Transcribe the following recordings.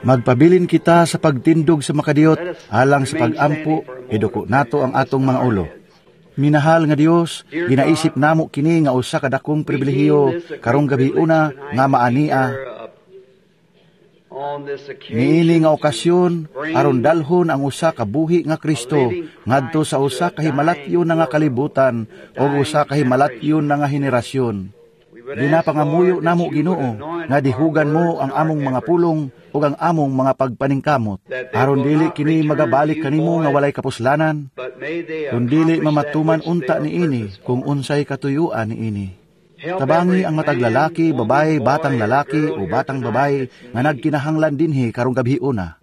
Magpabilin kita sa pagtindog sa makadiyot alang sa pagampo, iduko nato ang atong mga ulo. Minahal nga Dios, ginaisip namo kini nga usa ka dakong pribilehiyo karong gabi una nga maania niini nga okasyon aron dalhon ang usa ka buhi nga Kristo ngadto sa usa ka himalatyon na nga kalibutan o usa ka himalatyon na nga henerasyon. Ginapangamuyo namo, Ginoo, nga dihugan mo ang among mga pulong ug ang among mga pagpaningkamot aron dili kini magabalik kanimo nga walay kapuslanan, kun dili mamatuman unta niini kung unsay katuyuan niini. Tabangi ang matag lalaki, babae, batang lalaki o batang babae nga nagkinahanglan dinhi karong gabi una.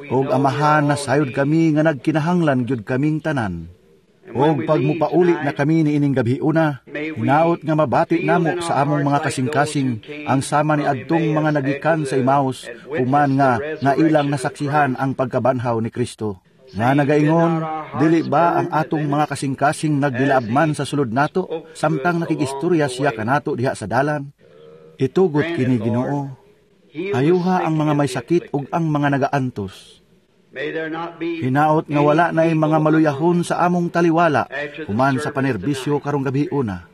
Og Amahan, nasayod kami nga nagkinahanglan gyud kaming tanan. Og pag mupauli na kami niining gabi una, hinaot nga mabati namo sa among mga kasing-kasing ang sama ni adtong mga nagikan sa Emmaus, human nga nga ilang nasaksihan ang pagkabanhaw ni Kristo. Nga nagaingon, "Dili ba ang atong mga kasing-kasing nagdilaabman sa sulod nato, samtang nakigistorya siya kanato diha sa dalan?" Itugot kini, Ginoo. Ayuha ang mga may sakit ug ang mga nagaantos. Hinaot nga wala na mga maluyahon sa among taliwala human sa panerbisyo karong gabi una.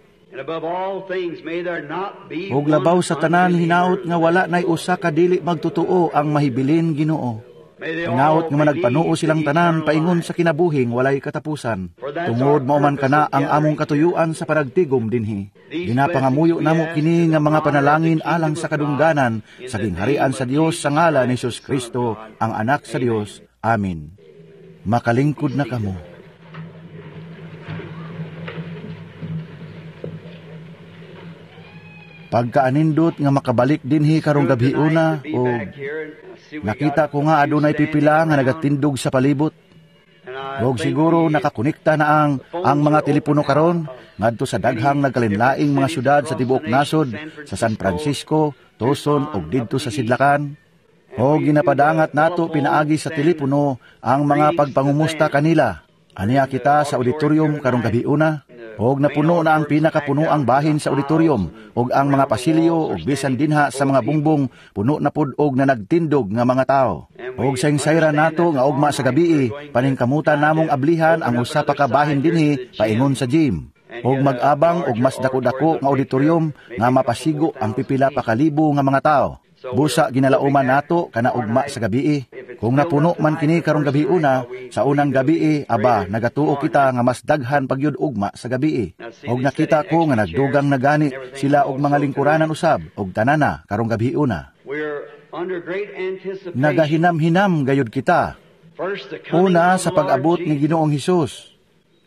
Ug labaw sa tanan, hinaot nga wala nay usa ka dili magtotoo ang mahibilin, Ginoo. Hinaot nga managpanuo silang tanan paingon sa kinabuhing walay katapusan. Tungod mao man kana ang among katuyuan sa panagtigom dinhi. Ginapangamuyo namo kini nga mga panalangin alang sa kadungganan sa gingharian sa Dios sa ngalan ni Jesus Kristo, ang anak sa Dios. Amen. Makalingkod na kamo. Pagkaanindot nga makabalik dinhi karong gabi una, o nakita ko nga adunay pipila nga nagatindog sa palibot. Og siguro nakakonekta na ang mga telepono karon ngadto sa daghang nagkalinlaing mga syudad sa tibuok nasod, sa San Francisco, Tucson ug didto sa Sidlakan. O ginapadangat nato pinaagi sa telepono ang mga pagpangumusta kanila. Aniya kita sa auditorium karong gabi una, og napuno na ang pinakapuno ang bahin sa auditorium ug ang mga pasilyo ug bisan dinha sa mga bungbong puno na pud og na nagtindog nga mga tao. Og saysayra nato nga ugma sa gabii paningkamutan namong ablihan ang usa pa ka bahin dinhi paingon sa gym. Og mag-abang og mas dako-dako nga auditorium nga mapasigo ang pipila pa kalibo nga mga tao. Busa ginalauman nato kana ugma sa gabii. Kung napuno man kini karong gabi una, sa unang gabii, aba, nagatuo kita nga mas daghan pagyud ugma sa gabii. Og nakita ko nga nagdugang na gani sila og mga lingkuranan usab og tanana karong gabi una. Nagahinam-hinam gayud kita. Una, sa pag-abot ni Ginoong Hesus.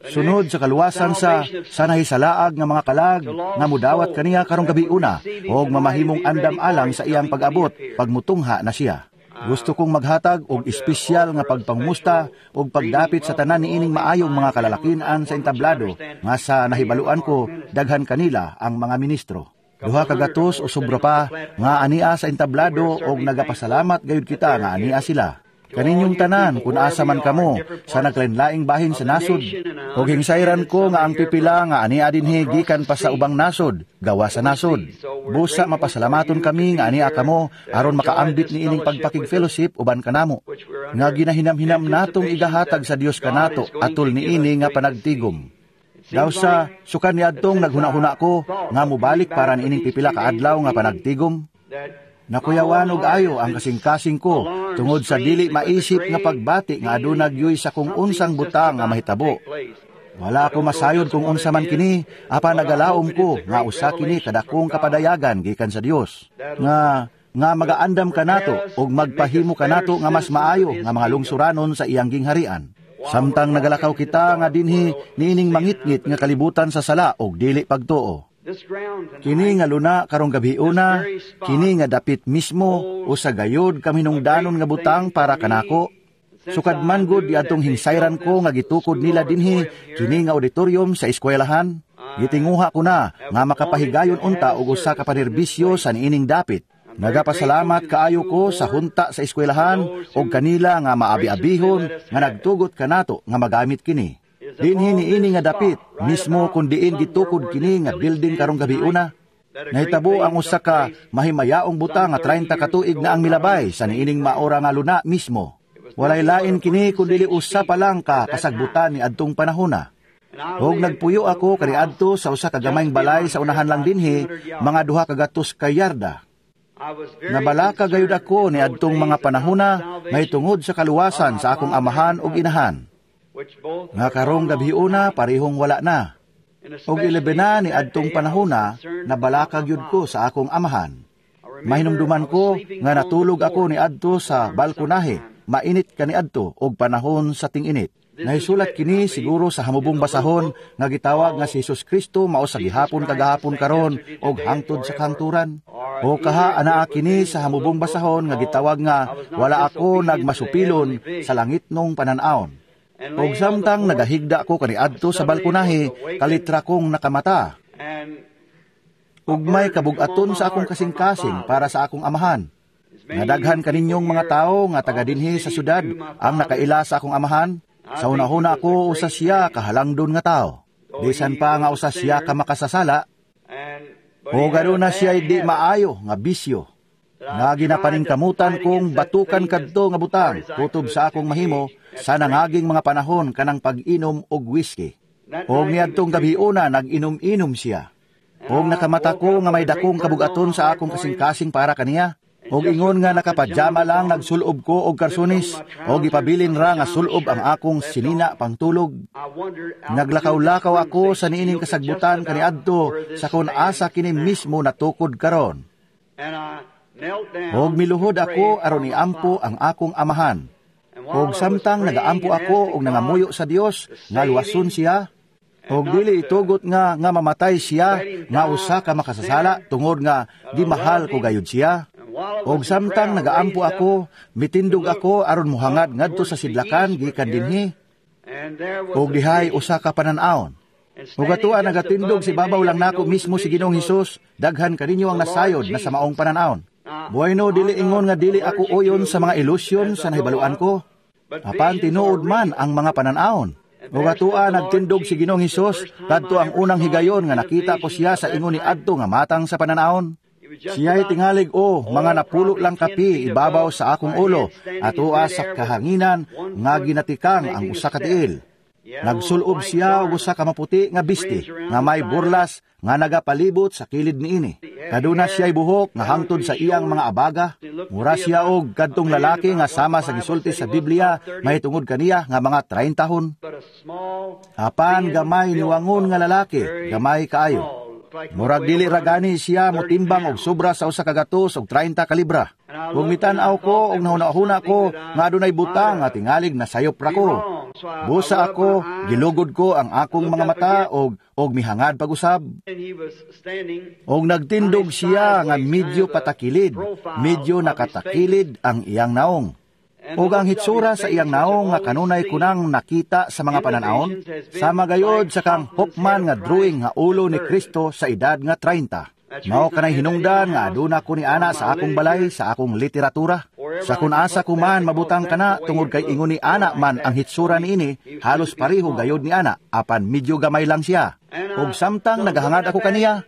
Sunod sa kaluwasan sa sanahisalaag nga mga kalag nga mudawat kaniya karong gabi una og mamahimong andam alang sa iyang pag-abot pagmutungha na siya. Gusto kong maghatag og espesyal nga pagpangumusta og pagdapit sa tanan niining maayong mga kalalakinan sa entablado nga sa nahibaluan ko daghan kanila ang mga ministro. 200 o sobra pa nga ania sa entablado og nagapasalamat gayud kita nga ania sila. Kaninyong tanan, kung asa man kamo, sa naglainlaing bahin sa nasod, og hingsayran ko nga ang pipila nga ania dinhi gikan pa sa ubang nasod, gawa sa nasod. Busa mapasalamaton kami nga ania kamo, aron makaambit niining pagpakig-fellowship uban kanamo. Nga ginahinam-hinam natong igahatag sa Dios kanato atol niini nga panagtigom. Daw sa sukan niadtong naghuna-huna ko nga mobalik para niining pipila ka adlaw nga panagtigom. Nakuyawan og ayo ang kasing-kasing ko tungod sa dili maisip nga pagbati nga aduna gyoy sa kung unsang butang nga mahitabo. Wala ko masayod kung unsa man kini, apan nagalaom ko nga usa kini kadakong kapadayagan gikan sa Dios. Nga nga magaandam kanato ug magpahimo kanato nga mas maayo nga mga lungsuranon sa iyang gingharian. Samtang nagalakaw kita nga dinhi niining mangitngit nga kalibutan sa sala ug dili pagtuo. Kini nga luna karong gabi una, kini nga dapit mismo o sa gayod kaminungdanon nga butang para kanako. Sukad man gud diadtong hinsayran ko nga gitukod nila dinhi kini nga auditorium sa eskwelahan. Gitinguha ko na nga makapahigayon unta og usa ka panerbisyo sa niining dapit. Nagapasalamat kaayo ko sa hunta sa eskwelahan og kanila nga maabi-abihon nga nagtugot kanato nga magamit kini. Dinhi niini nga dapit, mismo kun diin gitukod kini nga building karong gabi una. Nahitabo ang usa ka mahimayaong butang nga 30 ka tuig na ang milabay sa niining maora nga luna mismo. Walay lain kini kun dili usa pa lang ka kasagbutan ni adtong panahona. Og nagpuyo ako kaniadto sa usa ka gamayng balay sa unahan lang dinhi, mga 200 ka yarda. Nabalaka gayud ako ni adtong mga panahona mahitungod sa kaluwasan sa akong amahan ug inahan, nga karong gabhiona parehong wala na. Og ilebena ni adtong panahona, nabalaka gyud ko sa akong amahan. Mahinumduman ko nga natulog ako ni adto sa balkonahe, mainit kaniadto og panahon sa ting-init. Nahisulat kini siguro sa hamubong basahon nga gitawag nga si Jesus Kristo mao sa gihapon kagahapon karon og hangtod sa kahangturan. O kaha anaa kini sa hamubong basahon nga gitawag nga "Wala ako nagmasupilon sa langitnong panan-awon." Og samtang nagahigda ko kaniadto sa balkonahe, kalitra kong nakamata. Ug may kabugaton sa akong kasing-kasing para sa akong amahan. Nga daghan kaninyong mga tawo nga taga dinhi sa syudad ang nakaila sa akong amahan. Sa hunahuna ako, usa siya kahalangdon nga tao. Bisan pa nga usa siya ka makasasala, o aduna siya di maayo nga bisyo, nga ginapaningkamutan kong batukan kadto nga butang kutob sa akong mahimo sa nangaging mga panahon, kanang pag-inom og whiskey. Og niadtong gabiuna nag-inom-inom siya. Og nakamata ko nga may dakong kabugaton sa akong kasing-kasing para kaniya. Og ingon nga nakapajama lang, nagsulob ko og karsunis og ipabilin ra nga sulob ang akong sinina pangtulog. Naglakaw-lakaw ako sa niining kasagbutan kaniadto sa kung asa kini mismo natukod karon. Og miluhod ako aron iampo ang akong amahan. Og samtang nagaampo ako og nangamuyo sa Dios nga luwason siya, og dili itugot nga mamatay siya nga usa ka makasasala tungod nga gimahal ko gayud siya. Og samtang nagaampo ako, mitindog ako aron muhangad ngadto sa sidlakan gikan dinhi. Og dihay usa ka panan-awon. Ug atoa nagatindog sa ibabaw lang nako mismo si Ginoong Hesus. Daghan kaninyo ang nasayod na sa maong panan-awon. Bueno, dili ingon nga dili ako uyon sa mga ilusyon sa nahibaluan ko. Apan tinuod man ang mga panan-awon. Ug atoa nagtindog si Ginoong Hesus kadto ang unang higayon nga nakita ko siya sa ingon ni adto nga matang sa panan-awon. Siya'y tingalig o mga napulo lang ka pi ibabaw sa akong ulo, atoa sa kahanginan nga ginatikang ang usa ka tiil. Nagsulob siya og usa ka maputi nga biste nga may burlas nga nagapalibot sa kilid niini. Kaduna siya'y buhok nga hangtod sa iyang mga abaga. Mura siya og kadtong lalaki nga sama sa gisulti sa Biblia mahitungod kaniya nga mga 30 tahon. Apan gamay niwangon nga lalaki, gamay kaayo. Murag dili ra gani siya motimbang og sobra sa 130 ka libra. Ug mitan-aw ko og nahuna-huna ko nga adunay butang nga tingalig nasayop ra ko. Busa ako, gilugod ko ang akong mga mata og mihangad pag-usab. Og nagtindog siya nga medyo patakilid, medyo nakatakilid ang iyang naong. Og ang hitsura sa iyang naong nga kanunay kunang nakita sa mga pananawon, sama gayod sa kang Hoffman nga drawing nga ulo ni Kristo sa edad nga 30. Mao kanay hinungdan nga aduna ko ni ana sa akong balay sa akong literatura. Sa kung asa ko man mabutang kana tungod kay ingon ni ana man ang hitsura niini, halos pareho gayod ni ana, apan medyo gamay lang siya. Og samtang nagahangad ako kaniya,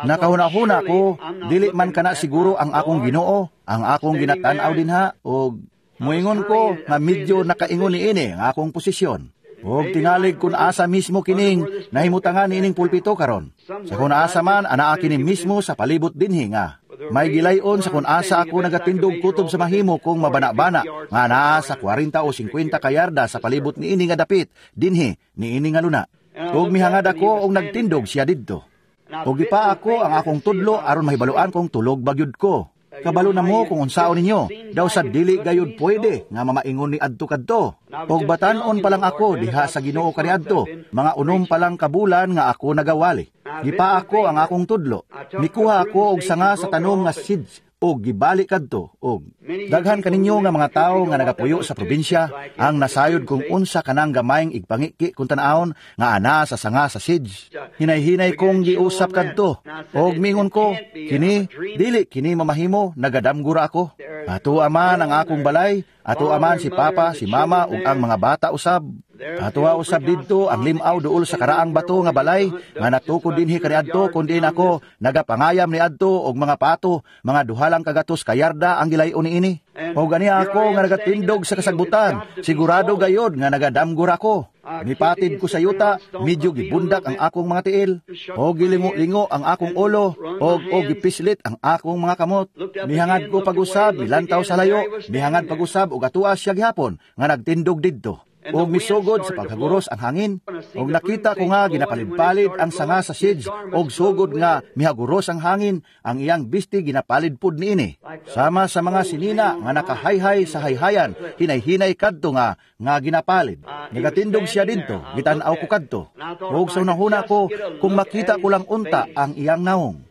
nakahuna-huna ko, dili man kana siguro ang akong Ginoo, ang akong ginatan-aw dinha, og muingon ko nga medyo nakaingon niini ang akong posisyon. Og tingalig kun asa mismo kining nahimutangan niining pulpito karon. Sa kung asa man anaa kini mismo sa palibot dinhi nga may gilayon sa kung asa ako nagatindog kutob sa mahimo kong mabana-bana nga anaa sa 40 o 50 kayarda sa palibot niini nga dapit dinhi niini nga luna. Og mihangad ako og nagtindog siya didto. Og gipa ako ang akong tudlo aron mahibaluan kong tulog bagyud ko. Kabalo na mo kung unsaon ninyo, daw sa dili gayud pwede nga mamaingon ni adto kadto. Og batan-on pa lang ako diha sa Ginoo kaniadto, mga 6 pa lang ka bulan nga ako nagawali. Gipa ako ang akong tudlo. Mikuha ako og sanga sa tanom nga seeds og gibali kadto og daghan kaninyo nga mga tawo nga nagapuyo sa probinsya ang nasayod kung unsa kanang gamayng igpangiki kung tan-awon nga ana sa sanga sa seeds. Hinay-hinay kong giusap kadto og mingon ko, kini dili kini mamahimo, nagadamgura ako. Ato aman ang akong balay, ato aman si papa, si mama ug ang mga bata usab. Atoa usab didto ang limaw duol sa karaang bato nga balay nga natukod dinhi kaniadto kun diin ako nagapangayam niadto og mga pato, mga 2 lang kagatos ka yarda ang gilay-on niini. Og ania ako nga nagatindog sa kasagbutan, sigurado gayod nga nagadamgo ra ko. Nipatid ko sa yuta, medyo gibundak ang akong mga tiil. Og gilingo-lingo ang akong ulo, og gipislit ang akong mga kamot. Mihangad ko pag-usab, milantaw sa layo, mihangad pag-usab og atoa siya gihapon nga nagtindog didto. Og misugod sa paghaguros ang hangin. Og nakita ko nga ginapalid-palid ang sanga sa sage og sugod nga mihaguros ang hangin, ang iyang bisti ginapalid pud niini. Sama sa mga sinina nga nakahayhay sa hayhayan, hinay-hinay kadto nga ginapalid. Nagatindog siya didto, gitan-aw ko kadto. Og sa hunahuna ko, kung makita ko lang unta ang iyang naong.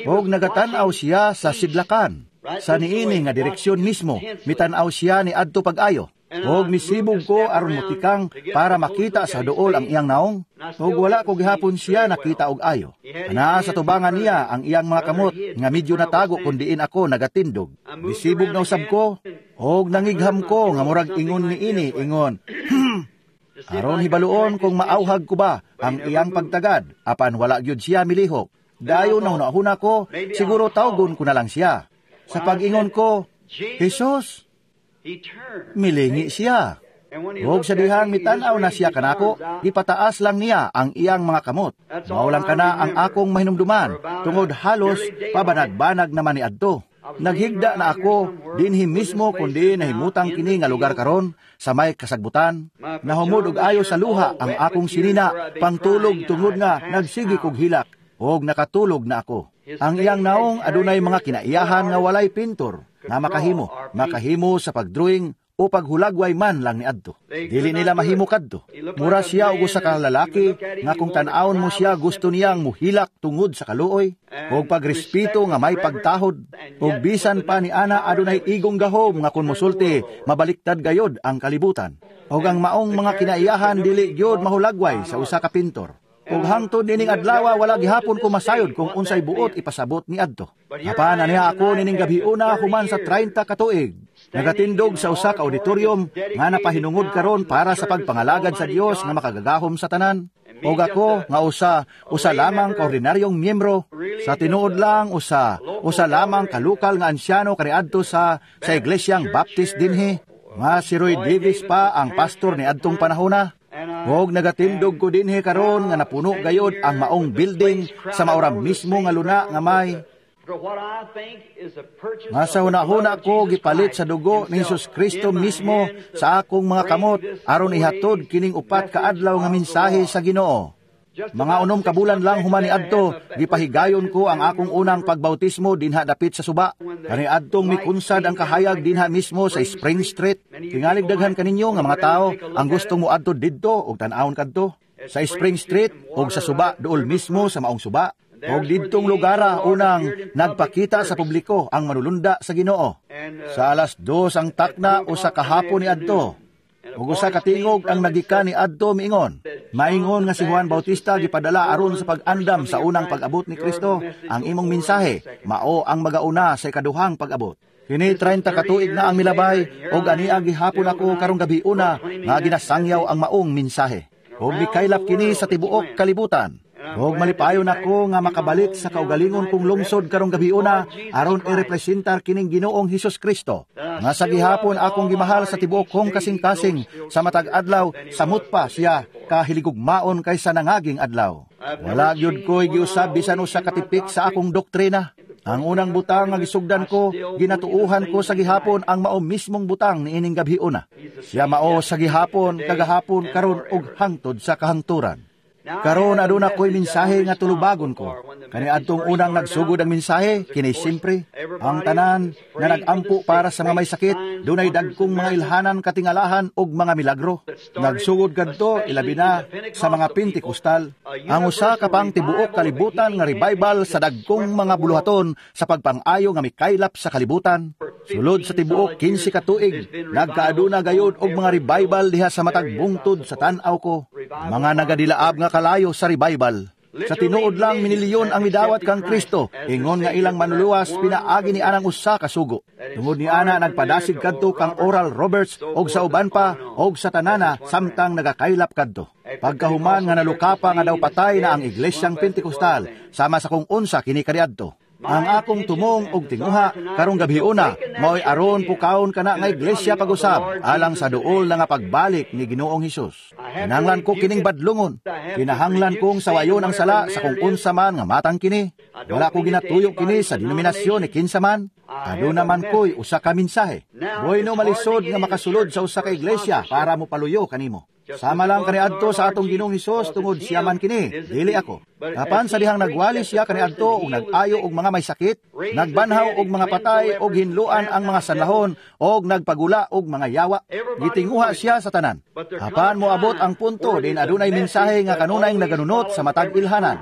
Og nagatan-aw siya sa sidlakan. Sa niini nga direksyon mismo, mitan-aw siya ni adto pag-ayo. Og misibog ko aron motikang para makita sa duol ang iyang naong. Og wala ko gihapon siya nakita og ayo. Anaa sa tubangan niya ang iyang mga kamot nga medyo natago kun diin ako nagatindog. Misibog na usab ko og nangigham ko nga murag ingon niini, ingon, "Aron hibaluon kung maauhag ko ba ang iyang pagtagad," apan wala gyud siya milihok. Dayon nahuna ko, siguro tawgon ko na lang siya. Sa pag-ingon ko, "Jesus," milingi siya. Og sa dihang mitanaw na siya kanako, gipataas lang niya ang iyang mga kamot. Mao lang kana ang akong mahinumduman, tungod halos pabanag-banag naman ni adto. Naghigda na ako dinhi mismo kundi nahimutang kini nga lugar karon sa may kasagbutan. Nahumod og ayo sa luha ang akong sinina pangtulog tungod nga nagsigi kog hilak og nakatulog na ako. Ang iyang naong adunay mga kinaiyahan nga walay pintor nga makahimo sa pagdrawing o paghulagway man lang niadto. Dili nila mahimo kadto. Mura siya og usa ka lalaki nga kung tan-awon mo siya, gusto niyang muhilak tungod sa kaluoy ug pagrespeto nga may pagtahod. Ug bisan pa ni ana, adunay igong gahom nga kung mosulti, mabaliktad gayod ang kalibutan. Ug ang maong mga kinaiyahan dili gyud mahulagway sa usa ka pintor. Ug hangtod nining adlaw, wala gihapon ko masayod kung unsay buot ipasabot ni adto. Apan aniha ako nining gabiuna human sa 30 ka tuig, nagatindog sa usa ka auditorium nga napahinungod karon para sa pagpangalagad sa Dios nga makagagahom sa tanan. Ug ako nga usa lamang ka ordinaryong miyembro, sa tinuod lang usa usa lamang ka lokal nga ansyano kaniadto sa Iglesyang Baptist dinhi, nga si Roy Davis pa ang pastor ni adtong panahona. Og nagatindog ko dinhi karon nga napuno gayod ang maong building sa maura mismo nga luna nga may nga sa hunahuna ko gipalit sa dugo ni Jesus Kristo mismo sa akong mga kamot aron ihatod kining 4 ka adlaw nga mensahe sa Ginoo. Mga 6 ka bulan lang human niadto, gipahigayon ko ang akong unang pagbautismo dinha dapit sa suba. Kani adtong mikunsad ang kahayag dinha mismo sa Spring Street. Tingalig daghan kaninyo nga mga tao ang gustong moadto didto og tan-awon kadto sa Spring Street ug sa suba, duol mismo sa maong suba. Og didtong lugara unang nagpakita sa publiko ang manulunda sa Ginoo. Sa 2:00 ang takna usa ka hapon ni adto, ug usa ka tingog ang nagikan ni adto miingon, "Maingon nga si Juan Bautista gipadala aron sa pag-andam sa unang pag-abot ni Kristo. Ang imong mensahe mao ang magauna sa ikaduhang pag-abot." Kini 30 ka tuig na ang milabay ug ania gihapon ako karong gabiuna nga ginasangyaw ang maong mensahe. Ug mikaylap kini sa tibuok kalibutan. Ug malipayon ako nga makabalik sa kaugalingon kong lungsod karong gabiuna aron irepresentar kining Ginoong Hesus Kristo, nga sa gihapon akong gimahal sa tibuok kong kasing-kasing. Sa matag adlaw, samot pa siya kahiligugmaon kaysa nangaging adlaw. Wala gyud ko'y giusab bisan usa ka tipik sa akong doktrina. Ang unang butang nga gisugdan ko, ginatuuhan ko sa gihapon ang mao mismong butang niining gabhiuna. Siya mao sa gihapon, kagahapon, karon ug hangtod sa kahangturan. Karon aduna ko'y mensahe nga tulubagon ko. Kani adtong unang nagsugod ang mensahe, kini simpre. Ang tanan nga nagampo para sa mga may sakit, dunay dagkong mga ilhanan, katingalahan ug mga milagro. Nagsugod kadto ilabi na sa mga Pentecostal, ang usa ka pang tibuok kalibutan nga revival sa dagkong mga buluhaton sa pagpang-ayo nga mikaylap sa kalibutan. Sulod sa tibuok 15 ka tuig, nagkaaduna gayud og mga revival diha sa matag bungtod sa tan-aw ko. Mga nagadilaab nga kalayo sa revival. Sa tinuod lang minilyon ang midawat kang Kristo, ingon nga ilang manluluwas pinaagi ni anang usa ka sugo. Tungod ni ana nagpadasig kadto kang Oral Roberts og sa uban pa og sa tanana samtang nagakaylap kadto. Pagkahuman nga nalukapa nga daw patay na ang Iglesyang Pentecostal sama sa kung unsa kini kaniadto. Ang akong tumong og tinguha karong gabhiona mao'y aron pukawon kana nga iglesia pag-usab alang sa duol na nga pagbalik ni Ginoong Hesus. Kinahanglan ko kining badlungon. Kinahanglan kong sawayon ang sala sa kung unsa man nga matang kini. Wala ko ginatuyo kini sa denominasyon ni kinsa man. Aduna man ko'y usa ka mensahe. Bueno, malisod nga makasulod sa usa ka iglesia para mopaluyo kanimo. Sama lang kaniadto sa atong Ginoong Hesus tungod siya man kini, dili ako. Apan sa dihang nagwali siya kaniadto og nag-ayo og mga may sakit, nagbanhaw og mga patay og hinluan ang mga sanlahon og nagpagula og mga yawa, gitinguha siya sa tanan. Apan moabot ang punto din adunay mensahe nga kanunay naganunot sa matag ilhanan.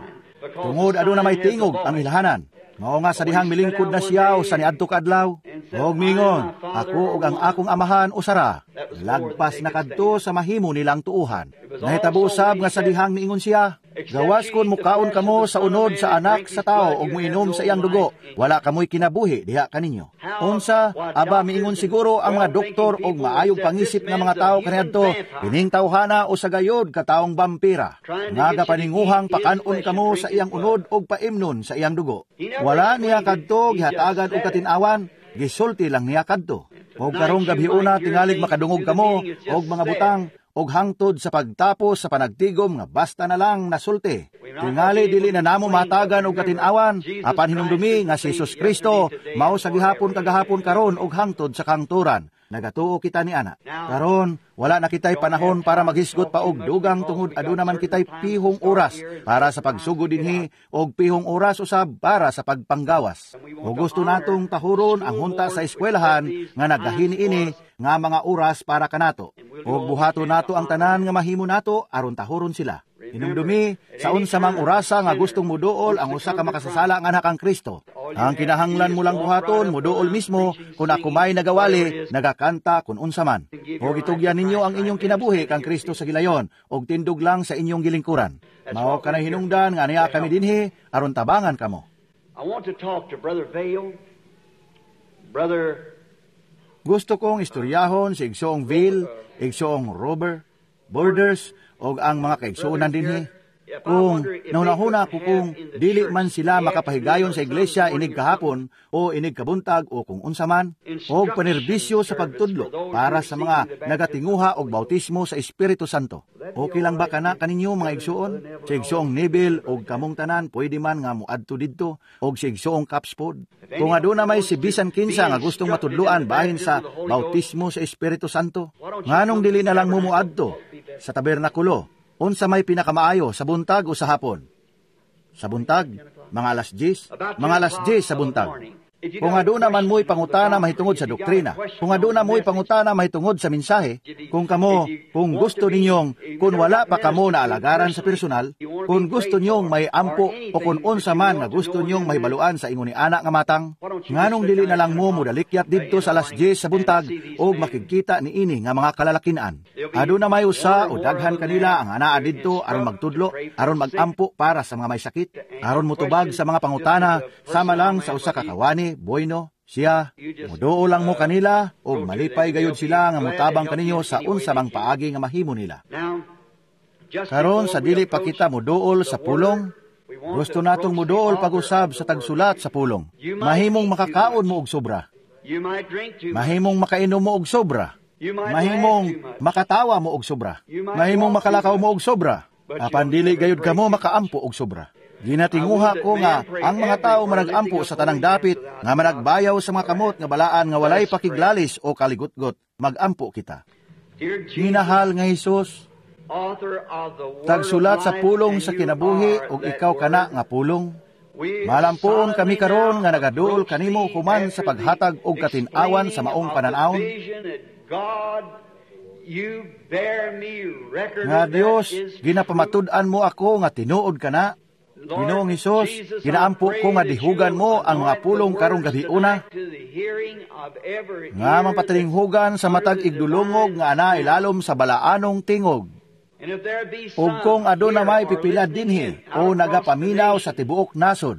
Tungod aduna may tingog ang ilhanan. Mao nga sa dihang milingkod na siya o sa niadto kaadlaw, og mingon, "Ako ug ang akong Amahan usara." Lagpas na kadto sa mahimo nilang tuuhan. Nahitabo usab nga sa dihang niingon siya, "Gawas kon mukaon kamo sa unod sa Anak sa Tao ug muinom sa iyang dugo, wala kamoy kinabuhi diha kaninyo." Unsa, aba, miingon siguro ang mga doktor og maayong pangisip nga mga tawo kaniadto, "Kining tawhana usa gayod ka taong bampira, nga gapaninguhang pakan-on kamo sa iyang unod og paimnon sa iyang dugo." Wala niya kadto gihatagan og katin-awan, gisulti lang niya kadto. Og karong gabhiona tingalig makadungog kamo og mga butang og hangtod sa pagtapos sa panagtigom nga basta na lang nasulti. Tingali dili na namo matagan og katin-awan, apan hinumdumi nga si Jesus Kristo mao sa gihapon kagahapon karon og hangtod sa kangturan. Nagatuo kita ni ana. Karon, wala na kita'y panahon para maghisgot pa og dugang tungod aduna man kita'y pihong oras para sa pagsugod dinhi og pihong oras usab para sa pagpanggawas. O gusto natong tahuron ang hunta sa eskwelahan nga naggahin ini nga mga oras para kanato. Og buhaton nato ang tanan nga mahimo nato aron tahuron sila. Hinumdumi, sa unsa mang orasa nga gustong muduol ang usa ka makasasala nga anak kang Kristo, ang kinahanglan mo lang buhaton, muduol mismo kung ako may nagawali, nagakanta kung unsa man. Og itugyan ninyo ang inyong kinabuhi kang Kristo sa gilayon, og tindog lang sa inyong gilingkuran. Mao kanay hinungdan nga niya kami dinhi aron tabangan kamo. I want to talk to Brother Vayle, Brother Gusto kong istoryahon si Igsoong Vayle, Igsoong Robert, Borders, og ang mga kaigsuonan dinhi. Kung nahunahuna ko kung dili man sila makapahigayon sa iglesia inig kahapon o inig kabuntag o kung unsa man, og panerbisyo sa pagtudlo para sa mga nagatinguha og bautismo sa Espiritu Santo. Okay lang ba kana kaninyo, mga igsuon? Si Igsoong Neville og kamong tanan pwede man nga moadto didto og si Igsoong Capspod. Kung aduna may si bisan kinsa nga gustong matudloan bahin sa bautismo sa Espiritu Santo, nganong dili na lang mo moadto sa tabernakulo? Unsa may pinakamaayo, sa buntag o sa hapon? Sa buntag, mga alas 10, mga alas 10 sa buntag. Kung aduna man mo'y pangutana mahitungod sa doktrina, kung aduna mo'y pangutana mahitungod sa mensahe, kung kamo, kung gusto ninyong, kung wala pa kamo na alagaran sa personal, kung gusto ninyong may ampo o kung unsa man nga gusto ninyong mahibaluan sa ingon ni ana nga matang, nganong dili na lang mo modalikyat didto sa alas 10 sa buntag og makigkita niini nga mga kalalakinan? Aduna may usa o daghan kanila ang anaa didto aron magtudlo, aron magampo para sa mga may sakit, aron motubag sa mga pangutana, sama lang sa usa ka kawani, bueno, siya, muduol lang mo kanila, og malipay gayud sila nga motabang kaninyo sa unsa mang paagi nga mahimo nila. Karon sa dili pa kita muduol sa pulong, gusto natong muduol pag-usab sa tagsulat sa pulong. Mahimong makakaon mo og sobra. Mahimong makainom mo og sobra. Mahimong makatawa mo og sobra. Mahimong makalakaw mo og sobra. Apan dili gayud kamo makaampo og sobra. Ginatinguha ko nga ang mga tao managampo sa tanang dapit, nga managbayaw sa mga kamot nga balaan nga walay pakiglalis o kaligutgot, magampo kita. Minahal nga Hesus, tagsulat sa pulong sa kinabuhi ug ikaw kana nga pulong. Malampuon kami karon nga nagaduol kanimo human sa paghatag og katin-awan sa maong panan-awon. Nga Dios, ginapamatud-an mo ako nga tinuod kana. Ginoong Hesus, ginaampo ko nga dihugan mo ang mga pulong karong gabiuna, nga mapatalinghugan sa matag igdulungog nga ana ilalom sa balaanong tingog. Ug kung aduna may pipila dinhi o nagapaminaw sa tibuok nasod,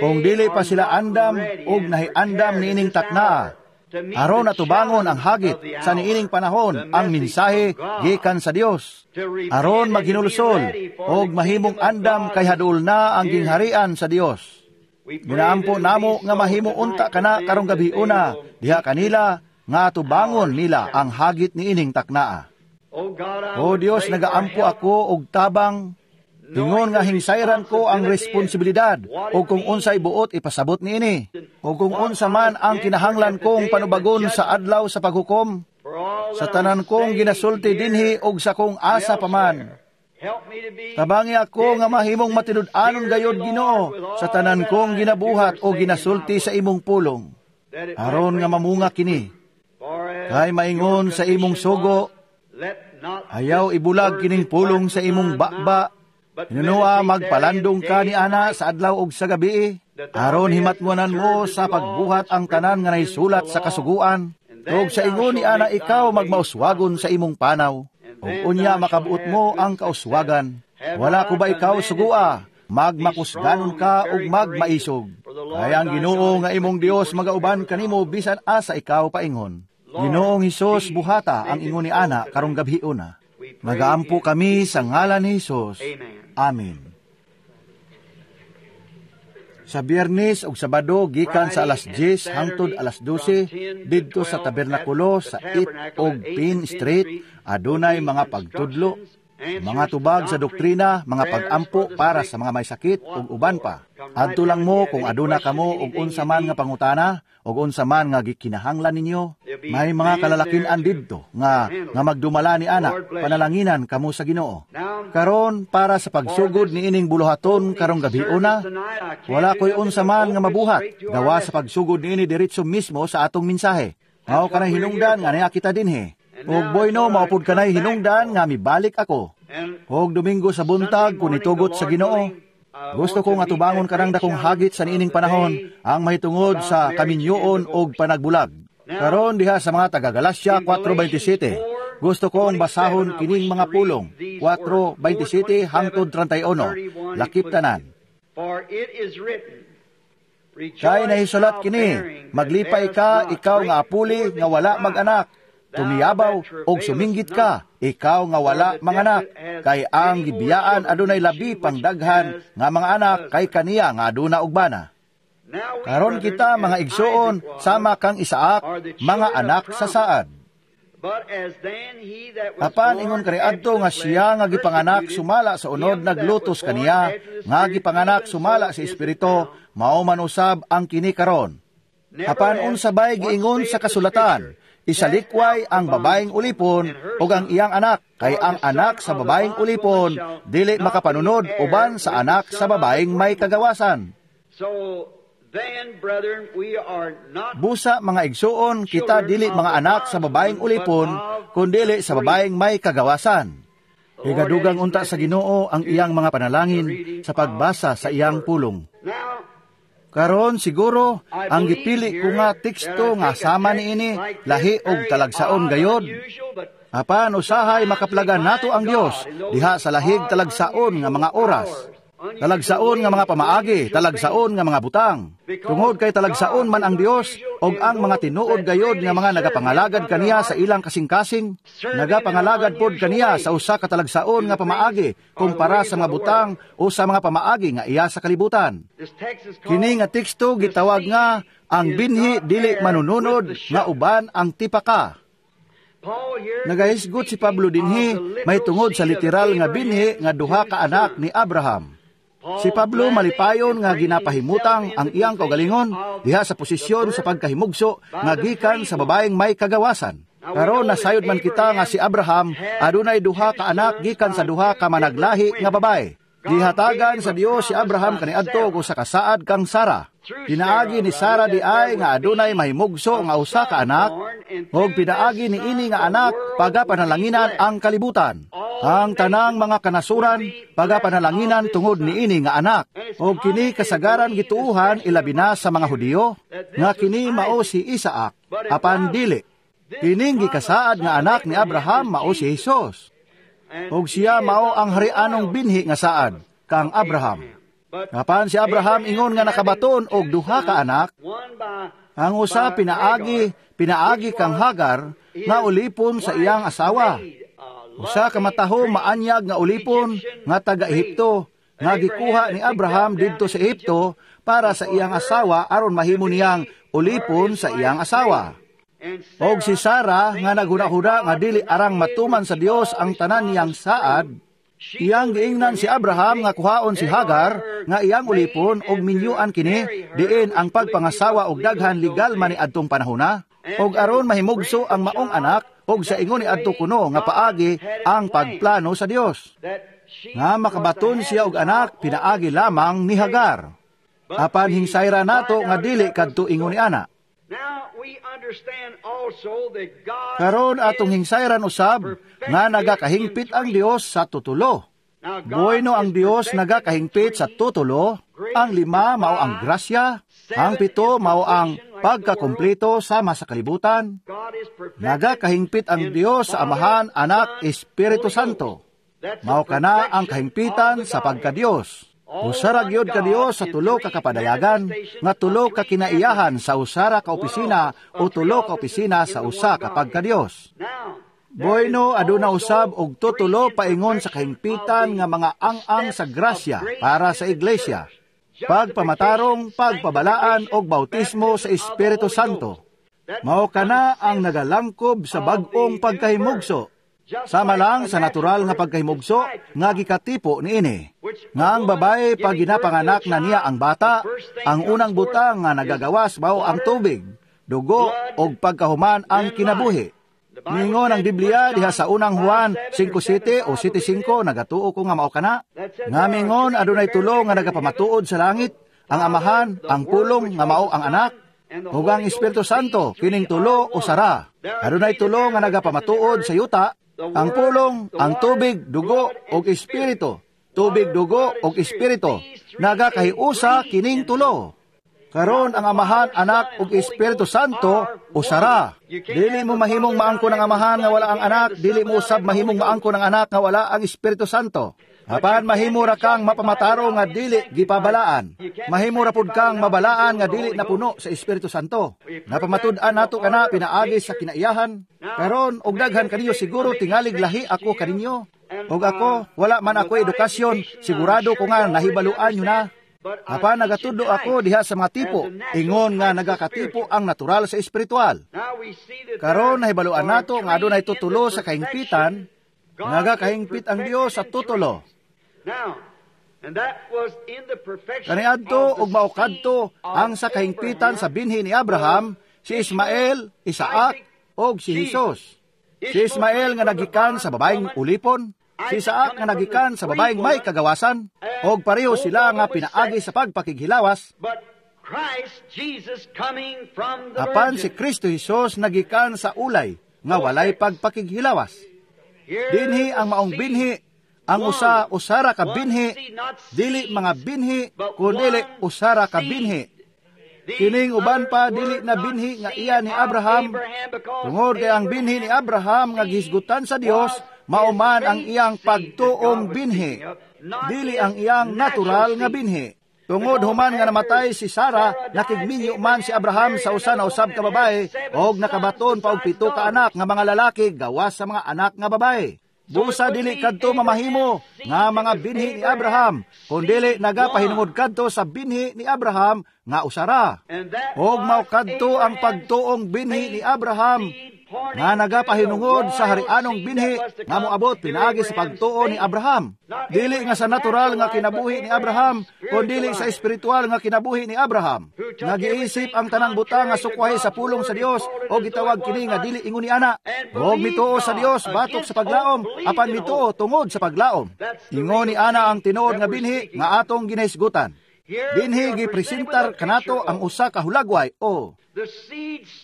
kung dili pa sila andam og nahiandam niining taknaa, aron atubangon ang hagit sa niining panahon ang mensahe gikan sa Dios, aron maghinulsol og mahimong andam kay haduol na ang gingharian sa Dios. Ginaampo namo nga mahimo unta kana karong gabiuna diha kanila nga atubangon nila ang hagit niining taknaa. O Dios, nagaampo ako og tabang, ingon nga hingsayran ko ang responsibilidad o kung unsay buot ipasabot niini, o kung unsa man ang kinahanglan kong panubagon sa adlaw sa paghukom, sa tanan kong ginasulti dinhi og sa kong asa pa man. Tabangi ako nga mahimong matinud-anon gayod, Ginoo, sa tanan kong ginabuhat o ginasulti sa imong pulong, aron nga mamunga kini. Kay maingon sa imong sugo, ayaw ibulag kining pulong sa imong baba. Hinunoa magpalandong ka ni ana sa adlaw og sa gabi, aron himatngonan mo sa pagbuhat ang tanan nga nahisulat sa kasuguan. Ug sa ingon ni ana ikaw magmauswagon sa imong panaw, ug unya makabuot mo ang kauswagan. Wala ko ba ikaw sugua, magmakusganon ka ug magmaisog. Kay ang Ginoo nga imong Dios magauban kanimo bisan asa ikaw paingon. Ginoong Hesus, buhata ang ingon ni ana karong gabhiona. Nagaampo kami sa ngalan ni Hesus. Amen. Sa Biyernes ug Sabado gikan sa alas 10 hangtod alas 12 didto sa tabernakulo sa 8 ug Pine Street adunay mga pagtudlo, mga tubag sa doktrina, mga pagampo para sa mga may sakit ug uban pa. Adto lang mo kung aduna kamo og unsa man nga pangutana og unsa man nga gikinahanglan ninyo. May mga kalalakin-an didto nga magdumala ni ana, panalanginan kamo sa Ginoo. Karon para sa pagsugod niining buluhaton karong gabiuna, wala koy unsa man nga mabuhat gawa sa pagsugod niini diretso mismo sa atong mensahe. Mao kanay hinungdan nga naa kita dinhi. Og boyno maupod kanay hinungdan nga mibalik ako. Og Domingo sa buntag kun itugot sa Ginoo, gusto ko nga tubangon kanang dakong hagit sa niining panahon ang mahitungod sa kaminyoon og panagbulag. Karon diha sa mga taga Galatia 4:27, gusto kong basahon kining mga pulong 4:27 hangtod 31, lakip tanan. Kay nahisulat kini, maglipay ka ikaw nga apuli nga wala mag-anak, tumiyabaw og suminggit ka, ikaw nga wala manganak, kay ang gibiyaan adunay labi pang daghan nga mga anak kay kaniya nga aduna og bana. Karon kita mga igsuon sama kang Isaac, mga anak sa saad. Apan ingon kaniadto nga siya nga gipanganak sumala sa unod naglutos kaniya, nga gipanganak sumala sa espiritu, mao man usab ang kini karon. Apan unsabay giingon sa kasulatan, isalikway ang babaeng ulipon o ang iyang anak, kay ang anak sa babaeng ulipon dili makapanunod uban sa anak sa babaeng may kagawasan. Busa mga igsuon, kita dili mga anak sa babaeng ulipon, kundili sa babaeng may kagawasan. Higadugang unta sa Ginoo ang iyang mga panalangin sa pagbasa sa iyang pulong. Karon siguro ang gipili ko nga teksto nga sama niini lahi og talagsaon gayod. Apan usahay makaplagan nato ang Dios diha sa lahig talagsaon nga mga oras, talagsaon nga mga pamaagi, talagsaon nga mga butang. Tungod kay talagsaon man ang Dios og ang mga tinuod gayod nga mga nagapangalagad kaniya sa ilang kasing-kasing, nagapangalagad pod kaniya sa usa ka talagsaon nga pamaagi kumpara sa mga butang o sa mga pamaagi nga iya sa kalibutan. Kini nga teksto gitawag nga ang binhi dili manununod nga uban ang tipaka. Nagahisgot si Pablo dinhi mahitungod sa literal nga binhi nga duha ka anak ni Abraham. Si Pablo malipayon nga ginapahimutang ang iyang kaugalingon diha sa posisyon sa pagkahimugso nga gikan sa babaeng may kagawasan. Karon nasayod man kita nga si Abraham adunay duha ka anak gikan sa duha ka managlahi nga babae. Gihatagan sa Dios si Abraham kaniadto og usa ka saad kang Sara. Pinaagi ni Sara diay nga adunay mahimugso nga usa ka anak, ug pinaagi niini nga anak pagapanalanginan ang kalibutan. Ang tanang mga kanasuran pagapanalanginan tungod niini nga anak. Ug kini kasagaran gituohan ilabi na sa mga Hudiyo nga kini mao si Isaac, apan dili. Kining gikasaad nga anak ni Abraham mao si Hesus. Ug siya mao ang harianong binhi nga saad kang Abraham. Apan si Abraham ingon nga nakabaton og duha ka anak, ang usa pinaagi kang Hagar nga ulipon sa iyang asawa. Usa ka matahom maanyag nga ulipon nga taga Ehipto nga gikuha ni Abraham didto sa Ehipto para sa iyang asawa aron mahimo niyang ulipon sa iyang asawa. Og si Sara nga naghuna-huna nga dili arang matuman sa Dios ang tanan niyang saad, iyang giingnan si Abraham nga kuhaon si Hagar nga iyang ulipon og minyuan kini diin ang pagpangasawa og daghan legal man ni adtong panahona, og aron mahimugso ang maong anak og sa ingon ni adto kuno nga paagi ang pagplano sa Dios nga makabaton siya og anak pinaagi lamang ni Hagar. Apan hingsayra nato nga dili kadto ingon ni ana. Karon atong hingsayran usab nga nagakahingpit ang Dios sa tutulo. Bueno ang Dios nagakahingpit sa tutulo. Ang 5 mao ang grasya, ang 7 mao ang pagkakumpleto sama sa kalibutan. Nagakahingpit ang Dios sa Amahan, Anak, Espiritu Santo. Mao kana ang kahingpitan sa pagkadios. Usara gyud ka Dios sa tulo ka kapadayagan, nga tulo ka kinaiyahan sa usara ka opisina o tulo ka opisina sa usa ka pagkadios. Bueno, aduna usab og tutulo paingon sa kahingpitan nga mga ang-ang sa grasya para sa iglesia. Pagpamatarong, pagpabalaan og bautismo sa Espiritu Santo. Mao kana ang nagalangkob sa bag-ong pagkahimugso. Sama lang sa natural nga pagkahimugso nga gikatipo niini. Nga ang babae pag ginapanganak na niya ang bata, ang unang butang nga nagagawas mao ang tubig, dugo og pagkahuman ang kinabuhi. Ningon ang Biblia diha sa unang Juan 5:7 o 7:5, nagatuo ko nga mao kana. Nga mingon adunay tulo nga nagapamatuod sa langit, ang Amahan, ang Pulong nga mao ang Anak, ug ang Espiritu Santo, kining tulo usara. Adunay tulo nga nagapamatuod sa yuta, ang pulong, ang tubig, dugo, og espiritu. Tubig, dugo, og espiritu. Nagakahiusa kining tulo. Karon ang Amahan, Anak, ug Espiritu Santo usara. Dili mo mahimong maangko ng Amahan nga wala ang Anak, dili mo usab mahimong maangko ng Anak nga wala ang Espiritu Santo. Apan mahimo ra kang mapamataro nga dili gipabalaan. Mahimo ra pud kang mabalaan nga dili napuno sa Espiritu Santo. Napamatud-an nato kana pinaagi sa kinaiyahan. Karon og daghan kaniyo siguro tingalig lahi ako kaninyo. Og ako wala man ako edukasyon, sigurado ko nga nahibaluan nyo na. Apan nagatudlo ako diha sa mga tipo, ingon nga nagakatipo ang natural sa espiritual. Karon nahibaluan nato nga adunay tutulo sa kahingpitan, nagakahingpit ang Dios sa tutulo. Kaniadto ug mao kadto ang sa kahingpitan sa binhi ni Abraham, si Ismael, Isaac ug si Jesus. Si Ismael nga nagikan sa babaeng ulipon, si Isaac nga nagikan sa babaeng may kagawasan, og pareho sila nga pinaagi sa pagpakighilawas. Apan si Kristo Jesus nagikan sa ulay nga walay pagpakighilawas. Dinhi ang maong binhi, ang usa usara ka binhi, dili mga binhi, kundili usara ka binhi. Kining uban pa dili na binhi nga iya ni Abraham, tungod kay ang binhi ni Abraham nga gihisgutan sa Dios, mao man ang iyang pagtuong binhi, dili ang iyang natural nga binhi. Tungod human nga namatay si Sara, nakigminyo man si Abraham sa usa na usab ka babae, og nakabaton pa og 7 ka anak nga mga lalaki gawas sa mga anak nga babae. Busa dili kadto mamahimo nga mga binhi ni Abraham, kundili nagapahinungod kadto sa binhi ni Abraham nga usara. Og mao kadto ang pagtuong binhi ni Abraham nga nagapahinungod sa harianong binhi nga moabot pinaagi sa pagtuo ni Abraham. Dili nga sa natural nga kinabuhi ni Abraham, kundili sa espiritual nga kinabuhi ni Abraham. Nagiisip ang tanang butang nga sukwahi sa pulong sa Dios o gitawag kini nga dili ingon ni ana. Og mituo sa Dios batok sa paglaom, apan mituo tungod sa paglaom. Ingon ni ana ang tinuod nga binhi nga atong ginahisgutan. Dinhi gipresentar kanato ang usa ka hulagway o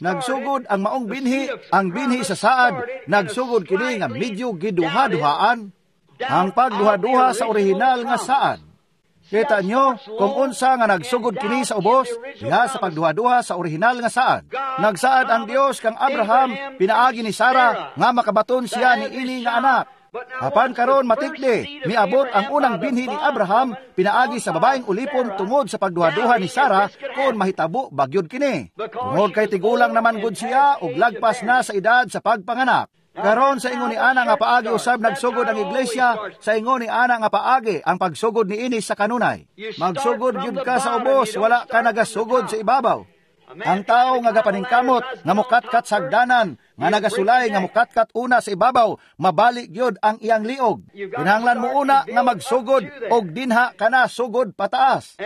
nagsugod ang maong binhi, ang binhi sa saad, nagsugod kini nga medyo giduha-duhaan ang pagduha-duha sa orihinal nga saad. Kita nyo kung unsa nga nagsugod kini sa ubos, diha sa pagduha-duha sa orihinal nga saad. Nagsaad ang Dios kang Abraham, pinaagi ni Sara, nga makabaton siya ni ini nga anak. Apan karon matikdi, miabot ang unang binhi ni Abraham pinaagi sa babaeng ulipon tungod sa pagduhaduha ni Sara kung mahitabo bagyod kini. Tungod kay tigulang naman gud siya ug lagpas na sa edad sa pagpanganak. Karon sa ingon ni ana nga paagi usab nagsugod ang iglesia, sa ingon ni ana nga paagi ang pagsugod niini sa kanunay. Magsugod gyud ka sa ubos, wala ka nagasugod sa ibabaw. Ang tao nga gapaningkamot nga mukatkat sa hagdanan, nga nagasulay nga mukatkat una sa ibabaw, mabali gyud ang iyang liog. Kinahanglan mo una nga magsugod og dinha kana sugod pataas.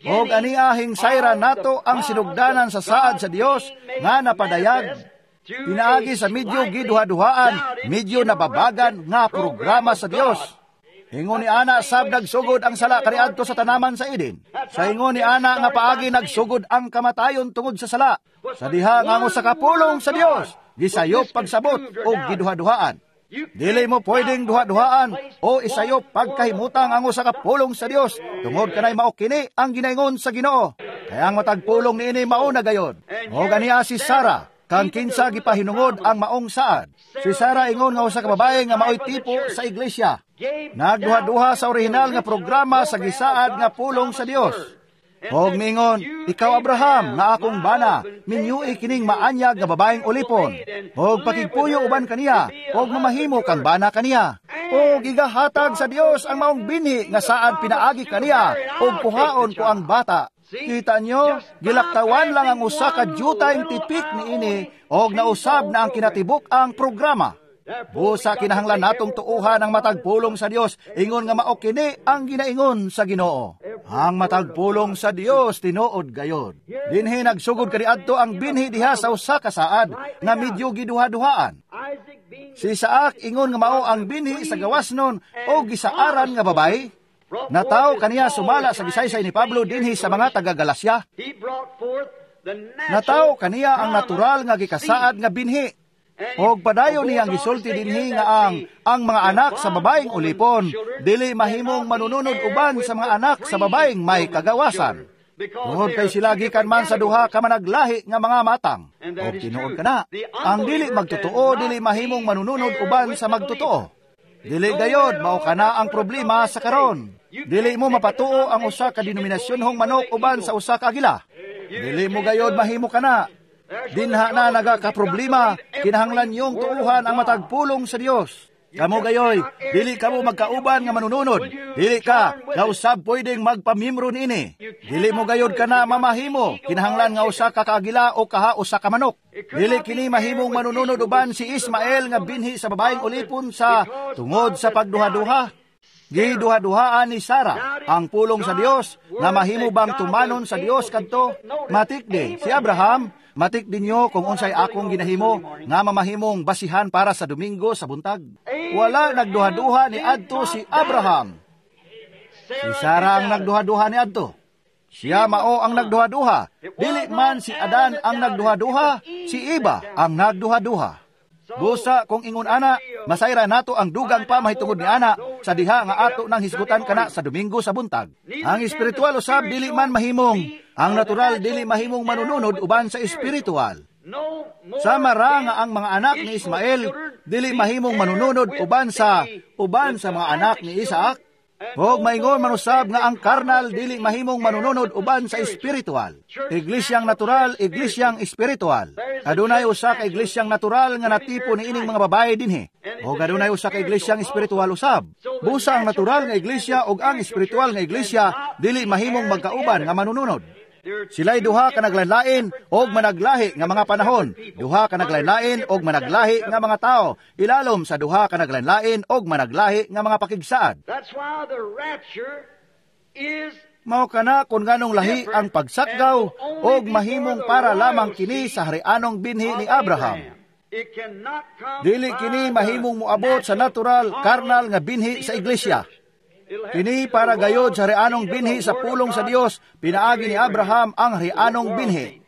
Og aniahing sayra nato ang sinugdanan sa saad sa Dios nga napadayag pinaagi sa medyo giduha-duhaan, medyo nababagan nga programa sa Dios. Ingon ni ana sab nagsugod ang sala kaniadto sa tanaman sa Eden. Sa ingon ni ana nga paagi nagsugod ang kamatayon tungod sa sala. Sa diha nga ang usa ka pulong sa Dios gisayop pagsabot og giduha-duhaan. Dili mo pwedeng duha-duhaan o isayop pagkahimutang ang usa ka pulong sa Dios tungod kanay mao kini ang ginaingon sa Ginoo. Kaya ang matag pulong niini mao na gayon. O ganiya si Sara kang kinsa gipahinungod ang maong saad. Si Sara ingon nga usa ka babae nga maoy tipo sa iglesia. Nagduha-duha sa orihinal nga programa sa gisaad nga pulong sa Dios. Og miingon, ikaw Abraham nga akong bana, minyui kining maanyag nga babaeng ulipon. Og pakigpuyo uban kaniya, og mamahimo kang bana kaniya. Og igahatag sa Dios ang maong binhi nga saad pinaagi kaniya, og kuhaon ko ang bata. Kita nyo, gilaktawan lang ang usa ka jutayng tipik niini og nausab na ang kinatibuk ang programa. Busa kinahanglan natong tuuhan ang matag pulong sa Dios, ingon nga mao kini ang ginaingon sa Ginoo. Ang matag pulong sa Dios tinuod gayon. Dinhi nagsugod kaniadto ang binhi diha sa usa ka saad nga medyo giduha-duhaan. Si Isaac ingon nga mao ang binhi sa gawasnon o gisaaran nga babae. Nataw kaniya sumala sa gisaysay ni Pablo dinhi sa mga taga-Galacia. Nataw kaniya ang natural nga gikasaad nga binhi. Og padayon niyang gisulti dinhi nga ang mga anak sa babaeng ulipon dili mahimong manununod uban sa mga anak sa babaeng may kagawasan. Tungod kay sila gikan man sa duha ka managlahi nga mga matang. Og tinuod kana, ang dili magtotoo dili mahimong manununod uban sa magtotoo. Dili gayod mao kana ang problema sa karon. Dili mo mapatuo ang usa ka denominasyonhong manok uban sa usa ka agila. Dili mo gayod mahimo kana. Dinha na nagakaproblema, kinahanglan niyong tuuhan ang matag pulong sa Dios. Kamo gayoy, dili kamo magkauban nga manununod. Dili ka, kausab pwedeng magpamimro niini. Dili mo gayod kana mamahimo, kinahanglan nga usa ka kaagila o kaha usa ka manok. Dili kini mahimong manununod uban si Ismael nga binhi sa babaeng ulipon sa tungod sa pagduha-duha. Giduha-duhaan ni Sara ang pulong sa Dios nga mahimo bang tumanon sa Dios kadto. Matikdi si Abraham, matikdi niyo kung unsay akong ginahimo nga mamahimong basihan para sa Domingo sa buntag. Wala nagduha-duha ni adto si Abraham. Si Sara ang nagduha-duha ni adto. Siya mao ang nagduha-duha. Dili man si Adan ang nagduha-duha, si Eva ang nagduha-duha. Busa kung ingon ana, masayra nato ang dugang pa mahitungod ni ana sa diha nga ato nang hisgutan kana sa Domingo sa buntag. Ang espiritual usab dili man mahimong, ang natural dili mahimong manununod uban sa espiritual. Sama ra nga ang mga anak ni Ismael dili mahimong manununod uban sa mga anak ni Isaac. Og maingon manusab nga ang karnal dili mahimong manununod uban sa espiritual. Iglesyang natural, iglesyang espiritual. Adunay usa ka iglesyang natural nga natipo niining mga babae dinhi. Og adunay usa ka iglesyang espiritual usab. Busa ang natural nga iglesia og ang espiritual nga iglesia dili mahimong magkauban nga manununod. Sila'y duha ka naglain og managlahi nga mga panahon, duha ka naglain og managlahi nga mga tao, ilalom sa duha ka naglain og managlahi nga mga pakigsaad. Mao kana kung nganong lahi ang pagsakgaw og mahimong para lamang kini sa harianong binhi ni Abraham. Dili kini mahimong moabot sa natural, karnal nga binhi sa iglesia. Kini para gayod sa harianong binhi sa pulong sa Dios, pinaagi ni Abraham ang harianong binhi.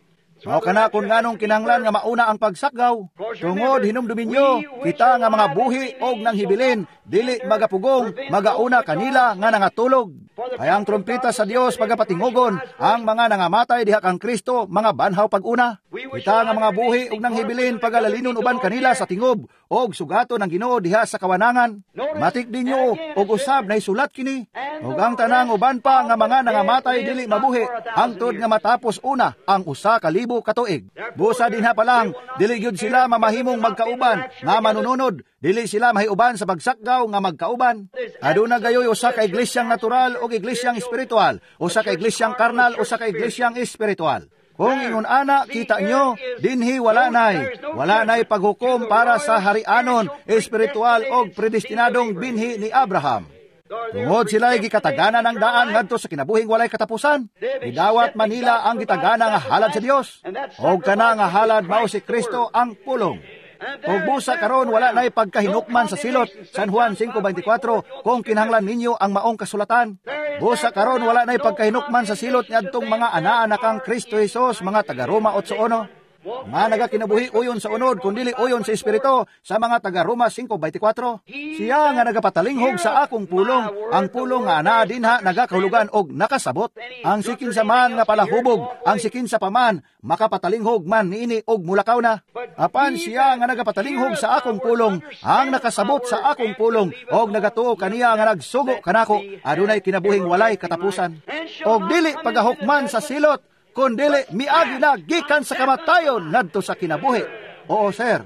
Mao kana kung nganong kinahanglan nga mauna ang pagsakgaw. Tungod hinumdumin nyo, kita nga mga buhi og nanghibilin, dili magapugong, magauna kanila nga nangatulog. Kaya ang trumpeta sa Dios pagapatingugon, ang mga nangamatay diha kang Kristo, mga banhaw pag-una. Kita nga mga buhi og nang hibilin pagalalinon uban kanila sa tingob og sugaton ang Ginoo diha sa kawanangan. Matik ninyo og usab na isulat kini. Og ang tanang uban pa nga mga nangamatay dili mabuhi hangtod nga matapos una ang 1,000 ka tuig. Busa dinha pa lang dili gyud sila mamahimong magkauban nga manununod, dili sila mahiuban sa pagsakgaw nga magkauban. Aduna gayoy usa ka iglesyang natural og iglesyang espiritual, usa ka iglesyang karnal, usa ka iglesyang espiritual. Kung ingon ana, kita nyo, dinhi wala nay paghukom para sa harianon, espiritual og predestinadong binhi ni Abraham. Tungod sila'y gikatagana ng daan ngadto sa kinabuhing walay katapusan, gidawat manila ang gitagana nga halad sa Dios. Og kana nga halad mao si Kristo ang pulong. Og busa karon wala nay pagkahinukman sa silot, San Juan 5:24, kung kinahanglan ninyo ang maong kasulatan. Busa karon wala nay pagkahinukman sa silot niadtong mga anaa kang Kristo Jesus, mga taga Roma 8:1. Nga nagakinabuhi uyon sa unod kundili uyon sa espiritu, sa mga taga Roma 5:24. Siya nga nagapatalinghog sa akong pulong, ang pulong nga anaa dinha nagakahulugan og nakasabot. Ang sikin sa man nga palahubog, ang sikin sa paman makapatalinghog man niini og mulakaw na. Apan siya nga nagapatalinghog sa akong pulong, ang nakasabot sa akong pulong og nagatuo kaniya nga nagsugo kanako, adunay kinabuhing walay katapusan. Og dili pagahukman sa silot, kundili miagi na gikan sa kamatayon ngadto sa kinabuhi. Oo, sir.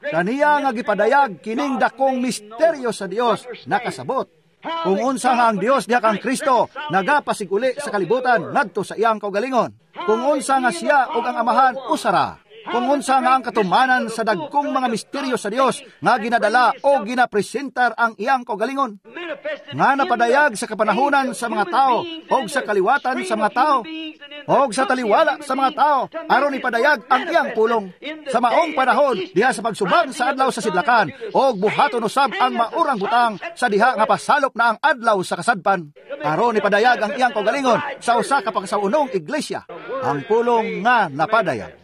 Kaniya nga gipadayag kining dakong misteryo sa Dios nakasabot. Kung unsa nga ang Dios diha kang Kristo nagapasiguli sa kalibutan ngadto sa iyang kaugalingon. Kung unsa nga siya ug ang Amahan usara. Kung unsa nga ang katumanan sa dagkong mga misteryo sa Dios nga ginadala o ginapresentar ang iyang kaugalingon, nga napadayag sa kapanahunan sa mga tao og sa kaliwatan sa mga tao og sa taliwala sa mga tao aron ipadayag ang iyang pulong sa maong panahon diha sa pagsubang sa adlaw sa sidlakan, og buhaton usab ang maurang butang sa diha nga pasalop na ang adlaw sa kasadpan, aron ipadayag ang iyang kaugalingon sa usa ka pagsaunong iglesia, ang pulong nga napadayag.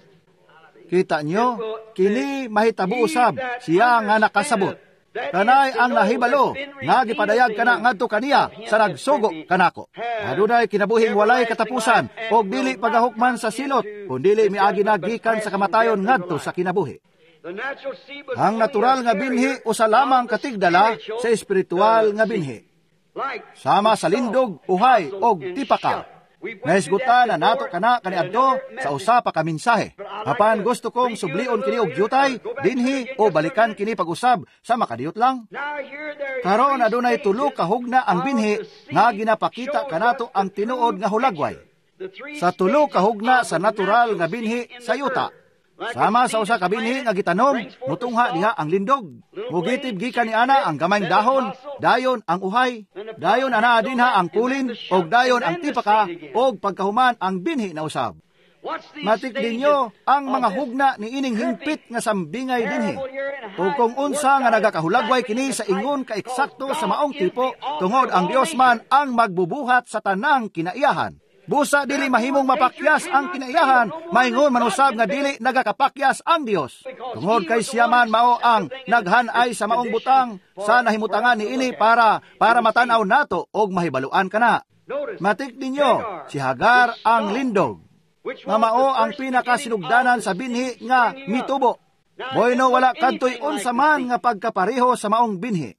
Kita nyo, kini mahitabo usab siya nga nakasabot. Kanay ang nahibalo nga gipadayag kana ngadto kaniya sa nagsugo kanako. Adunay kinabuhing walay katapusan og dili pagahukman sa silot, kundili miagi na gikan sa kamatayon ngadto sa kinabuhi. Ang natural nga binhi usa lamang katigdala sa espiritual nga binhi. Sama sa lindog, uhay og tipaka. Nahisgutan na nato kana kaniadto sa usa pa ka mensahe. Apan gusto kong sublion kini og jutay dinhi o balikan kini pag-usab sa makadiyot lang. Karon adunay tulo ka hugna ang binhi nga ginapakita kanato ang tinuod nga hulagway. Sa tulo ka hugna sa natural nga binhi sa yuta. Sama sa usa ka binhi nga gitanom, mutungha diha ang lindog. Mugitib gikan ni ana ang gamayng dahon, dayon ang uhay, dayon ana dinha ang kulin, og dayon ang tipaka, og pagkahuman ang binhi na usab. Matik ninyo ang mga hugna ni ining hingpit nga sambingay dinhi. Ug kung unsa nga nagakahulagway kini sa ingon ka eksakto sa maong tipo, tungod ang Dios man ang magbubuhat sa tanang kinaiyahan. Busa dili mahimong mapakyas ang kinaiyahan, maingon manusab nga dili nagakapakyas ang Dios. Tungod kay siya man mao ang naghanay sa maong butang sa nahimutangan niini para matan-aw nato og mahibaluan kana. Matik ninyo, si Hagar ang lindog, nga mao ang pinakasinugdanan sa binhi nga mitubo. Bueno, wala kadtoy unsa man nga pagkapareho sa maong binhi.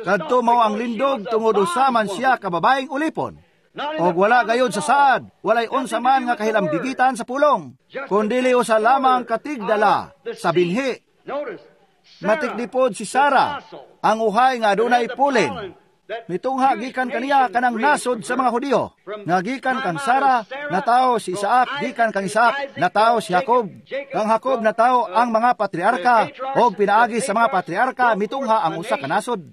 Kadto mao ang lindog tungod usa man siya ka babaeng ulipon. Og wala gayod sa saad, walay unsa man nga kahilambigitan sa pulong, kundili usa lamang katigdala sa binhi. Matikdipod si Sara, ang uhay nga adunay pulin. Mitungha gikan kaniya kanang nasod sa mga Hudiyo. Nga gikan kang Sara, natawo si Isaac, gikan kang Isaac, natawo si Jacob. Kang Jacob natawo ang mga patriarka, og pinaagi sa mga patriarka mitungha ang usa ka nasod.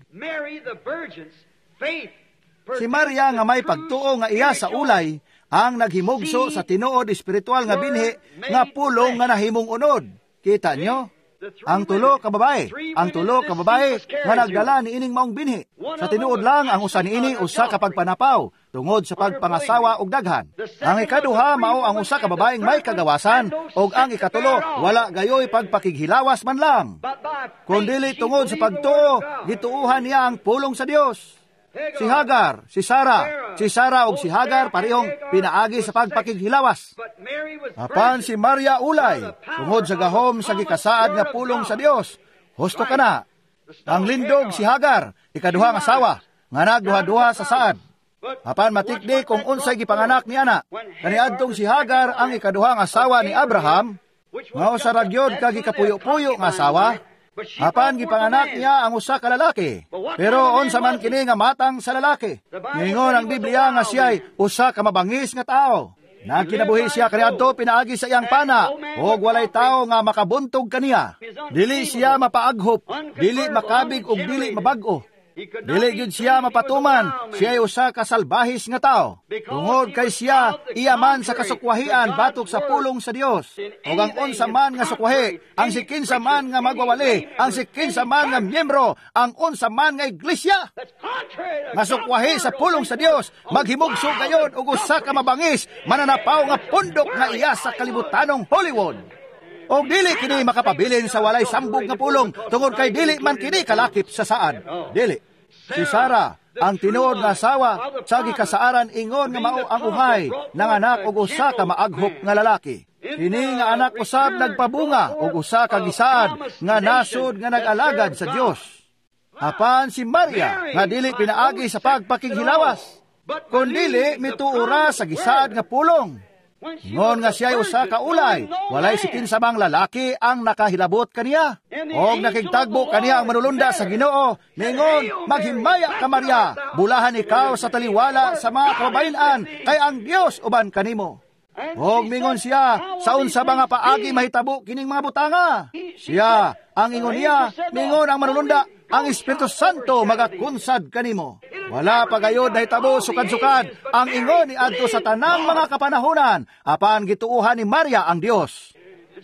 Si Maria nga may pagtuo nga iya sa ulay ang naghimugso sa tinuod espiritual nga binhi nga pulong nga nahimong unod. Kita nyo? Ang tulo ka babae, ang tulo ka babae nga nagdala ni ining maong binhi. Sa tinuod lang ang usa niini usa ka pagpanapaw tungod sa pagpangasawa og daghan. Ang ikaduha mao ang usa ka babaeng may kagawasan, og ang ikatulo wala gayoy pagpakighilawas man lang. Kundili tungod sa pagtuo, gituohan niya ang pulong sa Dios. Si Hagar, si Sara, si Sara ug si Hagar parehong pinaagi sa pagpakighilawas. Apan si Maria ulay, tungod sa gahom sa gikasaad nga pulong sa Dios. Husto ka na. Ang lindog si Hagar, ikaduhang asawa, nga nagduha-duha sa saad. Apan matikdi kung unsay gipanganak ni ana. Kaniadtong si Hagar ang ikaduhang asawa ni Abraham, nga usa ra gyud ka gikapuyo-puyo nga asawa. Apan gipanganak niya ang usa ka lalaki. Pero unsa man kini nga matang sa lalaki? Ningon ang Biblia nga siya'y usa ka mabangis nga tao. Nagkinabuhi siya kaniadto pinaagi sa iyang pana, ug walay tawo nga makabuntog kaniya. Dili siya mapaaghop, dili makabig ug dili mabag-o. Dili gyud siya mapatuman, siya ay usa ka salbahis nga tao. Tungod kay siya iya man sa kasukwahian batok sa pulong sa Dios. Ug ang unsa man nga sukwahi, ang sikinsa man nga magwawali, ang sikinsa man nga miyembro, ang unsa man nga iglesia nga sukwahi sa pulong sa Dios, maghimugso gayon og usa ka mabangis, mananapaw nga pundok nga iya sa kalibutanong Hollywood. Og dili kini makapabilin sa walay sambog nga pulong, tungod kay dili man kini kalakip sa saad. Dili. Si Sara, ang tinuod nga asawa, sa gikasaaran ingon nga mao ang uhay nanganak og usa ka maaghop nga lalaki. Kini nga anak usab nagpabunga og usa ka gisaad nga nasod nga nag-alagad sa Dios. Apan si Maria nga dili pinaagi sa pagpakighilawas, kun dili mituo ra sa gisaad nga pulong. Ngon nga siya'y usa ka ulay, walay si kinsamang lalaki ang nakahilabot kaniya. Og nakigtagbo kaniya ang manulunda sa Ginoo, ningon, maghimaya ka Maria, bulahan ikaw sa taliwala sa mga kababayen-an, kay ang Dios uban kanimo. Og mingon siya, sa unsa ba nga paagi mahitabo kining mga butanga? Siya, ang ingon niya, mingon ang manulunda, ang Espiritu Santo magakunsad kanimo. Wala pa gayod nahitabo sukad-sukad ang ingon ni adto sa tanang mga kapanahonan, apan gituohan ni Maria ang Dios.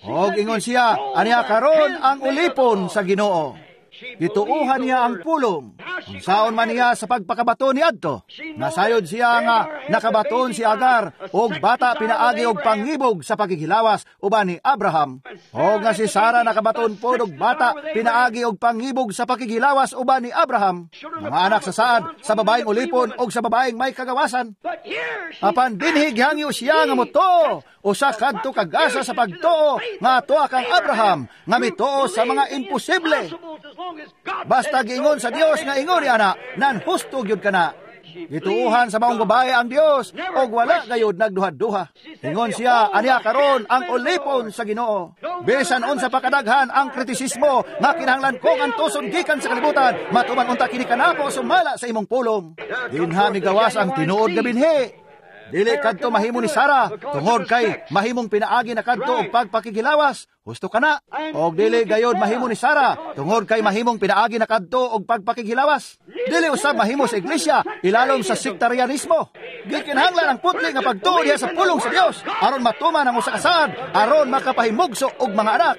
Og ingon siya, aniya karon ang ulipon sa Ginoo. Gituohan niya ang pulong. Unsaon man niya sa pagpakabato ni adto. Nasayod siya nga nakabaton si Agar og bata pinaagi og pangibog sa paghihilawas uban ni Abraham. Og nga si Sara nakabaton pod og bata pinaagi og pangibog sa paghihilawas uban ni Abraham. Mga anak sa saad sa babaeng ulipon og sa babaeng may kagawasan. Apan dinhi gihangyo siya nga motuo usa kadto kagasa sa pagtuo nga atoa kang Abraham nga mituo sa mga imposible. Basta giingon sa Dios nga ingon ni ana, nan husto gyud kana. Gituohan sa maong babae ang Dios og wala gayud nagduha-duha. Ingon siya, aniya karon ang ulipon sa Ginoo. Bisan unsa pa kadaghan ang kritisismo nga kinahanglan kong antuson gikan sa kalibutan, matuman unta kini kanako sumala sa imong pulong. Dinha migawas ang tinuod nga binhi. Dili kadto mahimo ni Sara tungod kay mahimong pinaagi na kadto og pagpakigilawas. Husto ka na. Og dili gayod mahimo ni Sara tungod kay mahimong pinaagi na kadto og pagpakigilawas. Dili usab mahimo sa iglesia ilalom sa sektarianismo. Gikinahanglan ang putli nga pagtuo diha sa pulong sa Dios aron matuman ang usa ka saad, aron makapahimugso og mga anak.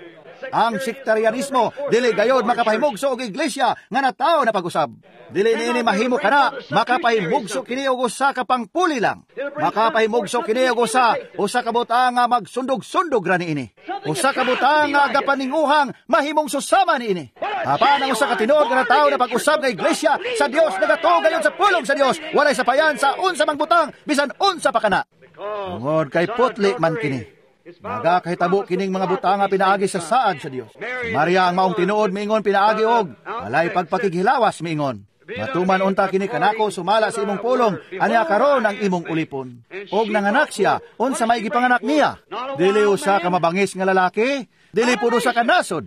Ang sektarianismo dili gayod makapahimugso og iglesia nga natawo na pag-usab. Dili niini mahimo kana, makapahimugso kini og usa ka pangpuli lang. Makapahimugso kini og usa ka butang nga magsundog-sundog ra niini. Usa ka butang nga gapaninguhang mahimong susama niini. Apan ang usa ka tinuod nga natawo na pag-usab nga iglesia sa Dios nagatuo gayon sa pulong sa Dios, walay sapayan sa unsa mang butang bisan unsa pa kana. Tungod kay putli man kini. Nagakahitabo kining mga butanga pinaagi sa saad sa Dios. Maria ang maong tinuod miingon pinaagi og walay pagpakighilawas miingon. Matuman unta kini kanako sumala sa imong pulong, aniya karon ang imong ulipon. Og nanganak siya, unsa may gipanganak niya? Dili usa ka mabangis nga lalaki, dili pud usa ka nasod.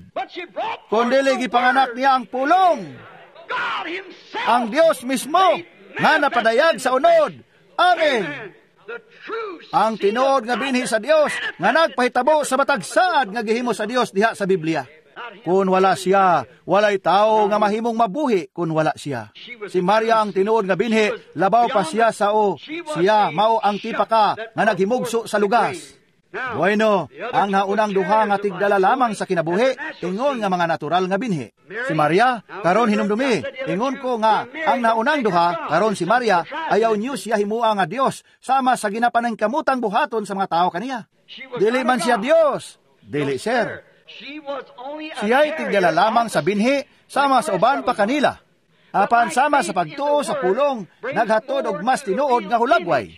Kun dili gipanganak niya ang pulong. Ang Dios mismo nga napadayag sa unod. Amen. Ang tinuod nga binhi sa Dios nga nagpahitabo sa matag saad nga gihimo sa Dios diha sa Biblia. Kung wala siya, walay tao nga mahimong mabuhi kung wala siya. Si Maria ang tinuod nga binhi, labaw pa siya sa o. Siya mao ang tipaka nga naghimugso sa lugas. Bueno, ang naunang duha nga tigdala lamang sa kinabuhi, ingon nga mga natural nga binhi. Si Maria, karon hinumdumi, ingon ko nga ang naunang duha, karon si Maria, ayaw niyo siya himua nga Dios, sama sa ginapanangkamutang buhaton sa mga tao kaniya. Dili man siya Dios, dili sir. Siya'y tigdala lamang sa binhi, sama sa uban pa kanila. Apan sama sa pagtuo sa pulong, naghatod og mas tinuod nga hulagway.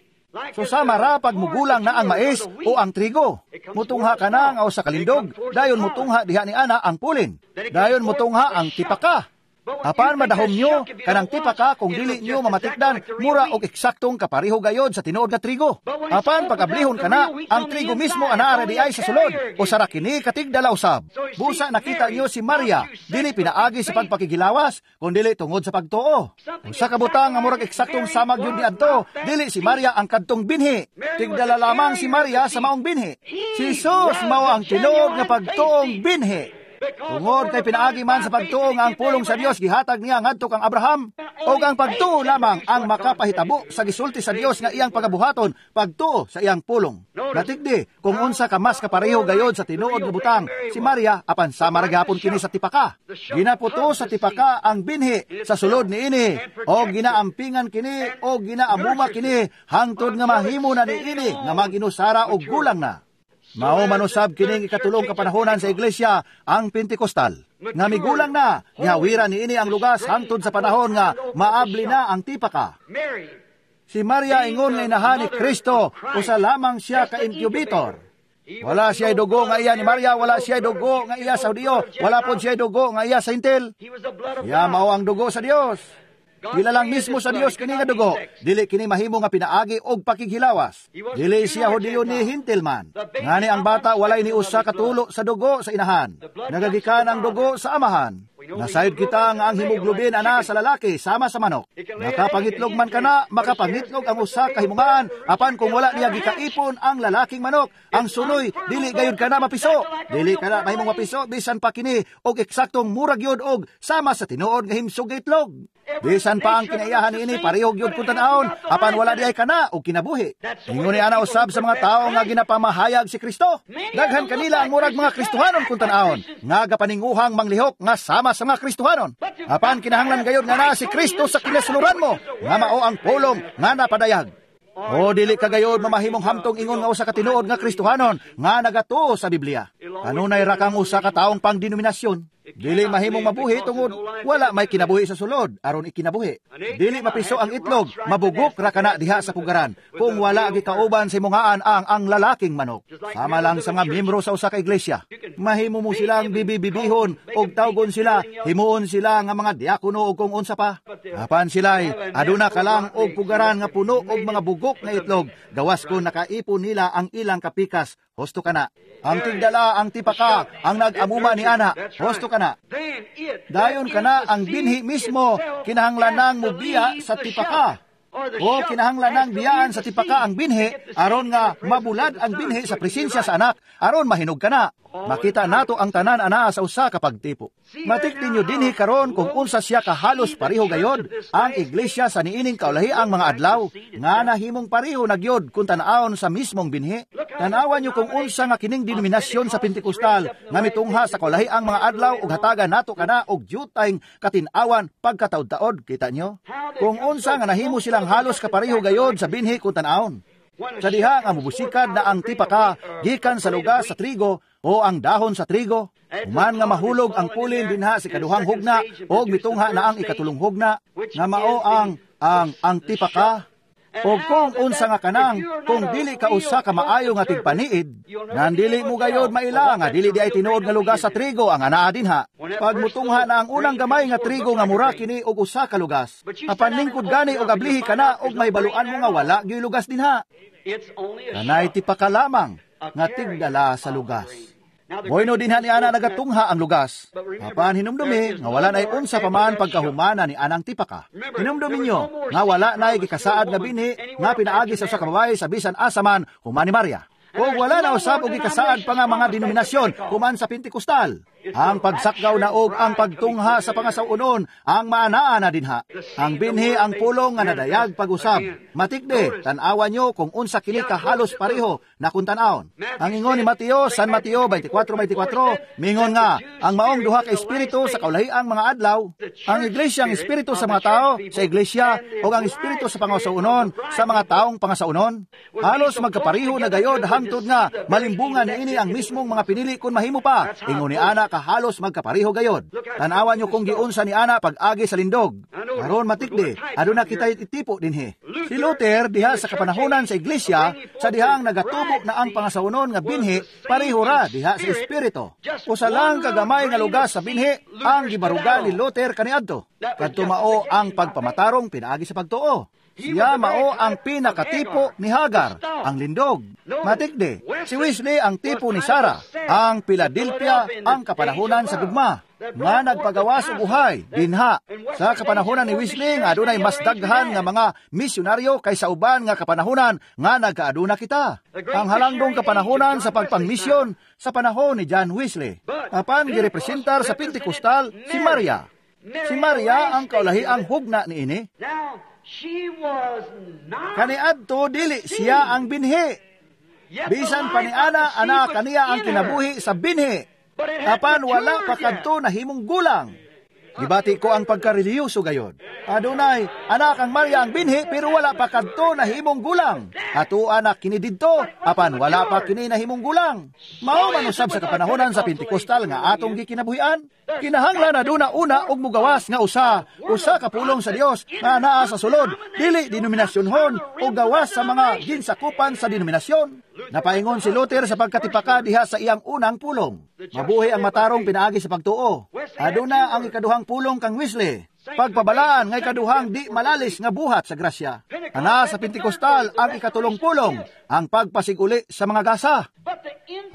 So sama ra pag mugulang na ang mais o ang trigo. Mutungha ka na nga usa ka lindog, dayon mutungha diha ni ana ang pulin. Dayon mutungha ang tipaka. Apan madahom nyo kanang tipaka kung dili nyo mamatikdan, mura og eksaktong kapareho gayod sa tinuod nga trigo. Apan pagablihon kana, ang trigo mismo anaa di ay sa sulod, o sara kini katigdala usab. Busa nakita nyo si Maria, dili pinaagi sa pagpakigilawas, kundili tungod sa pagtuo. Usa ka butang nga murag eksaktong samag yun niadto, dili si Maria ang kadtong binhi. Tigdala lamang si Maria sa maong binhi. Si Jesus mao ang tinuod nga pagtuong binhi. Tungod kay pinaagi man sa pagtuo nga ang pulong sa Dios gihatag niya ngadto kang Abraham, og ang pagtuo lamang ang makapahitabo sa gisulti sa Dios nga iyang pagabuhaton, pagtuo sa iyang pulong. Natigdi kung unsa ka mas kapareho gayod sa tinuod nga butang si Maria, apan sama ra gihapon kini sa tipaka. Ginaputo sa tipaka ang binhi sa sulod niini, og ginaampingan kini og ginaamuma kini hangtod nga mahimo na niini nga maginusara og gulang na. Mao manusab kining ikatulong kapanahonan sa iglesia, ang Pentecostal. Nga migulang na, gihawira niini ang lugas hangtod sa panahon nga maabli na ang tipaka. Si Maria ingon nga inahan ni Kristo, usa lamang siya ka incubator. Wala siya'y dugo nga iya ni Maria, wala siya'y dugo nga iya sa Hudiyo, wala pod siya'y dugo nga iya sa Hintil. Iya mao ang dugo sa Dios. Dila lang mismo sa Dios kini nga dugo, dili kini mahimo nga pinaagi og pakighilawas. Dili siya Hudiyo ni Hintil man. Ngani ang bata walay ni usa ka tulo sa dugo sa inahan. Nagagikan ang dugo sa amahan. Nasayod kita nga ang hemoglobin ana sa lalaki sama sa manok. Makapangitlog man kana, makapangitlog ang usa ka himungaan, apan kung wala niya gikaipon ang lalaking manok, ang sunoy dili gayud kana mapiso. Dili kana mahimong mapiso bisan pa kini og eksaktong murag gyud og sama sa tinuod nga himsog nga itlog. Bisan pa ang kinaiyahan niini pareho gyud kun tan-awon, apan wala diay kana og kinabuhi. Ingon ni ana usab sa mga tawo nga ginapamahayag si Kristo. Daghan kanila ang murag mga Kristohanon kun tan-awon, nga gapaninguhang manglihok nga sama sa mga Kristohanon. Apan kinahanglan gayud nga naa si Kristo sa kinasuluran mo, nga mao ang pulong nga napadayag. O dili ka gayod mamahimong hamtong ingon nga usa ka tinuod nga Kristohanon nga nagatuo sa Biblia. Kanunay ra kang usa ka taong pangdenominasyon. Dili mahimong mabuhi tungod wala may kinabuhi sa sulod aron ikinabuhi. Dili mapiso ang itlog, mabugok ra kana diha sa pugaran kung wala gikauban sa imongaan ang lalaking manok. Sama lang sa mga miyembro sa usa ka iglesia. Mahimo mo silang bibibibihon og tawgon sila, himuon sila nga mga diakono og kung unsa pa. Apan sila'y aduna ka lang og pugaran nga puno og mga bugok nga itlog, gawas kon nakaipon nila ang ilang kapikas. Husto kana. Ang tigdala, ang tipaka, ang nag-amuma ni ana, husto kana. Dayon kana ang binhi mismo, kinahanglanang mubiya sa tipaka. O kinahanglanang biyaan sa tipaka ang binhi, aron nga mabulad ang binhi sa presensya sa anak, aron mahinog kana. Makita nato ang tanan ana sa usa ka pagtipo. Matikdi nyo dinhi karon kung unsa siya kahalos pareho gayod ang iglesia sa niining kaulahiang mga adlaw nga nahimong pareho na gyud kung tan-awon sa mismong binhi. Tan-awan nyo kung unsa nga kining denominasyon sa Pentecostal nga mitungha sa kaulahiang mga adlaw ug hatagan nato kana og dyutay katin-awan pagkataod-taod, kita nyo? Kung unsa nga nahimo silang halos kapareho gayod sa binhi kung tan-awon. Sa diha nga mubusikad na ang tipaka gikan sa lugar sa trigo o ang dahon sa trigo, human nga mahulog ang pulin dinha sa ikaduhang hugna o mitungha na ang ikatulong hugna nga mao ang tipaka. O kung unsa nga kanang, kung dili ka usa ka maayo nga tigpaniid, nandili mo gayod maila nga dili di ay tinuod nga lugas sa trigo ang anaa dinha. Pag mutungha na ang unang gamay nga trigo nga mura kini og usa ka lugas, apan lingkod gani og ablihi kana og mahibaluan mo nga wala gyud lugas dinha. Kanay tipaka lamang nga tigdala sa lugas. Bueno dinha ni ana nagatungha ang lugas. Apan hinumdumi nga wala nay unsa pa man pagkahumana ni anang tipaka. Hinumdumi nyo nga wala nay gikasaad nga binhi nga pinaagi sa usa ka babae sa bisan asa man human ni Maria. O wala na usab og gikasaad pa nga mga denominasyon human sa Pentecostal. Ang pagsakgaw na og ang pagtungha sa pangasawunon ang maanaa na dinha. Ang binhi ang pulong nga nadayag pag-usab. Matikde, tan-awan nyo kung unsa kini kahalos pareho na kung tan-awon. Ang ingon ni Mateo, San Mateo 24:24, mingon nga, ang maong duha ka espiritu sa kaulahiang mga adlaw, ang iglesia ang espiritu sa mga tao sa iglesia o ang espiritu sa pangasawunon sa mga taong pangasawunon. Halos magkapareho na gayod hangtod nga malimbungan niini ang mismong mga pinili kung mahimo pa. Ingon ni ana kahalos magkapareho gayod. Tanawan nyo kung giunsa ni ana pag-agi sa lindog. Karon matikdi, aduna kita itipo dinhi. Si Luther diha sa kapanahonan sa iglesia, sa dihang nagatubo na ang pangasawonon nga binhi, pareho ra diha sa espiritu. Usa lang kagamay nga lugas sa binhi ang gibaruga ni Luther kaniadto. Kadto mao ang pagpamatarong pinaagi sa pagtuo. Siya mao ang pinakatipo ni Hagar, ang lindog. Matikdi, si Wesley ang tipo ni Sarah, ang Philadelphia ang kapanahonan sa gugma, nga nagpagawas og uhay dinha. Sa kapanahonan ni Wesley nga adunay mas daghan nga mga misyonaryo kaysa uban nga kapanahonan nga nagkaaduna kita. Ang halangdong kapanahonan sa pagpangmisyon sa panahon ni John Wesley. Apan girepresentar sa Pentecostal si Maria. Si Maria ang kaulahiang hugna niini. Kaniadto dili siya ang binhi. Bisan pa ni ana, ana kaniya ang kinabuhi sa binhi. Apan wala pa kadto nahimong gulang. Gibati ko ang pagkareliyoso gayon. Adunay, anak ang Maria ang binhi, pero wala pa kadto nahimong gulang. Ato anak kini didto, apan wala pa kini nahimong gulang. Mao man usab sa kapanahonan sa Pentecostal nga atong gikinabuhian. Kinahanglan aduna una og mugawas nga usa ka pulong sa Dios nga naa sa sulod, dili denominasyonhon o gawas sa mga ginsakupan sa denominasyon. Napaingon si Luther sa pagkatipaka diha sa iyang unang pulong. Mabuhi ang matarong pinaagi sa pagtuo. Aduna ang ikaduhang pulong kang Wesley. Pagpabalaan nga ikaduhang di malalis nga buhat sa grasya. Ana sa Pentecostal ang ikatulong pulong, ang pagpasiguli sa mga gasa.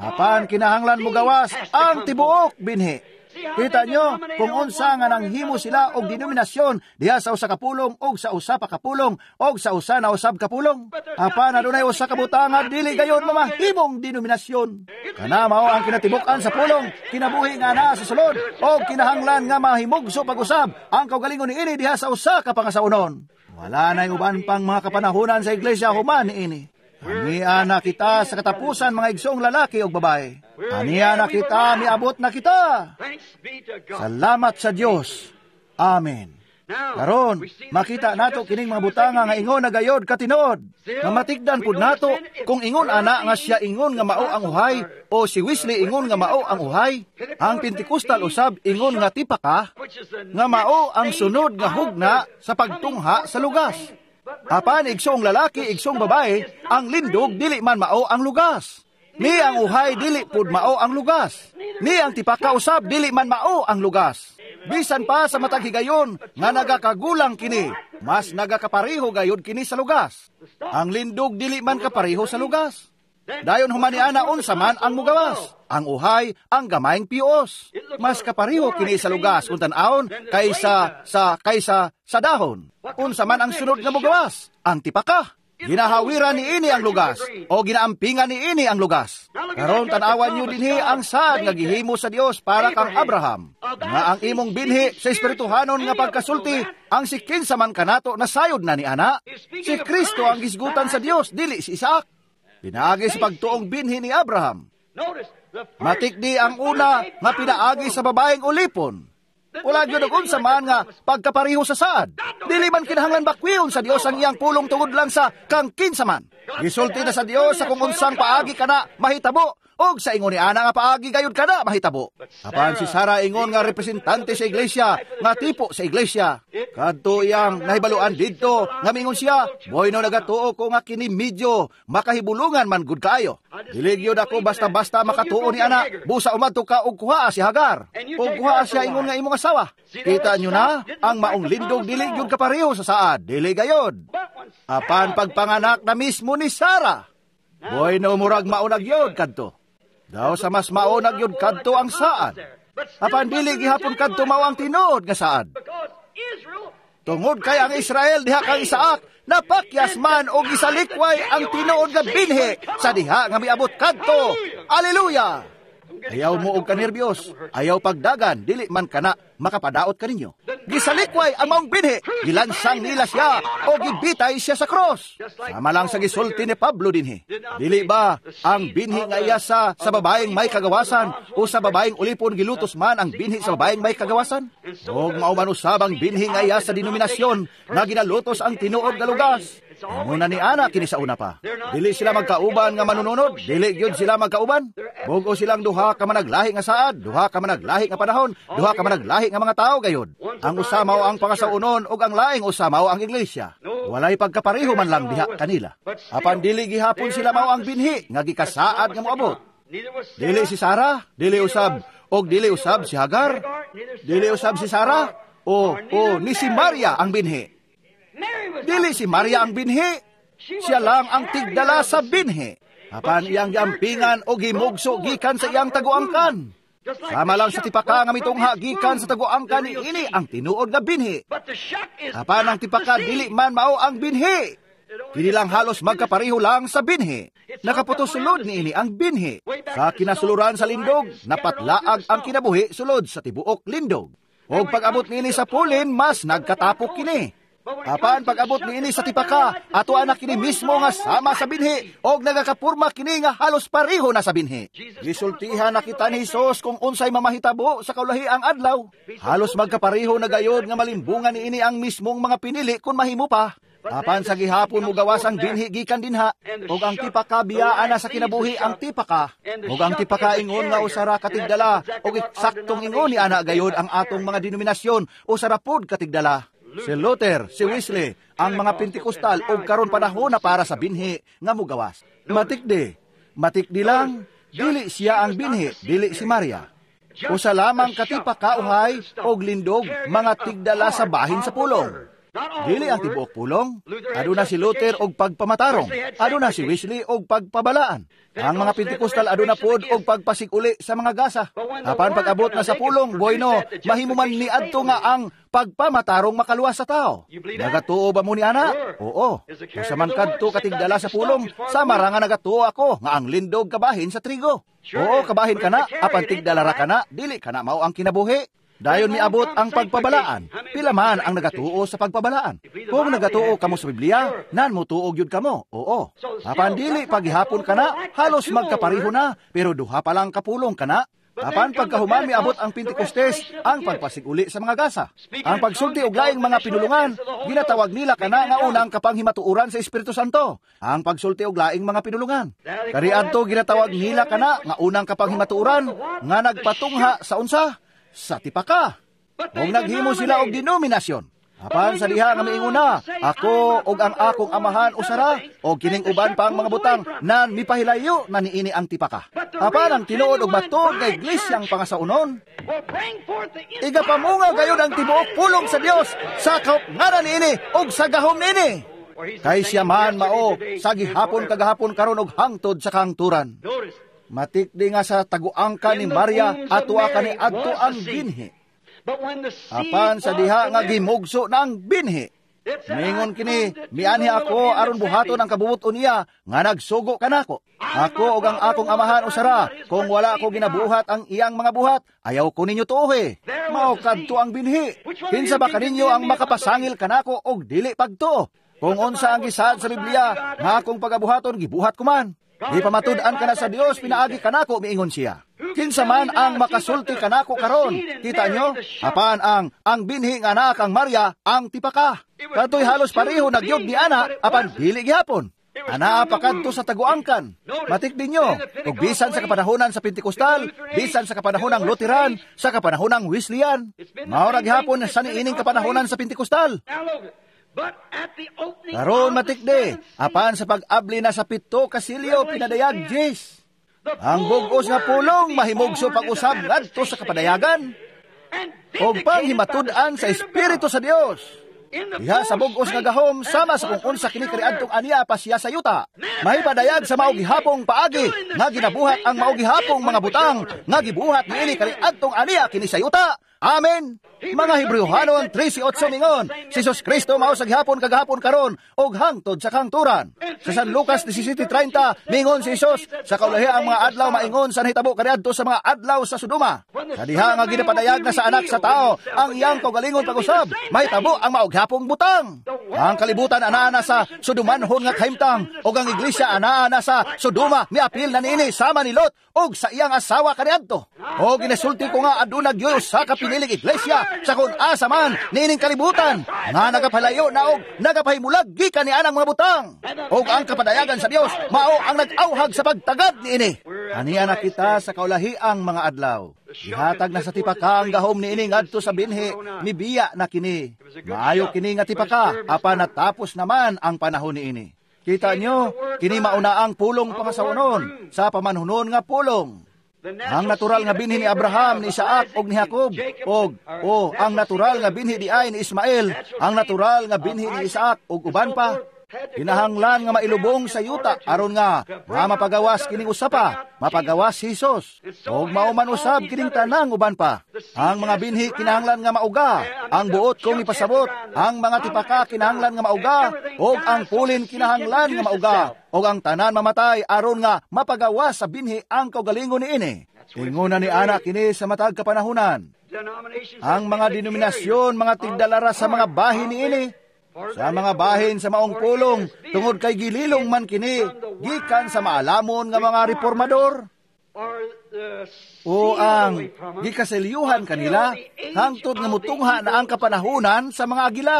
Apan kinahanglan mo gawas ang tibuok binhi. Kita nyo kung unsa nga nanghimo sila og denominasyon diha sa usa ka pulong og sa usa pa ka pulong og sa usa na usab ka pulong. Apan adunay usa ka butang nga dili gayon mamahimong denominasyon. Kana mao ang kinatibuk-an sa pulong, kinabuhi nga naa sa sulod og kinahanglan nga mahimugso pag-usab ang kaugalingon niini diha sa usa ka pangasawnon. Wala nay uban pang mga kapanahonan sa iglesia human niini. Ania na kita sa katapusan, mga igsoong lalaki o babae. Ania na kita, miabot na kita. Salamat sa Dios. Amen. Karon, makita nato kining mga butanga nga ingon na gayod katinuod. Nga matigdan pud nato kung ingon ana nga siya ingon nga mao ang uhay o si Wesley ingon nga mao ang uhay. Ang Pentecostal usab ingon nga tipaka nga mao ang sunod nga hugna sa pagtungha sa lugas. Apan igsoong lalaki, igsoong babae, ang lindog dili man mao ang lugas. Ni ang uhay dili pud mao ang lugas. Ni ang tipaka usab dili man mao ang lugas. Bisan pa sa matag higayon nga nagakagulang kini, mas nagakapareho gayod kini sa lugas. Ang lindog dili man kapareho sa lugas. Dayon humaniana unsa man ang mugawas. Ang uhay, ang gamayng pios. Mas kapareho kini sa lugas kung tan-awon kaysa sa dahon. Unsa man ang sunod nga mugawas, ang tipaka. Ginahawiran niini ang lugas o ginaampingan niini ang lugas. Karon tan-awan niyo dinhi ang saad nga gihimo sa Dios para kang Abraham, nga ang imong binhi sa espirituhanon nga pagkasulti ang si kinsa man kanato nasayod na ni ana. Si Kristo ang gisgutan sa Dios, dili si Isaac. Pinaagi sa pagtuong binhi ni Abraham. Matikdi ang una nga pinaagi sa babaeng ulipon. Wala gyud og unsa man nga pagkapareho sa saad. Dili man kinahanglan bakwion sa Dios ang iyang pulong tungod lang sa kang kinsa man. Gisulti na sa Dios sa kung unsang paagi kana mahitabo og sa ingon ni ana nga paagi gayud kana mahitabo. Apan si Sara ingon nga representante sa iglesia, nga tipo sa iglesia. Kadto iyang nahibaluan didto nga mingon siya, "Boy no nagatuo ko nga kini medyo makahibulungan man gud kaayo. Dili gyud ako basta-basta makatuo ni ana, busa umadto ka og kuhaa si Hagar. Og kuhaa siya ingon nga imong asawa." Kita nyo na, ang maong lindog dili gyud kapareho sa saad, dili gayod. Apan pagpanganak na mismo ni Sara, boy no murag maunag yod kadto. Daw sa mas maunag yod kadto ang saad. Apan dili gihapon kadto mao ang tinuod nga saad. Tungod kay ang Israel diha kang Isaac, napakyas man og isalikway ang tinuod nga binhi sa diha nga miabot kadto. Aleluya! Ayaw mo og kanerbiyos, ayaw pagdagan, dili man kana makapadaot kaninyo. Gisalikway ang maong binhi, gilansang nila siya o gibitay siya sa cross. Sama lang sa gisulti ni Pablo dinhi. Dili ba ang binhi nga iya sa babaeng may kagawasan o sa babaeng ulipon gilutos man ang binhi sa babaeng may kagawasan? Og mao man usab ang binhi nga iya sa denominasyon nga ginalutos ang tinuod nga lugas. Muna ni ana kini sa una pa. Dili sila magkauban nga manununod, dili gyud sila magkauban. Bug-o silang duha ka managlahi nga saad, duha ka managlahi nga panahon, duha ka managlahi nga mga tawo gayud. Ang usa mao ang pangasaunon ug ang laing usa mao ang iglesia. Walay pagkapareho man lang diha kanila. Apan dili gihapon sila mao ang binhi nga gikasaad nga moabot. Dili si Sara, dili usab og dili usab si Hagar, dili usab si Sara o ni si Maria ang binhi. Dili si Maria ang binhi, siya lang ang tigdala sa binhi. Apan iyang giampingan o gimugso gikan sa iyang taguangkan. Sama lang sa tipaka nga mitungha gikan sa taguangkan ni ini ang tinuod nga binhi. Apan ang tipaka dili man mao ang binhi. Kini lang halos magkapareho lang sa binhi. Nakaputos sulod niini ang binhi. Sa kinasuluran sa lindog, napatlaag ang kinabuhi sulod sa tibuok lindog. Og pag-abot niini sa pulin, mas nagkatapok kini. Apan pag-abot niini sa tipaka, ato anak kini mismo nga sama sa binhi, og nagakapurma kini nga halos pareho na sa binhi. Gisultihan na kita ni Hesus kung unsay mamahitabo sa kaulahi ang adlaw. Halos magkapareho na gayod nga malimbungan niini ang mismong mga pinili kung mahimo pa. Apan sa gihapon mo gawas ang binhi gikan dinha, ug ang tipaka biyaan na sa kinabuhi ang tipaka, ug ang tipaka ingon nga usara katigdala, ug eksaktong ingon ni ana gayod ang atong mga denominasyon, usara pod katigdala. Si Luther, si Wesley, ang mga Pentekostal og karon panahon na para sa binhi nga mugawas. Matikdi, matikdi lang, dili siya ang binhi, dili si Maria. Usa lamang katipaka uhay og lindog mga tigdala sa bahin sa pulong. Dili ang tibuok pulong. Aduna si Luther og pagpamatarong. Aduna si Wesley og pagpabalaan. Ang mga Pentekostal aduna pod og pagpasiguli sa mga gasa. Apan pag-abot na sa pulong, bueno, mahimo man ni adto nga ang pagpamatarong makaluwas sa tao. Nagatuo ba mo ni ana? Oo. Usa man kadto katigdala sa pulong, sama ra nga nagatuo ako nga ang lindog kabahin sa trigo. Oo, kabahin kana, apan tigdala ra kana, dili kana mao ang kinabuhi. Dayon miabot ang pagpabalaan. Pila man ang nagatuo sa pagpabalaan. Kung nagatuo kamo sa Biblia, nan motuo gyud kamo. Oo. Apan dili paghihapon kana, halos magkapareho na, pero duha pa lang kapulong kana. Apan pagkahuman miabot ang Pentecostes, ang pagpasiguli sa mga gasa. Ang pagsulti og laing mga pinulungan, ginatawag nila kana nga unang kapanghimatuoran sa Espiritu Santo. Ang pagsulti og laing mga pinulungan. Kariadto ginatawag nila kana nga unang kapanghimatuoran nga nagpatungha sa unsa? Sa tipaka. Kung naghimo sila og denominasyon. Apan sa diha nga miingon na, ako og ang akong amahan usara, og kining uban pang mga butang nan mipahilayo na niini ang tipaka. Apan ang tinuod og matuod nga iglesyang pangasaunon, igapamunga gayud ang tibuok pulong sa Dios sa kaupngaran niini og sa gahom niini. Kay siya man mao sa gihapon kagahapon karon og hangtod sa kangturan. Matikdi nga sa taguangka ni Maria atua kani adto ang binhi. Apan sa diha nga gimugso na ang binhi. Mingon kini, mianhi ako aron buhaton ang kabubuton niya nga nagsugo kanako. Ako ug ang akong amahan usara, kung wala ako ginabuhat ang iyang mga buhat, ayaw ko ninyo tuohe. Mao kadto ang binhi. Kinsa ba kaninyo ang makapasangil kanako og dili pagtuo? Kung unsa ang gisaad sa Biblia, nga akong pagabuhaton gibuhat ko man. Di pamatud-an ka na sa Dios, pinaagi kanako, miingon siya. Kinsa man ang makasulti kanako karon, kita nyo, apan ang binhi nga anak ang Maria, ang tipaka. Katoy halos pareho nagyog ni ana, apan dili gihapon. Anaa pa kadto sa taguangkan. Matik ninyo, ug bisan sa kapanahonan sa Pentecostal, bisan sa kapanahonang Lutheran, sa kapanahonang Wesleyan, mao ra gihapon sa niining kapanahonan sa Pentecostal. Karon matikdi, apan sa pag-abli na sa 7 ka silyo pinadayag Jis. Ang bug-os nga pulong mahimugso pag-usab ngadto sa kapadayagan ug panghimatud-an sa Espiritu sa Dios. Diha sa bug-os nga gahom sama sa kung unsa kini kaniadtong aniya pa siya sa yuta. Mahipadayag sa mao gihapong paagi nga ginabuhat ang mao gihapong mga butang nga gibuhat niini kaniadtong aniya kini sa yuta. Amen. Mga Hebreohanon 13:8 mingon, si Jesus Kristo mao sa gihapon kagahapon karon og hangtod sa kangturan. Sa San Lucas 17:30 mingon si Jesus, sa kaulahi ang mga adlaw maingon sa nahitabo kaniadto sa mga adlaw sa Sodoma. Sa diha nga ginapadayag na sa anak sa tao ang iyang kaugalingon pag-usab, mahitabo ang mao gihapong butang. Ang kalibutan anaa na sa Sodomanhon nga kahimtang ug ang iglesia anaa na sa Sodoma miapil na niini sama ni Lot ug sa iyang asawa kaniadto. O ginasulti ko nga aduna gyud usa ka piniling iglesia sa kung asa man niining kalibutan nga nagapalayo na og nagapahimulag gikan ni anang mga butang. Og ang kapadayagan sa Dios mao ang nag-auhag sa pagtagad niini. Aniya na kita sa kaulahiang mga adlaw. Gihatag na sa tipaka ang gahom niini ngadto sa binhi, mibiya na kini. Maayo kini nga tipaka, apan natapos naman ang panahon niini. Kita nyo, kini mauna ang pulong pangasawanon sa pamanhunon nga pulong. Ang natural nga binhi ni Abraham, ni Isaac og ni Jacob, og o ang natural nga binhi di ay ni Ismael, ang natural nga binhi ni Isaac og uban pa. Kinahanglan nga mailubong sa yuta aron nga mapagawas kining usapa, mapagawas si Hesus. Og mao man usab kining tanang uban pa. Ang mga binhi kinahanglan nga mauga, ang buot kong ipasabot, ang mga tipaka kinahanglan nga mauga, og ang pulin kinahanglan nga mauga, og ang tanan mamatay aron nga mapagawas sa binhi ang kaugalingon niini. Inguna ni ana kini sa matag kapanahunan. Ang mga denominasyon, mga tigdalara sa mga bahin niini, sa mga bahin sa maong pulong, tungod kay gililong man kini, gikan sa maalamon nga mga reformador, o ang gikaselyuhan kanila, hangtod nga mutungha na ang kapanahunan sa mga agila.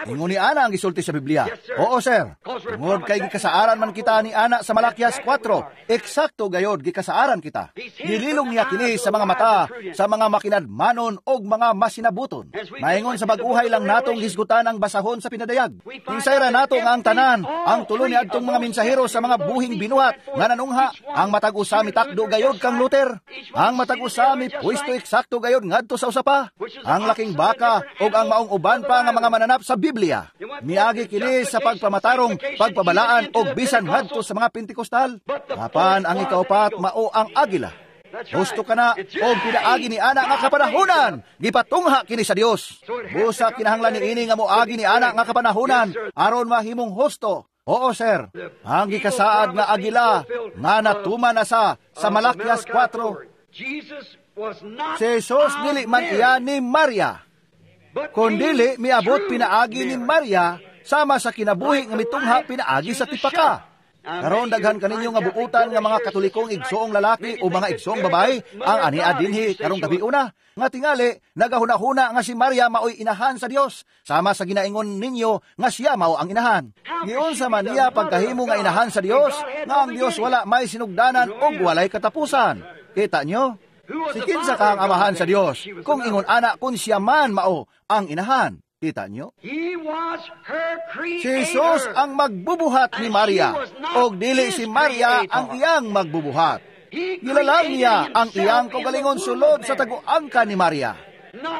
Ingon ni ana ang gisulti sa Biblia. Oo, sir. Tungod kay gikasaaran man kita ni ana sa Malakias 4, eksakto gayod gikasaaran kita. Gililong niya kini sa mga mata, sa mga makinadmanon og mga masinabuton. Maingon sa bag-uhay lang natong hisgutan ang basahon sa pinadayag. Kinsayra nato nga ang tanan, ang tulo ni adtong mga mensahero sa mga buhing binuhat nga nanungha, ang matag usa mitakdo gayod kang Luther. Ang matag usa mipuwesto eksakto gayod ngadto sa usapa. Ang laking baka og ang maong uban pa nga mga mananap sa Biblia. Miagi kini sa pagpamatarong, pagpabalaan og bisan ngadto sa mga Pentekostal. Apan ang ikaupat mao ang agila. Husto ka na og pinaagi ni ana nga kapanahunan, gipatungha kini sa Dios. Busa kinahanglan niini nga moagi ni ana nga kapanahunan aron mahimong husto. Oo, sir. Ang gikasaad nga agila nga natuman na sa Malakias 4. Si Jesus dili man iya ni Maria, kundili miabot pinaagi ni Maria sama sa kinabuhi nga mitungha pinaagi sa tipaka. Karon daghan kaninyo nga buutan nga mga Katolikong igsoong lalaki o mga igsoong babae ang ania dinhi karong gabi una nga tingali nagahuna-huna nga si Maria maoy inahan sa Dios sama sa ginaingon ninyo nga siya mao ang inahan. Giunsa man niya pagkahimo nga inahan sa Dios nga ang Dios wala may sinugdanan ug walay katapusan. Kita nyo? Si kinsa ka ang amahan sa Dios kung ingon ana kung siya man mao ang inahan. Kita nyo? Si Jesus ang magbubuhat ni Maria, og dili si Maria ang iyang magbubuhat. Gilalang niya ang iyang kaugalingon sulod sa taguangka ni Maria.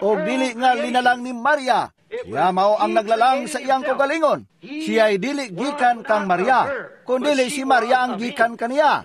Og dili nga linalang ni Maria, siya mao ang naglalang sa iyang kaugalingon. Siya'y dili gikan kang Maria, kundili si Maria ang gikan kaniya.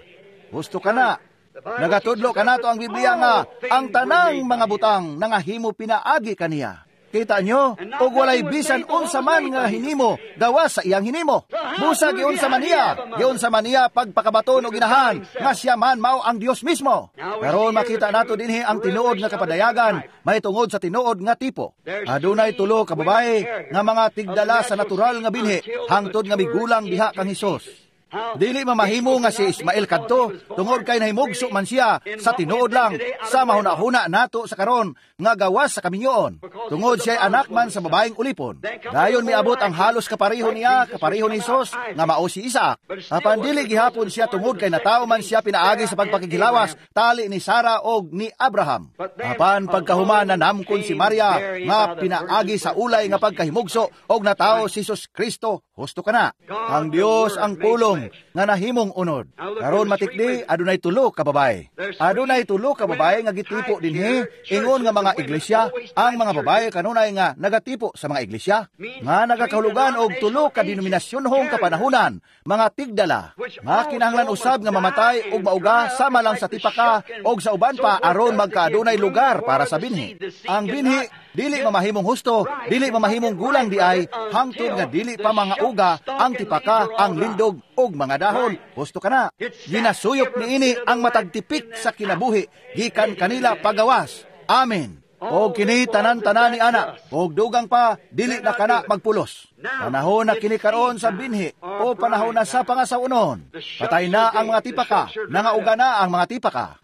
Gusto ka na. Nagatudlo kanato ang Biblia nga ang tanang mga butang nangahimo pinaagi kaniya. Kita nyo, og walay bisan unsa man nga hinimo, gawas sa iyang hinimo. Busa giunsa man niya, giunsa man niya pagpakabaton og inahan, nga siya man mao ang Dios mismo. Karon makita nato dinhi ang tinuod nga kapadayagan, may tungod sa tinuod nga tipo. Adunay tulo ka babae nga mga tigdala sa natural nga binhi, hangtod nga migulang diha kang Hesus. Dili mamahimo nga si Ismael kadto tungod kay nahimugso man siya sa tinuod lang sa mahuna-huna nato sa karon nga gawas sa kaminyoon tungod siya anak man sa babaeng ulipon. Dayon miabot ang halos kapareho niya, kapareho ni Hesus nga mao si Isaac. Apan dili gihapon siya tungod kay natawo man siya pinaagi sa pagpakigilawas tali ni Sara og ni Abraham. Apan pagkahuman nanamkon si Maria nga pinaagi sa ulay nga pagkahimugso og natawo si Hesus Kristo. Husto ka na. Ang Dios ang pulong nga nahimong unod. Karon matikdi adunay tulo ka babae. Adunay tulo ka babae nga gitipo dinhi ingon nga mga iglesia. Ang mga babae kanunay nga nagatipo sa mga iglesia nga nagakahulugan og tulo ka denominasyonhong kapanahunan, mga tigdala nga kinahanglan usab nga mamatay og mauga sama lang sa tipaka og sa uban pa aron magkaadunay lugar para sa binhi. Ang binhi dili mamahimong husto, dili mamahimong gulang di ay hangtod nga dili pa mga uga ang tipaka, ang lindog og mga dahon. Husto ka na. Ginasuyop niini ang matagtipik sa kinabuhi gikan kanila pagawas. Amen. Og kini tanan-tanan ni ana, og dugang pa dili na kana magpulos. Panahon na kini karon sa binhi o panahon na sa pangasawunon. Patay na ang mga tipaka, nangauga na ang mga tipaka.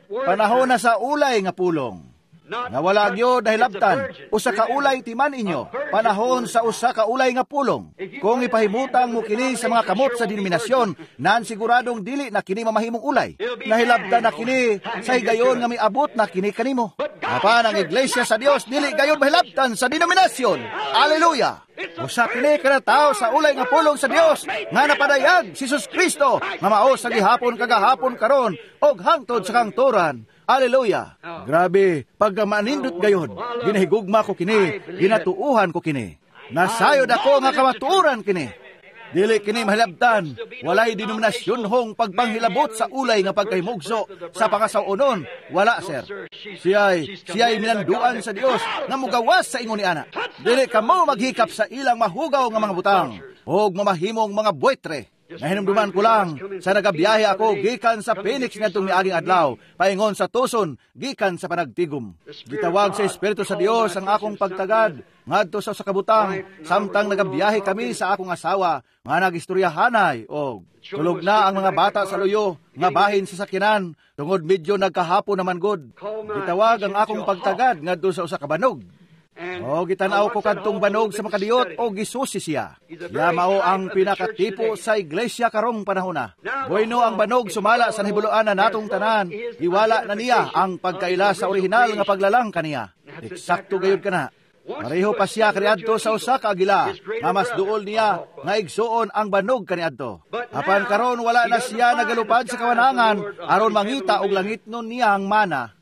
Panahon na sa ulay nga pulong. Nga wala gyud nahilabtan, usa ka ulay timan inyo, panahon sa usa ka ulay nga pulong. Kung ipahimutang mo kini sa mga kamot sa denominasyon, nan siguradong dili na kini mamahimong ulay. Nahilabtan na kini sa higayon nga miabot na kini kanimo. Apan ang iglesia sa Dios dili gayon mahilabtan sa denominasyon. Aleluya! Usa kini kada tawo sa ulay nga pulong sa Dios nga napadayag si Jesus Kristo nga mao sa gihapon kagahapon karon og hangtod sa kangturan. Aleluya! Grabe, pagka manindot gayon, ginahigugma ko kini, ginatuuhan ko kini. Nasayod ako nga kamatuoran kini. Dili kini mahilabtan, walay denominasyon hong pagpanghilabot sa ulay nga pagkahimugso sa pangasawunon. Wala, sir. Siya'y minanduan sa Dios nga mugawas sa ingon ni ana. Dili kamo maghikap sa ilang mahugaw nga mga butang og mamahimong mga buitre. Nahinumduman ko lang sa nagabiyahe ako gikan sa Phoenix ngadtong miaging adlaw, paingon sa Tucson gikan sa panagtigom. Gitawag sa Espiritu sa Dios ang akong pagtagad ngadto sa kabutang samtang nagabiyahe kami sa akong asawa nga nagistoryahanay og tulog na ang mga bata sa luyo nga bahin sa sakyanan tungod medyo nagkahapon naman gud. Gitawag ang akong pagtagad ngadto sa usa ka banog. O gitanaw ko kadtong banog sa makadiyot o gisusi siya. Ya mao ang pinakatipo sa iglesia karong panahona. Bueno ang banog sumala sa nahibuluan na natong tanan. Iwala na niya ang pagkaila sa orihinal nga paglalang kaniya. Eksakto gayud kana. Pareho pa siya kaniadto sa usa ka agila, nga mas duol niya nga igsuon ang banog kaniadto. Apan karon wala na siya nagalupad sa kawanangan aron mangita og langitnon niya ang mana.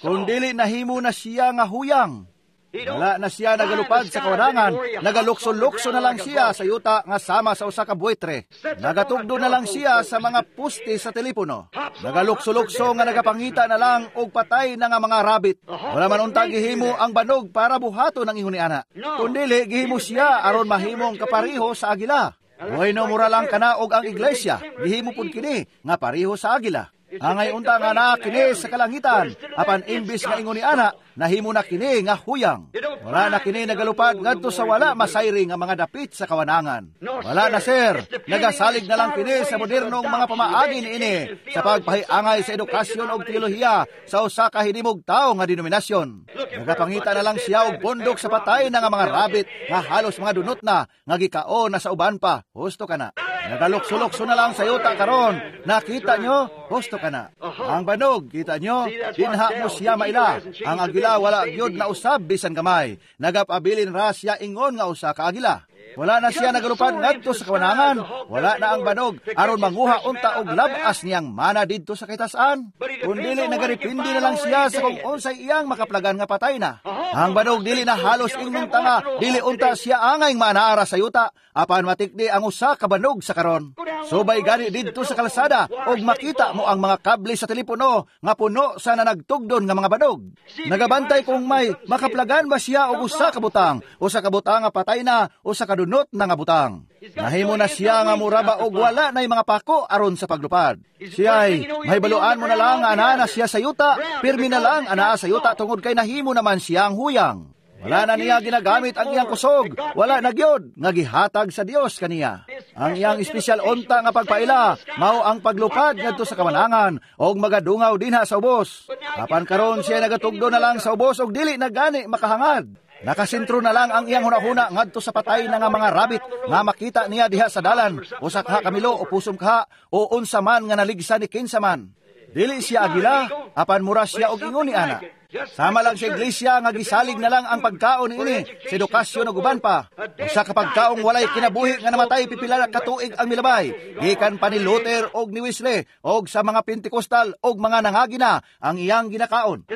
Kung dili nahimo na siya nga huyang, wala na siya nagalupad sa kawanangan, nagalukso-lukso na lang siya sa yuta nga sama sa usa ka buitre. Nagatugdo na lang siya sa mga puste sa telepono. Nagalukso-lukso nga nagapangita na lang og patay na nga mga rabbit. Wala man unta gihimo ang banog para buhaton ang ingon ni ana. Kung dili gihimo siya aron mahimong kapariho sa agila. Bueno, mura lang kana og ang iglesia, gihimo pud kini nga pareho sa agila. Angay unta nga naa kini sa kalangitan, apan imbis nga ingon ni ana, nahimo na kini nga huyang. Wala na kini nagalupad ngadto sa wala masayri nga mga dapit sa kawanangan. Wala na, sir, nagasalig na lang kini sa modernong mga pamaagi niini sa pagpahiangay sa edukasyon og teolohiya sa usa ka hinimog tawo nga denominasyon. Nagapangita na lang siya og pondok sa patay na nga mga rabbit nga halos mga dunot na nga gikaon na sa uban pa. Husto kana. Nagalukso-lukso na lang sa yuta karon. Nakita nyo? Husto ka na. Ang banog, kita nyo? Dinha mo siya maila. Ang agila wala gyud na usab bisan gamay. Nagapabilin ra siya ingon nga usa ka agila. Wala na siya nagalupad ngadto sa kawanangan. Wala na ang banog aron manguha unta og labas niyang mana didto sa kitasan. Kun dili nagaripindi na lang siya sa kung unsay iyang makaplagan nga patay na. Ang banog dili na halos ingnon tanga, dili unta siya angay maanaara sa yuta, apan matikdi ang usa ka banog sa karon. Subay gani didto sa kalsada og makita mo ang mga kable sa telepono nga puno sa nanagtugdon nga mga banog. Nagabantay kung may makaplagan ba siya og usa ka butang, usa ka butang nga patay na, usa ka dunot na nga butang. Nahimo na siya nga muraba og wala na'y mga pako aron sa paglupad. Siya'y mahibaluan mo na lang nga anaa na siya sa yuta, pirmi na lang anaa sa yuta tungod kay nahimo naman siya ang huyang. Wala na niya ginagamit ang iyang kusog, wala na gyud nga gihatag sa Dios kaniya. Ang iyang espesyal unta nga pagpaila mao ang paglupad ngadto sa kawanangan og magadungaw dinha sa ubos. Apan karon siya nagatugdo na lang sa ubos og dili na gani makahangad. Nakasentro na lang ang iyang hunahuna ngadto sa patay na nga mga rabbit nga makita niya diha sa dalan, usa ka kamilo o pusom kaha o unsa man nga naligsa ni kinsa man. Dili siya agila, apan mura siya og ingon ni ana. Sama lang sa iglesia nga gisalig na lang ang pagkaon niini sa edukasyon ug uban pa. Usa ka pagkaong walay kinabuhi nga namatay pipila ka tuig ang milabay. Gikan pa ni Luther og ni Wesley og sa mga Pentecostal og mga nangagina ang iyang ginakaon.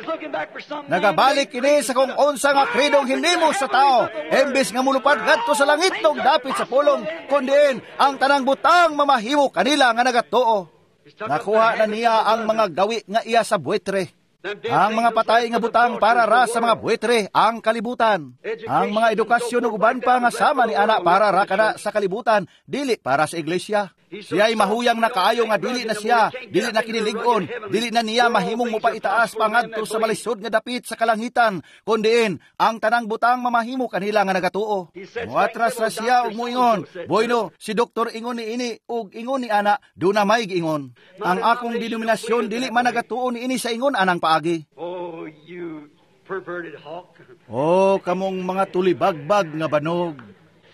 Nagabalik kini sa kung unsa nga kredong hinimo sa tao, imbes nga mulupad ngadto sa langit nog dapit sa pulong, kundiin ang tanang butang mamahimo kanila nga nagatuo. Nakuha na niya ang mga gawi nga iya sa buitre. Ang mga patay nga butang para ra sa mga buitre ang kalibutan. Ang mga edukasyon ug uban pa nga sama ni ana para ra kana sa kalibutan, dili para sa iglesia. Siya'y mahuyang na kaayo nga dili na siya, dili na kinilig-on, dili na niya mahimong mopaitaas pangadto sa malisod nga dapit sa kalangitan, kundiin ang tanang butang mamahimo kanila nga nagatuo. Moatras ra siya og moingon, "Bueno, si doktor ingon ni ini og ingon ni ana, duna may giingon. Ang akong denominasyon dili man nagatuo ni ini sa ingon anang paagi." Oh, you perverted hawk. Oh, kamong mga tulibagbag nga banog,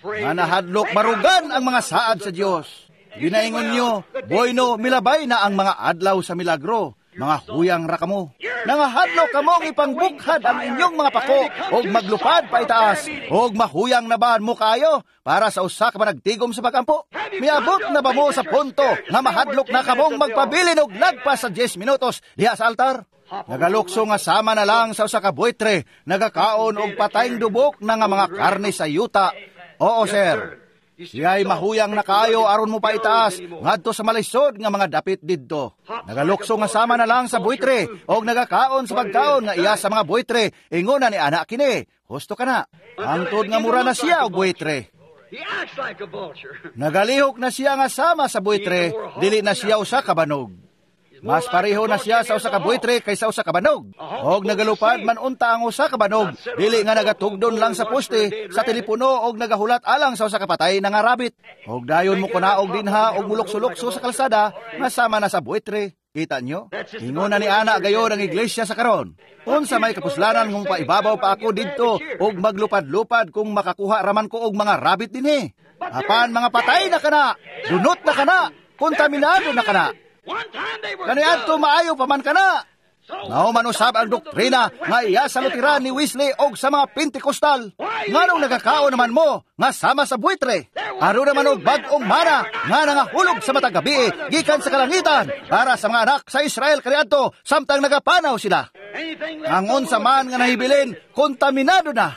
nga nahadlok marugan ang mga saad sa Dios. Ginaingon nyo, "Bueno, milabay na ang mga adlaw sa milagro." Mga huyang ra kamo. Nangahadlok kamong ipangbukhad ang inyong mga pako og maglupad pa itaas og mahuyang na ba mo kayo para sa usa ka panagtigom sa pagampo? Miabot na ba mo sa punto nga mahadlok na kamong magpabilin og lagpas sa 10 minutos diha sa altar? Nagalukso nga sama na lang sa usa ka buitre, nagakaon og patayng dubok na nga mga karne sa yuta. Oo, sir. Siya'y mahuyang na kaayo aron mo paitaas ngadto sa malisod nga mga dapit didto. Nagalukso nga sama na lang sa buitre og nagakaon sa pagkaon nga iya sa mga buitre. Ingon na ni ana kini, husto ka na. Hangtod nga mura na siya og buitre. He acts like a vulture. Nagalihok na siya nga sama sa buitre, dili na siya usa ka banog. Mas pareho na siya sa usa ka buitre kaysa usa ka banog. Og nagalupad man unta ang usa ka banog, dili nga nagatugdon lang sa poste, sa telepono og nagahulat alang sa usa ka patay na nga rabbit. Og dayon mo kunaog dinha og mulukso-lukso sa kalsada nga sama na sa buitre. Kita nyo? Ingon na ni ana gayon ang iglesia sa karon. Unsa may kapuslanan ngung paibabaw pa ako didto og maglupad-lupad kung makakuha raman ko og mga rabbit dinhi? Apan mga patay na kana, dunot na kana, kontaminado na kana. One time they were Kaniadto maayo pa man kana. Mao man usab ang doktrina nga iya sa Lutheran ni Wesley og sa mga Pentecostal. Nganong nagakaon naman mo nga sama sa buitre? Aron naman og bag-ong mana nga nangahulog sa matag gabi gikan sa kalangitan para sa mga anak sa Israel kaniadto samtang nagapanaw sila. Anything Ang unsa man nga nahibilin, kontaminado na.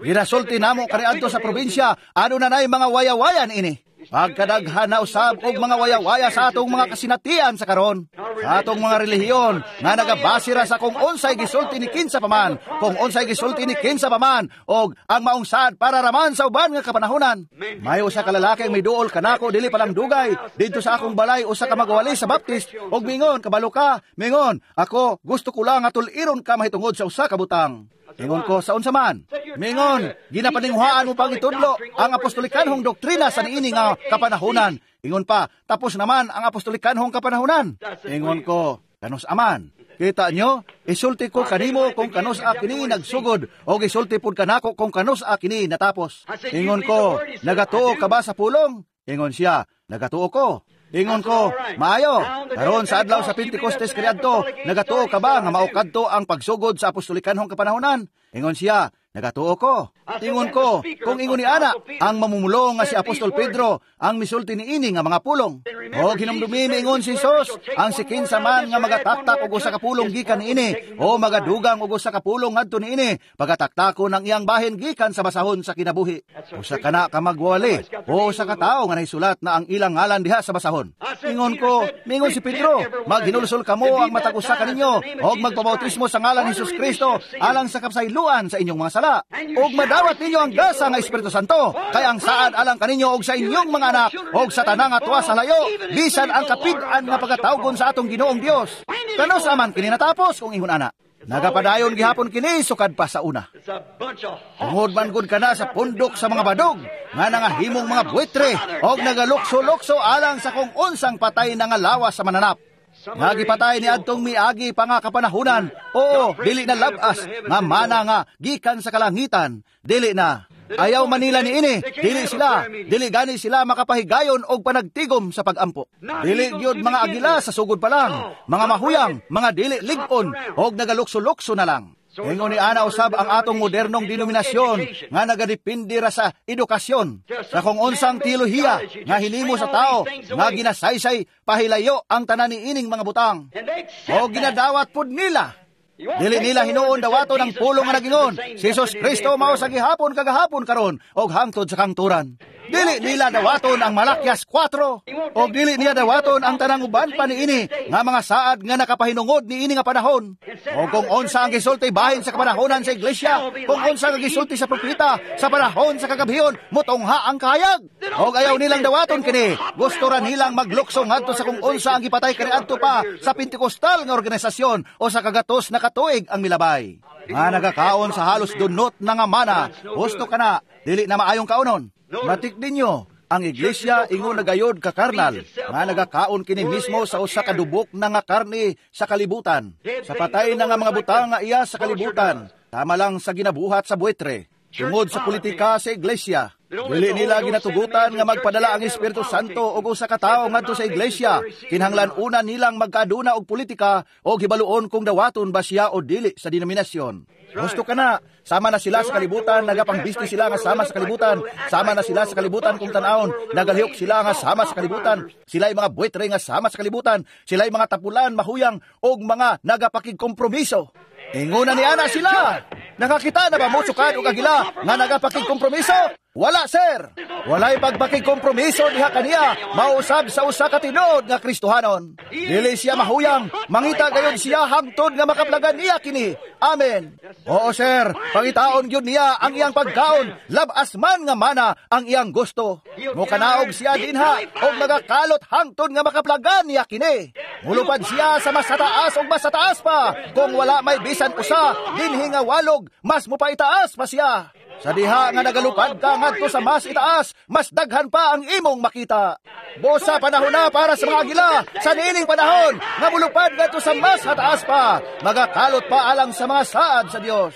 Ginasulti namo kaniadto sa probinsya, ano na nay mga wayawayan ini. Pagkadaghan na usab og mga wayawaya sa atong mga kasinatian sa karon, sa atong mga relihiyon nga nagabase ra sa kung unsay gisulti ni kinsa pa man, kung unsay gisulti ni kinsa pa man, og ang maong saad para raman sa uban nga kapanahonan. May usa ka lalaki ang miduol kanako dili pa lang dugay didto sa akong balay, usa ka magwali sa Baptist, og mingon, "Kabalo ka," mingon, "ako gusto ko lang nga tul-iron ka mahitungod sa usa ka butang." Ingon ko, "Sa unsa man?" Mingon, "Ginapaninghuaan mo pang itudlo ang apostolikanhong doktrina sa niini nga kapanahonan." Ingon pa, "Tapos naman ang apostolikanhong kapanahonan." Ingon ko, "Kanus aman?" Kita nyo, isulti ko kanimo kung kanus a kini nagsugod, o isulti pud kanako kung kanus a kini natapos. Ingon ko, "Nagatuo ka ba sa pulong?" Ingon siya, "Nagatuo ko." Ingon ko, "Maayo, karon sa adlaw sa Pentecostes kaniadto, nagatuo ka ba nga mao kadto ang pagsugod sa apostolikanhong kapanahonan?" Ingon siya, "Nagatuo ko." Ingon ko, "Kung ingon ni ana, ang mamumulong nga si Apostol Pedro ang misulti niini nga mga pulong. O hinumdumi, miingon si Jesus, ang si kinsa man nga magataktak og usa ka pulong gikan niini o magadugang og usa ka pulong ngadto niini, pagataktakon ang iyang bahin gikan sa basahon sa kinabuhi." Usa kana ka magwali o usa ka tawo nga nahisulat na ang ilang ngalan diha sa basahon. Ingon ko, mingon si Pedro, "Maghinulsol kamo ang matag usa kaninyo og magpabautismo sa ngalan ni Jesus Kristo alang sa kapsayloan sa inyong mga sala, ug madawat ninyo ang gasa nga Espiritu Santo, kay ang saad alang kaninyo og sa inyong mga anak og sa tanang atwa sa layo, bisan ang kapid-an nga pagatawgon sa atong Ginoong Dios." Kanus aman kini natapos kung ingon ana? Nagapadayon gihapon kini sukad pa sa una. It's a bunch of hawks. Tungod man gud kana sa pundok sa mga badog nga nangahimong mga buitre og nagalukso-lukso alang sa kung unsang patay na nga lawas sa mananap. Nga gipatay ni adtong miagi pa nga kapanahunan. Oo, dili na labas nga mana nga gikan sa kalangitan, dili na. Ayaw manila ni ini, dili sila, dili gani sila makapahigayon og panagtigom sa pagampo. Dili gyud mga agila sa sugod pa lang, mga mahuyang, mga dili lig-on og nagalukso-lukso na lang. Ingon ni ana usab ang atong modernong denominasyon nga nagadepende ra sa edukasyon, sa kung unsang teolohiya nga hinimo sa tao nga ginasaysay pahilayo ang tanan ni ining mga butang. And they accept O that. Ginadawat pud nila. You won't Dili take nila the hinuon word that said dawaton ang Jesus pulong nga Christ is nagingon, the same si Jesus yesterday, Kristo today, mao sa forever. gihapon kagahapon karon og hangtod sa kangturan. Dili nila dawaton ang Malakias 4. Og dili niya dawaton ang tanang uban pa niini nga mga saad nga nakapahinungod niini nga panahon. O kung unsa ang gisulti bahin sa kapanahonan sa iglesia, kung unsa ang gisulti sa propeta sa panahon sa kagabhion, mutungha ang kahayag. Og ayaw nilang dawaton kini. Gusto ra nilang maglukso ngadto sa kung unsa ang gipatay kaniadto pa sa Pentecostal nga organisasyon o sa kagatos na katuig ang milabay. Nga nagakaon sa halos dunot na nga mana, gusto ka na, dili na maayong kaonon. Matik ninyo, ang iglesia ingon nagayod ka karnal, nga nagakaon kini mismo sa usa ka dubok na nga karne sa kalibutan. Sa patay na nga mga butang nga iya sa kalibutan, tama lang sa ginabuhat sa buitre. Tungod sa politika sa iglesia, dili nila ginatugutan nga magpadala ang Espiritu Santo og usa ka tawo ngadto sa iglesia. Kinahanglan una nilang magkaaduna og politika o hibaluon kung dawaton ba siya o dili sa denominasyon. Gusto ka na, sama na sila sa kalibutan, nagapangbisti sila nga sama sa kalibutan, sama na sila sa kalibutan kung tan-awon, nagalihok sila nga sama sa kalibutan, sila'y mga buitre nga sama sa kalibutan, sila'y mga tapulan, mahuyang, og mga nagapakigkompromiso. Inguna ni ana sila. Nakakita na ba mo sukad og agila nga nagapakigkompromiso? Wala, sir. Walay pagpakigkompromiso diha kaniya, mausab sa usa ka tinuod nga Kristohanon. Dili siya mahuyang, mangita gayud siya hangtod nga makaplagan niya kini. Amen. Oo, sir, pangitaon gyud niya ang iyang pagkaon, labas man nga mana ang iyang gusto. Mokanaog siya dinha og nagakalot hangtod nga makaplagan niya kini. Mulupad siya sa mas taas og mas taas pa. Kung wala may bisan usa dinhi nga walog, mas mopaitaas pa siya. Sa diha nga nagalupad ka ngadto sa mas itaas, mas daghan pa ang imong makita. Busa panahon na para sa mga agila, sa niining panahon nga mulupad ngadto sa mas hataas pa, magakalot pa alang sa mga saad sa Dios.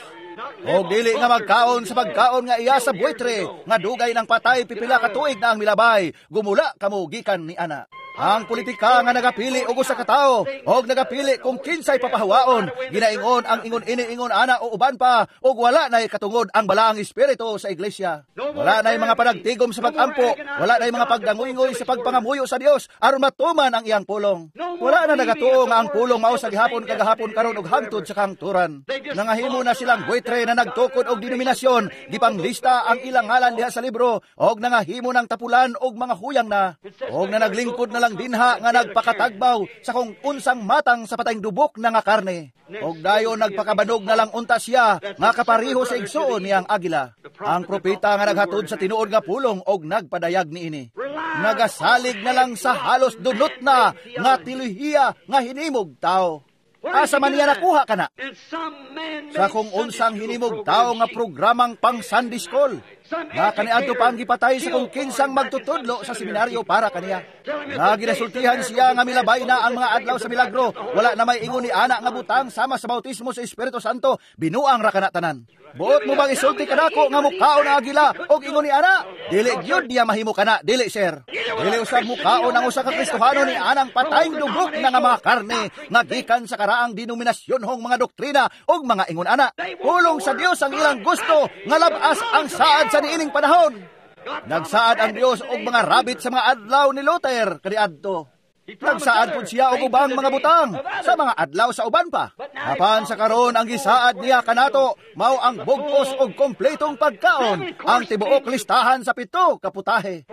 Og dili nga magkaon sa pagkaon nga iya sa buitre, nga dugay ng patay pipila ka tuig na ang milabay, gumula kamo gikan ni ana. Ang politika nga nagapili og usa ka tawo og nagapili kung kinsay papahawaon, ginaingon ang ingon ini ingon ana o uban pa, og wala nay katungod ang balaang espiritu sa iglesia. Wala nay mga panagtigom sa pagampo, wala nay mga pagdangoy-ngoy sa pagpangamuyo sa Dios aron matuman ang iyang pulong. Wala na nagatuo nga ang pulong mao sa gihapon kagahapon karon og hangtod sa kangturan. Nangahimo na silang buitre na nagtukod og denominasyon, gipanglista ang ilang ngalan diha sa libro og nangahimo ng tapulan og mga huyang na, og na naglingkod na lang dinha nga nagpakatagbaw sa kung unsang matang sa patayng dubok na nga karne. Og dayon nagpakabanog na lang unta siya nga kapariho sa igsuon niyang agila. Ang propeta nga naghatod sa tinuod nga pulong og nagpadayag niini. Nagasalig na lang sa halos dunot na nga tiluhiya nga hinimog tao. Asa man niya nakuha kana? Sa kung unsang hinimog tao nga programang pang Sunday School, nga kaniadto pa ang gipatay sa kung kinsang magtutudlo sa seminaryo para kaniya. Nga ginasultihan siya nga milabay na ang mga adlaw sa milagro, wala na may ingon ni ana nga butang sama sa bautismo sa Espiritu Santo, binuang ra kana tanan. Buot mo bang isulti kanako nga mukaon ang agila og ingon ni ana? Dili gyud niya mahimo kana, dili sir. Dili usab mukaon ang usa ka Kristohano ni anang patayng dubok na nga mga karne nga gikan sa karaang denominasyonhong mga doktrina og mga ingon ana. Pulong sa Dios ang ilang gusto nga labas ang saad sa niining panahon. Nagsaad ang Dios og mga rabit sa mga adlaw ni Luther kaniadto. Nagsaad pud siya og ubang mga butang sa mga adlaw sa uban pa. Apan sa karon ang gisaad niya kanato mao ang bugos og kompletong pagkaon, ang tibuok listahan sa 7 ka putahe.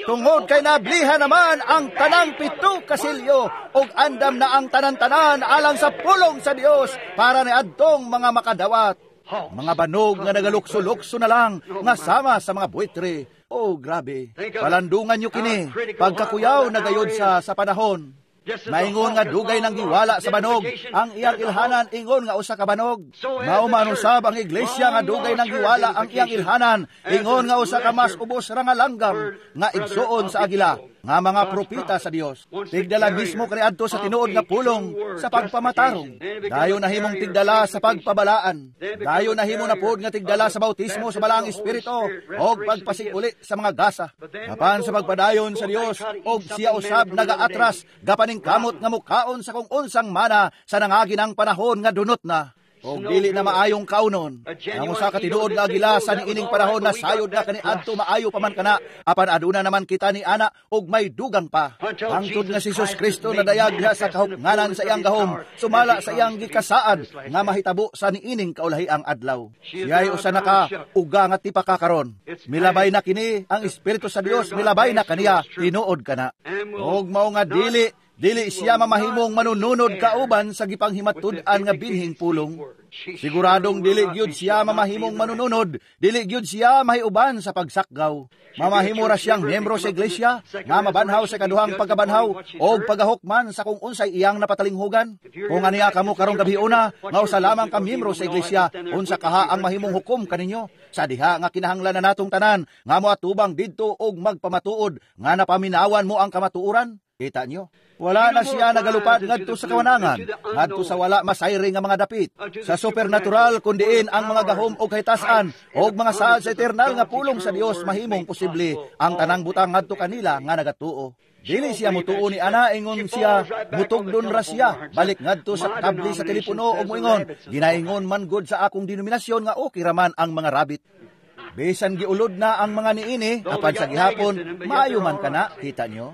Tungod kay nablihan naman ang tanang 7 ka silyo og andam na ang tanan-tanan alang sa pulong sa Dios para niadtong mga makadawat. Mga banog nga nagalukso-lukso na lang nga sama sa mga buitre. Oh, grabe. Palandungan nyo kini. Pagkakuyaw na gayod sa panahon. Maingon nga dugay nang giwala sa banog, ang iyang ilhanan ingon nga usa ka banog. Mao man usab ang iglesia nga dugay nang giwala ang iyang ilhanan, ingon nga usa ka mas ubos ra nga langgam nga igsuon sa agila nga mga propeta sa Dios. Tigdala mismo kaniadto sa tinuod nga pulong sa pagpamatarong. Dayon nahimong tigdala sa pagpabalaan. Dayon nahimo na pod nga tigdala sa bautismo sa Balaang Espiritu og pagpasiguli sa mga gasa. Apan sa pagpadayon sa Dios og siya usab nagaatras gapaning kamot nga mukaon sa kung unsang mana sa nangagi ng panahon nga dunot na. Og dili na maayong kaunon. Ang usa ka tinuod nga agila sa niining panahon na sayod na kaniadto, maayo pa man kana, apan aduna naman kita ni ana og may dugang pa. Hangtod nga si Jesus Kristo nadayag diha sa kahuknganan sa iyang gahom, sumala sa iyang gikasaad nga mahitabo sa niining kaulahiang adlaw. Siya'y usa na ka uga nga tipaka karon. Milabay na kini ang Espiritu sa Dios, milabay na kaniya, tinuod kana. Og mao nga dili dili siya mamahimong manununod kauban sa gipanghimatud-an nga binhing pulong. Siguradong dili gyud siya mamahimong manununod, dili gyud siya mahiuban sa pagsakgaw. Mamahimo ra siyang miyembro sa iglesia nga mabanhaw sa kaduhang pagkabanhaw og pagahukman sa kung unsay iyang napatalinghugan. Kung aniya kamo karong gabhiuna nga usa lamang ka miyembro sa iglesia, unsa kaha ang mahimong hukom kaninyo? Sa diha nga kinahanglan na natong tanan nga moatubang didto og magpamatuod nga napaminawan mo ang kamatuoran. Kita nyo? Wala na siya nagalupad ngadto sa kawanangan, ngadto sa wala masayri nga mga dapit. Sa supernatural kundiin ang mga gahom o kahitasan og mga saad sa eternal nga pulong sa Dios mahimong posible ang tanang butang ngadto kanila nga nagatuo. Dili siya mutuo ni ana, ingon siya, mutugdon ra siya, balik ngadto sa kable sa telepono og moingon, ginaingon man gud sa akong denominasyon nga okay ra man ang mga rabbit. Bisan giulod na ang mga niini, apan sa gihapon, maayo man kana, kita nyo?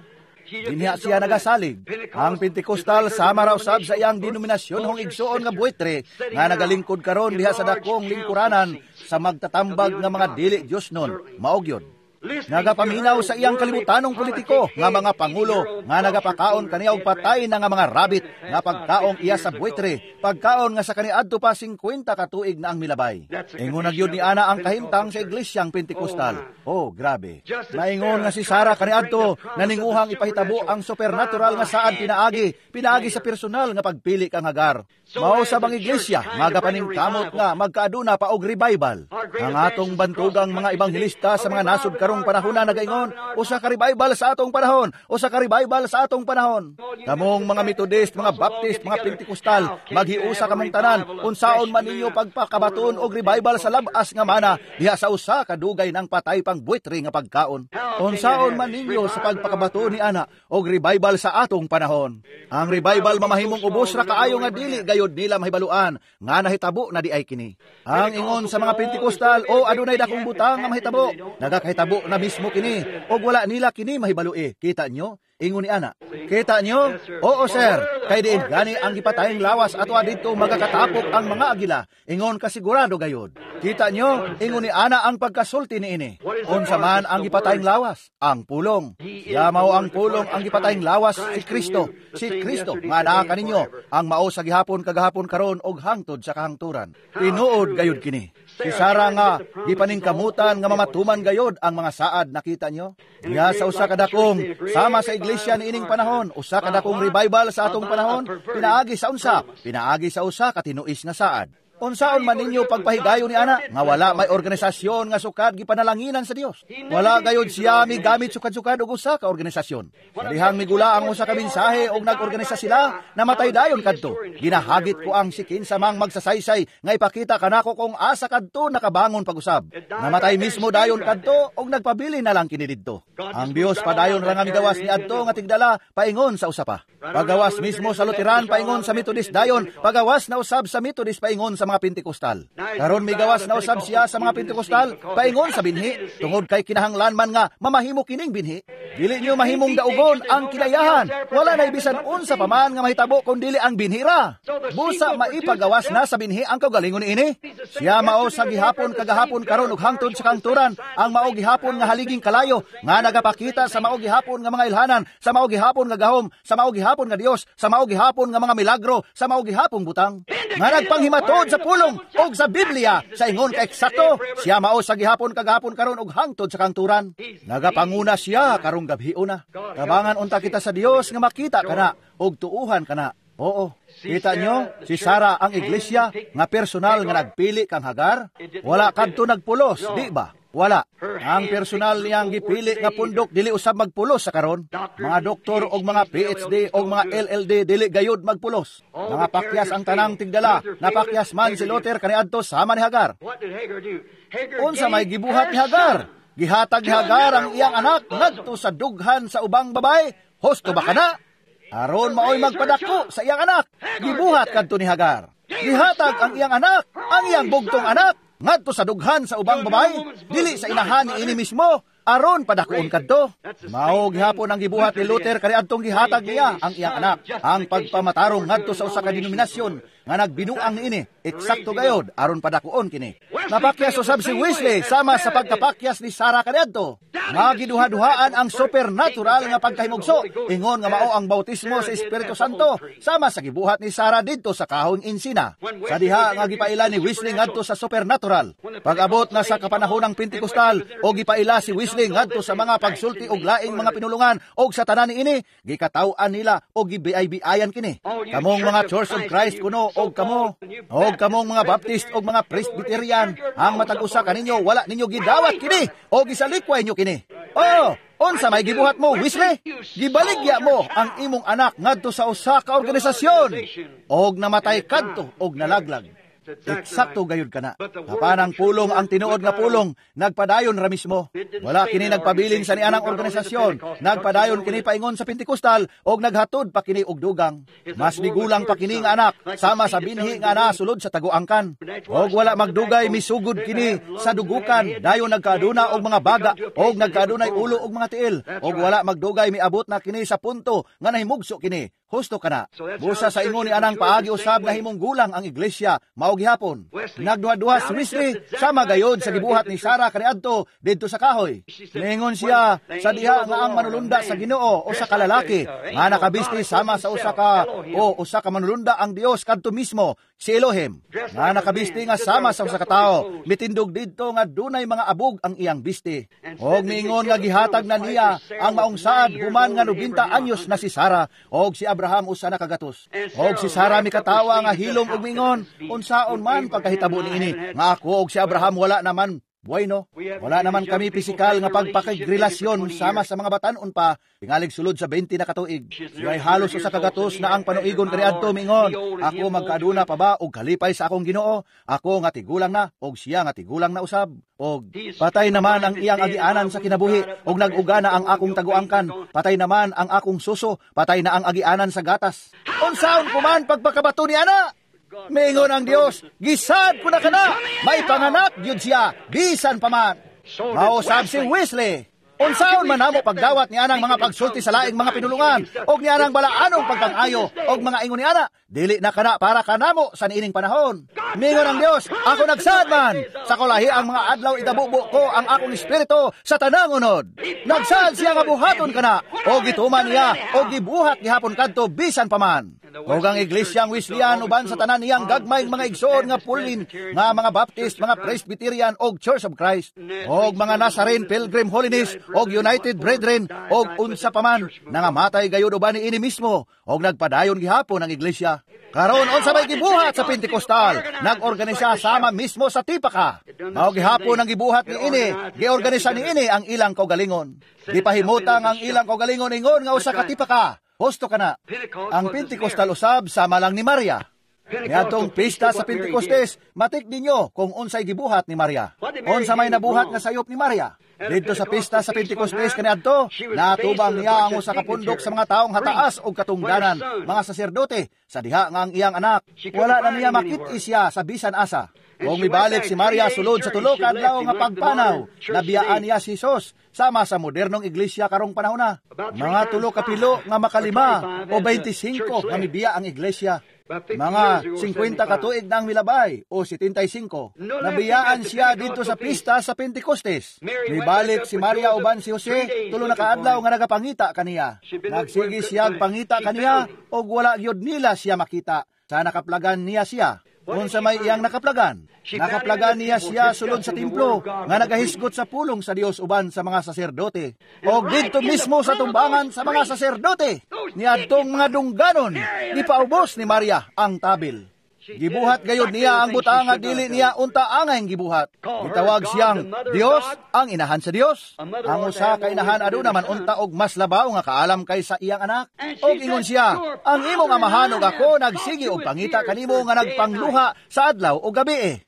Dinhiya siya nagasalig. Ang Pentecostal sama raw sab sa iyang denominasyon hong igsuon nga buitre nga nagalingkod karon diha sa dakong lingkuranan sa magtatambag nga mga dili Dios nun. Mao gyud. Nagapaminaw sa iyang kalibutanong politiko nga mga pangulo nga nagapakaon kaniya og patay na nga mga rabbit nga pagkaong iya sa buitre, pagkaon nga sa kaniadto pa 50 ka tuig na ang milabay. Ingon na gyud ni ana ang kahimtang sa iglesyang Pentecostal. Oh, grabe. Naingon nga si Sara kaniadto naninguhang ipahitabo ang supernatural nga saad pinaagi sa personal nga pagpili kang Hagar. Mao sa bang iglesia magapaningkamot nga magkaaduna pa og revival. Ang atong bantugang mga ebanghelista sa mga nasod karong panahon na nagaingon, usa ka revival sa atong panahon, usa ka revival sa atong panahon. Kamong mga Methodist, mga Baptist, mga Pentecostal, maghiusa kamong tanan, unsaon man ninyo pagpakabaton og revival sa labas nga mana diha sa usa ka dugay ng patay pang buitre nga pagkaon. Unsaon man ninyo sa pagpakabaton ni ana og revival sa atong panahon. Ang revival mamahimong ubos ra kaayo nga dili gayod nila mahibaluan nga nahitabo na di ay kini. Ang ingon sa mga Pentecostal, o adunay dakong butang nga mahitabo, nagakahitabo na mismo kini og wala nila kini mahibalui. Kita nyo? Ingon ni ana. Kita nyo? Oo sir, kay diin gani ang gipatayng lawas ato didto magakatapok ang mga agila. Ingon kasigurado gayod. Kita nyo? Ingon ni ana ang pagkasulti niini. Unsa man ang gipatayng lawas? Ang pulong. Ya mao ang pulong ang gipatayng lawas si Kristo. Si Kristo nga naa kaninyo ang mao sa gihapon kagahapon karon og hangtod sa kahangturan. Tinuod gayod kini. Si Sara nga gipaningkamutan nga mamatuman gayod ang mga saad, nakita nyo? Diha sa usa ka dakong sama sa iglesia niining panahon, usa ka dakong revival sa atong panahon, pinaagi sa unsa? Pinaagi sa usa ka tinuis nga saad. Unsaon man ninyo pagpahigayon ni ana nga wala may organisasyon nga sukad gipanalanginan sa Dios. Wala gayod siya migamit sukad-sukad og usa ka organisasyon. Dihang migula ang usa ka mensahe og nag-organisa sila, namatay dayon kadto. Ginahagit ko ang si kinsa mang magsasaysay nga ipakita kanako kung asa kadto nakabangon pag-usab. Namatay mismo dayon kadto og nagpabili na lang kini didto. Ang Dios padayon ra nga migawas niadto nga tigdala paingon sa usa pa. Pagawas mismo sa Lutheran paingon sa Methodist dayon, pagawas na usab sa Methodist paingon sa mga Pentecostal. Karon migawas na usab siya sa mga Pentecostal paingon sa binhi, tungod kay kinahanglan man nga mamahimo kining binhi. Dili niyo mahimong daugon ang kinayahan. Wala na ibisan unsa pa man nga mahitabo kun dili ang binhi ra. Busa maipagawas na sa binhi ang kaugalingon niini. Siya mao sa gihapon kagahapon karon ug hangtod sa kangturan, ang mao gihapon nga haliging kalayo nga nagapakita sa mao gihapon nga mga ilhanan, sa mao gihapon nga gahom, sa mao gihapon nga Dios, sa mao gihapon nga mga milagro, sa mao gihapong butang nga nagpanghimatod sa pulong og sa Biblia sa ingon ka eksakto. Siya mao sa gihapon kagahapon karon ug hangtod sa kangturan. Nagapanguna siya karong gabhiuna. Kabangan unta kita sa Dios nga makita kana og tuuhan kana. Oo. Kita nyo, si Sara ang iglesia nga personal nga nagpili kang Hagar. Wala kadto nagpulos, di ba? Wala. Ang personal niyang gipili nga pundok dili usab magpulos sa karon. Mga doktor og mga PhD og mga LLD dili gayud magpulos. Mga pakyas ang tanang tigdala. Napakyas man si Luther kaniadto sama ni Hagar. Unsa may gibuhat ni Hagar? Gihatag ni Hagar ang iyang anak ngadto sa dughan sa ubang babae. Husto ba kana? Aron maoy magpadako sa iyang anak. Gibuhat kadto ni Hagar. Gihatag ang iyang anak, ang iyang bugtong anak, ngadto sa dughan sa ubang babae, dili sa inahan ni ini mismo, aron padakuon kadto. Mao gihapon ang gibuhat ni Luther kaniadtong gihatag niya ang iyang anak, ang pagpamatarong ngadto sa usa ka denominasyon nga nagbinuang niini, eksakto gayod aron padakuon kini. Napakyas usab si Wesley sama sa pagkapakyas ni Sarah kaniadto. Nga giduha-duhaan ang supernatural nga pagkahimugso, ingon nga mao ang bautismo sa Espiritu Santo sama sa gibuhat ni Sarah didto sa kahoy ensina. Sa diha nga gipaila ni Wesley ngadto sa supernatural. Pag-abot na sa kapanahon ng Pentecostal o gipaila si Wesley ngadto sa mga pagsulti og laing mga pinulungan og sa tanan niini, gikataw-an nila og gibiay-biayan kini. Kamong mga Church of Christ kuno og kamo, og kamong mga Baptist og mga Presbyterian, ang matag usa kaninyo wala ninyo gidawat kini o gisalikway nyo kini. Oh, unsa may gibuhat mo, Wesley? Gibaligya mo ang imong anak ngadto sa usa ka organisasyon og namatay kadto og nalaglag. Eksakto gayud kana. Apan ang pulong, ang tinuod nga pulong, nagpadayon ra mismo. Wala kini nagpabilin sa nianang organisasyon. Nagpadayon kini paingon sa Pentecostal og naghatod pa kini og dugang. Mas migulang pa kini nga anak sama sa binhi nga nasulod sa taguangkan. Og wala magdugay misugod kini sa dugukan, dayon nagkaaduna og mga baga og nagkaadunay ulo og mga tiil. Og wala magdugay miabot na kini sa punto nga nahimugso kini. Husto kana. Busa sa ingon ni anang paagi usab na himong gulang ang iglesia, mao gihapon. Nagduha-duha si Wesley sama gayod sa gibuhat ni Sarah kaniadto didto sa kahoy. Ningon siya sa diha nga ang manulunda sa Ginoo o sa kalalaki nga nakabisti sama sa usa ka o usa ka manulunda ang Dios kadto mismo si Elohim, nga nakabisti nga sama sa usa ka tawo, mitindog didto nga dunay mga abog ang iyang bisti. Og niingon nga gihatag na niya ang maong saad human nga 90 anyos na si Sarah og si Abraham usa na kagatos. Og si Sarah mikatawa nga hilom og mingon, unsaon man pagkahitabo niini nga ako og si Abraham wala naman bueno, wala naman kami pisikal nga pagpakigrelasyon sama sa mga batan-on pa, tingalig sulod sa 20 na katuig. Siya'y halos usa ka gatos na ang panuigon kaniadto mingon, ako magkaaduna pa ba og kalipay sa akong Ginoo? Ako nga tigulang na og siya nga tigulang na usab. Og patay naman ang iyang agianan sa kinabuhi, og nag-uga na ang akong taguangkan, patay naman ang akong suso, patay na ang agianan sa gatas. Unsaon ko man pagpakabato ni ana? Mingon ang Dios, gisad ko na kana, may panganak gyud siya, bisan pa man. Mausab si Wesley. Unsaon man namo pagdawat ni anang mga pagsulti sa laing mga pinulungan, og ni anang balaanong pagpangayo, og mga ingon ni ana, dili na kana para kanamo sa niining panahon. Mingon ang Dios, ako nagsaad man, sa kulahi ang mga adlaw idabubo ko ang akong espiritu sa tanang unod. Nagsaad siya nga buhaton kana, og gituman niya, og gibuhat gihapon kadto bisan pa man. Og ang iglesyang Wesleyan uban sa tanan niyang gagmayng mga igsoon nga pulin, nga mga Baptist, mga Presbyterian og Church of Christ, og mga Nazarene Pilgrim Holiness og United Brethren og unsa pa man, nangamatay gayud uban niini mismo og nagpadayon gihapon ang iglesia. Karon unsa may gibuhat sa Pentecostal, nagorganisa sama mismo sa tipaka. Mao gihapon ang gibuhat niini, giorganisa niini ang ilang kaugalingon. Gipahimutang ang ilang kaugalingon ingon nga usa ka tipaka. Husto kana. Ang Pentecostal usab sama lang ni Maria. Niadtong pista sa Pentecostes, matik ninyo kung unsay gibuhat ni Maria. Unsa may nabuhat nga sayop ni Maria. Didto sa pista sa Pentecostes kaniadto, natubang niya ang usa ka pundok sa mga taong hataas og katungdanan, mga saserdote, sa diha nga ang iyang anak. Wala na niya makit-i siya sa bisan asa. Kung mibalik si Maria sulod sa tulo ka adlaw nga pagpanaw, nabiyaan niya si Jesus sama sa modernong iglesia karong panahona. Mga tulo ka pilo nga makalima o 25 nga mibiya ang iglesia. Mga 50 katuig na ang milabay o 75. Nabiyaan siya dito sa pista sa Pentecostes. Mibalik si Maria uban si Jose tulo na kaadlaw nga nagapangita kaniya. Nagsige siya pangita kaniya og wala gyud nila siya makita. Sa nakaplagan niya siya. Unsa may iyang nakaplagan? Nakaplagan niya siya sulod sa templo nga nagahisgot sa pulong sa Dios uban sa mga saserdote. Og didto mismo sa tumbangan sa mga saserdote, niadtong mga dungganon, gipaubos ni Maria ang tabil. Gibuhat gayud niya ang butang nga dili niya unta angay gibuhat. Gitawag siyang Dios, ang inahan sa Dios. Ang usa ka inahan aduna man unta og mas labaw nga kaalam kaysa iyang anak. Og ingon siya, ang imong amahan ug ako nagsige og pangita kanimo nga nagpangluha sa adlaw ug gabi.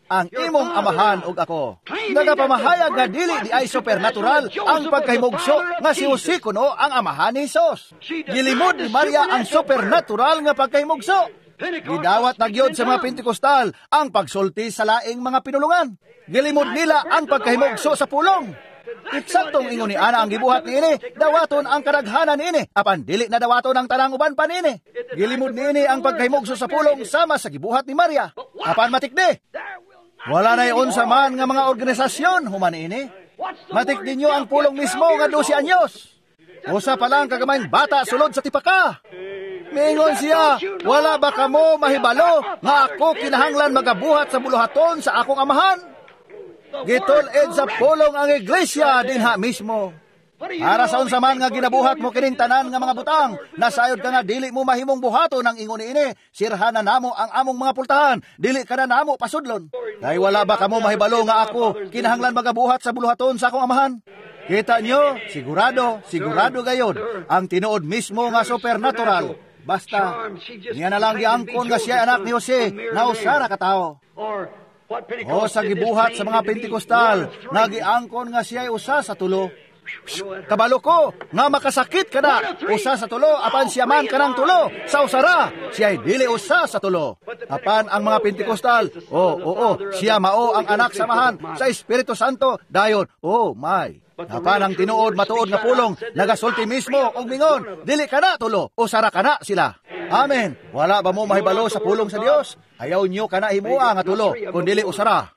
Ang imong amahan ug ako. Nagapamahayag nga dili di ay supernatural ang pagkahimugso nga si Jose kuno ang amahan ni Jesus. Gilimod ni Maria ang supernatural nga pagkahimugso. Gidawat na gyud sa mga Pentecostal ang pagsulti sa laing mga pinulungan. Gilimod nila ang pagkahimugso sa pulong. Eksaktong ingon ni ana ang gibuhat niini, dawaton ang kadaghanan niini, apan dili na dawaton ang tanang uban pa niini. Gilimod niini ang pagkahimugso sa pulong sama sa gibuhat ni Maria. Apan matikdi, wala na'y unsa man nga mga organisasyon human niini. Matikdi nyo ang pulong mismo nga 12 anyos. Usa pa lang kagamayng bata sulod sa tipaka. Mingon siya, wala ba kamo mahibalo nga ako kinahanglan magabuhat sa buluhaton sa akong amahan? Gitul-id sa pulong ang iglesia dinha mismo. Para sa unsa man nga ginabuhat mo kining tanan nga mga butang, nasayod ka nga dili mo mahimong buhaton ang ingon niini, sirhan na namo ang among mga pultahan, dili ka na namo pasudlon. Kay wala ba kamo mahibalo nga ako kinahanglan magabuhat sa buluhaton sa akong amahan? Kita nyo, sigurado, sigurado gayon, ang tinuod mismo nga supernatural. Basta, niya na lang giangkon nga siya anak ni Jose, nga usara ka tao. O sa gibuhat sa mga Pentecostal, nga giangkon nga siya usa sa tulo. Kabalo ko, nga makasakit ka na, usa sa tulo, apan siya man kanang tulo, sa usara, siya dili usa sa tulo. Apan ang mga Pentecostal, oo, siya mao ang anak samahan sa Espiritu Santo, dayon, oh my. Apan ang tinuod matuod nga pulong, nagasulti mismo og mingon, dili ka na tulo, usara ka na sila. Amen. Wala ba mo mahibalo sa pulong sa Dios? Ayaw nyo ka na himua nga tulo, kun dili usara.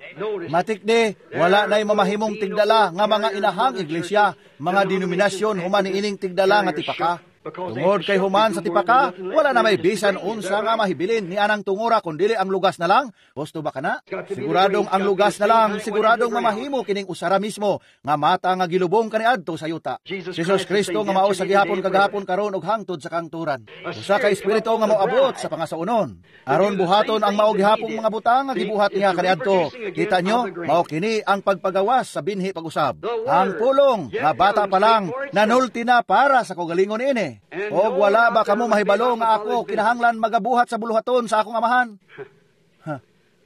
Matikdi, wala na'y mamahimong tigdala nga mga inahang iglesia, mga denominasyon human niining tigdala nga tipaka. Tungod kay human sa tipaka, wala na may bisan unsa nga mahibilin ni anang tungura kun dili ang lugas na lang. Gusto ba kana? Siguradong ang lugas na lang, siguradong mamahimo kining usara mismo nga mata nga gilubong kaniadto sa yuta. Jesus Kristo nga mao sa gihapon kagahapon karon ug hangtod sa kangturan. Usa ka espiritu nga moabot sa pangasaunon. Aron buhaton ang mao gihapong mga butang nga gibuhat niya kaniadto. Kita nyo, mao kini ang pagpagawas sa binhi pag-usab. Ang pulong nga bata pa lang nanulti na para sa kaugalingon ini. Og wala ba kamo mahibalo nga ako kinahanglan magabuhat sa buluhaton sa akong amahan?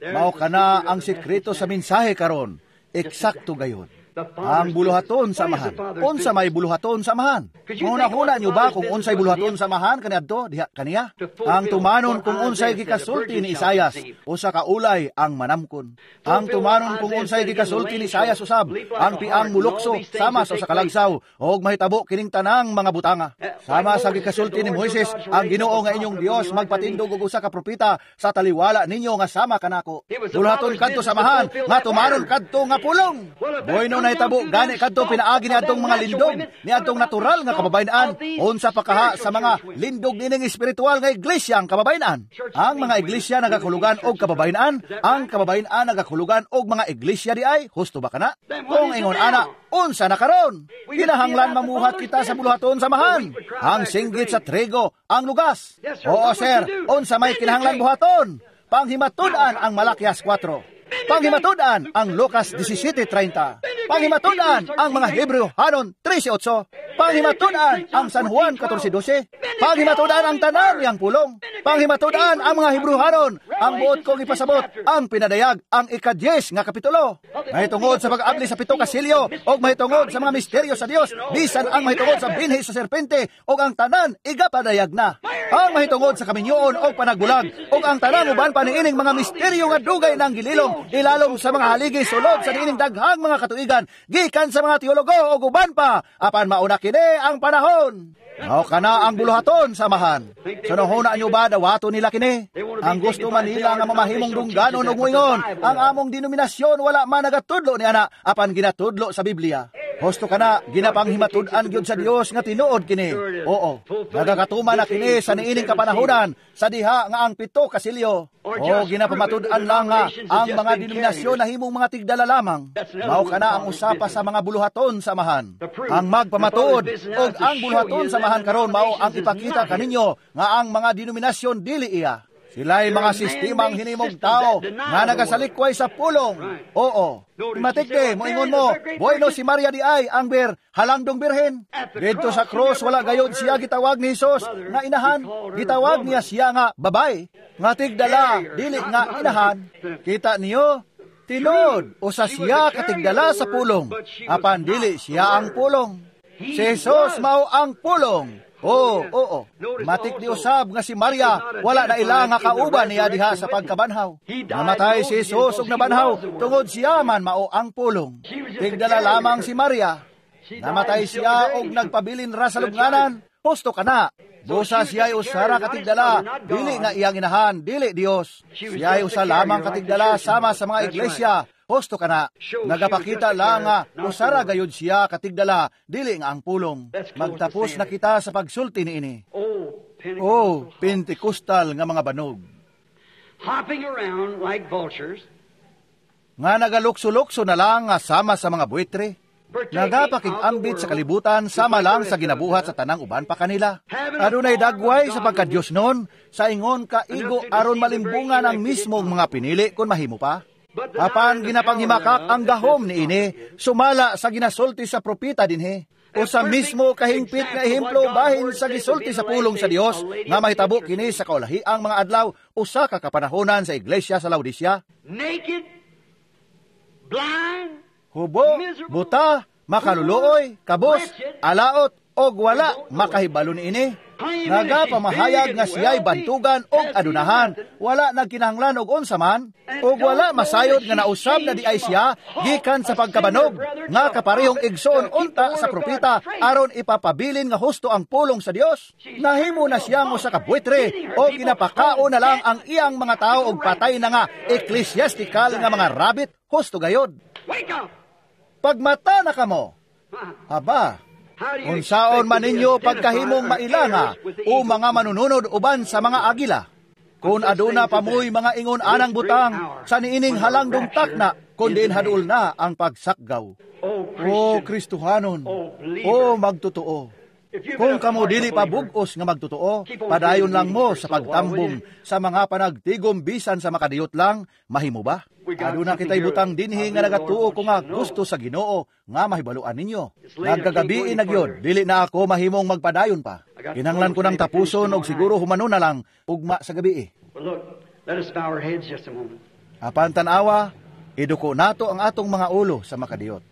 Mao kana ang sekreto sa mensahe karon. Eksakto gayon. Ang buluhaton sa amahan. Unsa may buluhaton sa amahan? Hunahuna nyo ba kung unsay buluhaton sa amahan kaniadto diha kaniya? Ang tumanon kung unsay gikasulti ni Isayas, usa ka ulay ang manamkon. Ang tumanon kung unsay gikasulti ni Isayas usab, ang piang mulukso sama sa usa ka lagsaw og mahitabo kining tanang mga butanga. Sama sa gikasulti ni Moises, ang Ginoo nga inyong Dios magpatindog og usa ka propeta sa taliwala ninyo nga sama kanako. Buluhaton kadto sa amahan nga tumanon kadto nga pulong. Bueno nahitabo gani kadto pinaagi ni adtong mga lindog ni adtong natural nga kababayen-an, unsa pa kaha sa mga lindog nining espiritual nga iglesia ang kababayen-an. Ang mga iglesia nagakulugan og kababayen-an, ang kababayen-an nagakulugan og mga iglesia di ay, husto ba kana? Kung ingon ana, unsa na karon? Kinahanglan mamuhat kita sa buluhaton sa amahan. Ang singgit sa trigo, ang lugas. Oo sir, unsa may kinahanglan buhaton? Panghimatud-an ang Malakias 4. Panghimatud-an ang Lucas 17:30. Panghimatud-an ang mga Hebreo hanon 13:8. Panghimatud-an ang San Juan 14:12. Panghimatud-an ang tanan niyang pulong. Panghimatud-an ang mga Hebreo hanon. Ang buot kong ipasabot, ang pinadayag ang ika-10 nga kapitulo. Mahitungod sa pag-abli sa 7 ka silyo og mahitungod sa mga misteryo sa Dios, bisan ang mahitungod sa binhi sa serpente og ang tanan igapadayag na. Ang mahitungod sa kaminyoon og panagbulag og ang tanan uban pa niining mga misteryo nga dugay nang gililong ilalom sa mga haligi sulod sa niining daghang mga katuigan gikan sa mga teologo og uban pa, apan mauna kini ang panahon. Mao kana ang buluhaton sa amahan. Sunohuna nyo ba dawato nila kini? Ang gusto man nila nga mamahimong dungganon og moingon, ang among denominasyon wala man nagatudlo ni ana, apan ginatudlo sa Biblia. Husto kana ginapanghimatud-an gyud sa Dios nga tinuod kini. Oo, nagakatuma na kini sa niining kapanahonan sa diha nga ang 7 ka silyo. O ginapamatud-an lang nga ang mga denominasyon nahimong mga tigdala lamang. Mao kana ang usapa sa mga buluhaton sa amahan. Ang magpamatuod og ang buluhaton sa amahan karon mao ang ipakita kaninyo nga ang mga denominasyon dili iya. Sila'y mga sistemang hinimog tao nga nagasalikway sa pulong. Oo. Matikde, moingon mo, bueno si Maria di ay ang halangdong birhen. Dito sa cross, wala gayod siya gitawag ni Hesus nga inahan. Gitawag niya siya nga babay. Nga tigdala, dili nga inahan. Kita niyo, tinuod, usa siya katigdala sa pulong. Apan dili siya ang pulong. Si Hesus mao ang pulong. Oo, oo. Matik di usab nga si Maria wala na ila nga kauban niya diha sa pagkabanhaw. Namatay si Jesus ug nabanhaw tungod siya man mao ang pulong. Tigdala lamang si Maria. Namatay siya og nagpabilin ra sa lubnganan. Husto kana. Busa siya'y usara katigdala, dili nga iyang inahan, dili Dios. Siya'y usa lamang katigdala sama sa mga iglesia. Husto kana. Nagapakita lang nga usara gayud siya katigdala, dili nga ang pulong. Magtapos na kita sa pagsulti niini. Oh, Pentecostal nga mga banog. Hopping around like vultures. Nga nagalukso-lukso na lang nga sama sa mga buitre. Nagapakig-ambit sa kalibutan sama lang sa ginabuhat sa tanang uban pa kanila. Adunay dagway sa pagka-Diyos nun, sa ingon kaigo aron malimbungan ang mismong mga pinili kung mahimo pa. Apan ginapanghimakak ang gahom niini, sumala sa ginasulti sa propeta dinhi. O sa mismo kahingpit nga ehemplo bahin sa gisulti sa pulong sa Dios nga mahitabo kini sa kaulahiang mga adlaw usa ka kapanahonan sa iglesia sa Laodicea. Naked, blind, hubo, buta, makaluluoy, kabos, alaot, og wala makahibalo niini. Nagapamahayag nga siya'y bantugan og adunahan, wala nagkinahanglan og unsa man, og wala masayod nga nausab na di ay siya gikan sa pagkabanog, nga kaparehong igsoon unta sa propeta aron ipapabilin nga husto ang pulong sa Dios. Nahimo na siyang usa ka buitre o ginapakaon na lang ang iyang mga tao og patay na nga ecclesiastical nga mga rabbit, husto gayod. Pagmata na kamo. Aba, unsaon man ninyo pagkahimong mailanga o mga manununod uban sa mga agila? Kung aduna pa mo'y mga ingon anang butang sa niining halangdong takna, kundi haduol na ang pagsakgaw. O Kristohanon, o magtotoo, kung kamo dili pa bug-os nga magtotoo, padayon lang mo sa pagtambong sa mga panagtigom bisan sa makadiyot lang, mahimo ba? Aduna kita'y butang dinhi nga nagatuo ko nga gusto sa Ginoo nga mahibaluan ninyo. Nagkagabii na gyud, dili na ako mahimong magpadayon pa. Kinahanglan ko nang tapuson og siguro humano na lang ugma sa gabii. Apan tan-awa, iduko nato ang atong mga ulo sa makadiyot.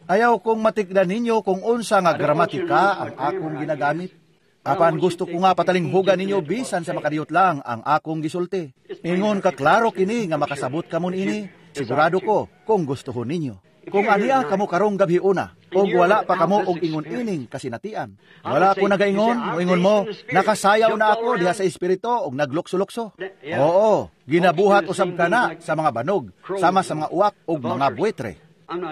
Ayaw kong matikdan ninyo kung unsa nga gramatika ang akong ginagamit. Apan gusto ko nga patalinghugan ninyo bisan sa makadiyot lang ang akong gisulti. Ingon ka klaro kini nga makasabot kamo niini, sigurado ko kung gustuhon ninyo. Kung aniya kamo karong gabi una, og wala pa kamo og ingon ining kasinatian. Wala ko nagaingon, moingon mo, nakasayaw na ako diha sa espiritu og naglukso-lukso. Oo, ginabuhat usab kana sa mga banog, sama sa mga uwak og mga buitre.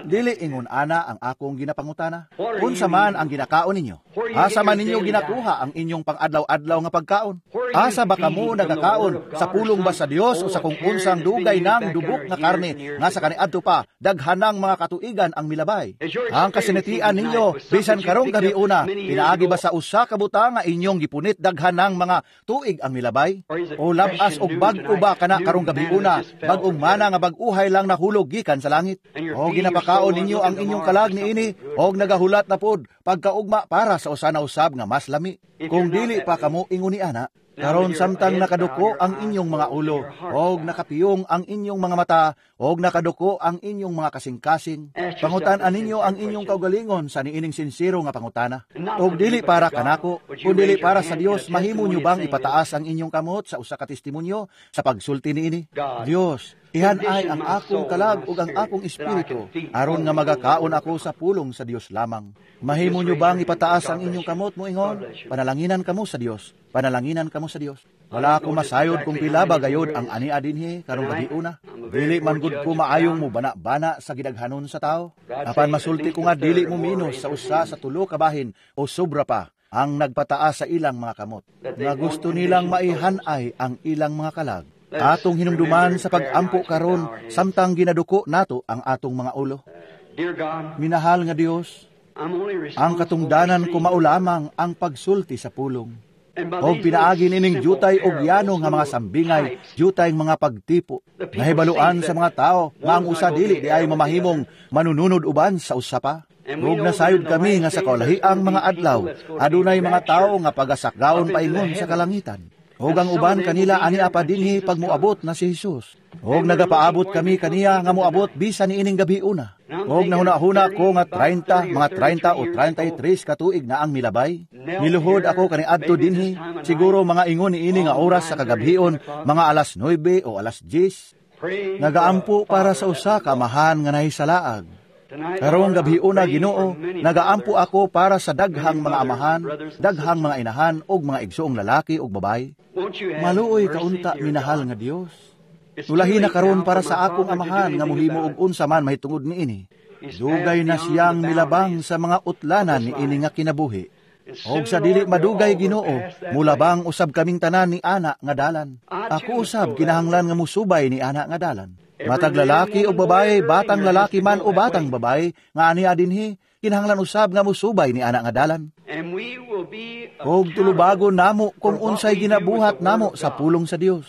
Dili ingon ana ang akong ginapangutana. Unsa man ang ginakaon ninyo? Asa man ninyo ginakuha ang inyong pang-adlaw-adlaw nga pagkaon? Asa ba kamo nagakaon? Sa pulong ba sa Dios o sa kung unsang dugay nang dubok nga karne nga sa kaniadto pa daghanang mga katuigan ang milabay? Ang kasinatian ninyo bisan karong gabi una, pinaagi ba sa usa ka butang nga inyong gipunit daghanang mga tuig ang milabay? O labas og bag-o ba kana karong gabi una, bag-ong mana nga bag-uhay lang nahulog gikan sa langit? O ginapakaon ninyo ang inyong kalag niini og nagahulat na pod pagkaugma para sa usa na usab nga mas lami. Kung dili pa kamo ingon ni ana, karon samtang nakaduko ang inyong mga ulo, og nakapiyong ang inyong mga mata, og nakaduko ang inyong mga kasing-kasing, pangutan-an ninyo ang inyong kaugalingon sa niining sinsero nga pangutana. Og dili para kanako, kun dili para sa Dios, mahimo nyo bang ipataas ang inyong kamot sa usa ka testimonyo sa pagsulti niini? Dios, ihan ay ang akong kalag ug ang akong espiritu, aron nga magakaon ako sa pulong sa Dios lamang. Mahimo nyo bang ipataas ang inyong kamot moingon? Panalanginan kamo sa Dios. Panalanginan kamo sa Dios. Wala ako masayod kung pila ba gayod ang ania dinhi karong gabi una. Dili man gud ko maayong mo bana-bana sa gidaghanon sa tao. Apan masulti ko nga dili mo minos sa usa sa tulo ka bahin o sobra pa ang nagpataas sa ilang mga kamot. Nga gusto nilang maihanay ang ilang mga kalag. Atong hinumduman sa pag-ampo karon samtang ginaduko nato ang atong mga ulo. Minahal nga Dios, ang katungdanan ko mao lamang ang pagsulti sa pulong. Og pinaagi nining jutay og yano nga mga sambingay, jutay mga pagtipo. Nahibaluan sa mga tao nga ang usa dili di ay mamahimong manununod uban sa usa pa. Ug nasayod kami nga sa kaulahiang mga adlaw, adunay mga tao nga pagasakgaon paingon sa kalangitan. Og ang uban kanila ani apa dinhi pag moabot na si Jesus. Og nagapaabot kami kaniya nga moabot bisan niining gabi una. Og nahuna-huna ko nga 30, mga 30 o 33 ka tuig na ang milabay. Niluhod ako kaniadto dinhi, siguro mga ingon niini nga oras sa kagabhion, mga alas 9 o alas 10. Nagaampo para sa usa ka amahan nga nahisalaag. Karong gabhiuna, Ginoo, nagaampo ako para sa daghang mga amahan, daghang mga inahan ug mga igsoong lalaki ug babayi. Maluoy kaunta, minahal nga Dios. Ulahi na karon para sa akong amahan nga mohimo og unsa man mahitungod niini. Dugay na siyang milabang sa mga utlanan niini nga kinabuhi. Og sa dili madugay, Ginoo, mulabang usab kaming tanan ni ana nga dalan. Ako usab kinahanglan nga musubay ni ana nga dalan. Matag lalaki o babae, batang lalaki man o batang babae, nga ania dinhi, kinahanglan usab nga musubay ni ana nga dalan. Og tulubagon namo kung unsay ginabuhat namo sa pulong sa Dios.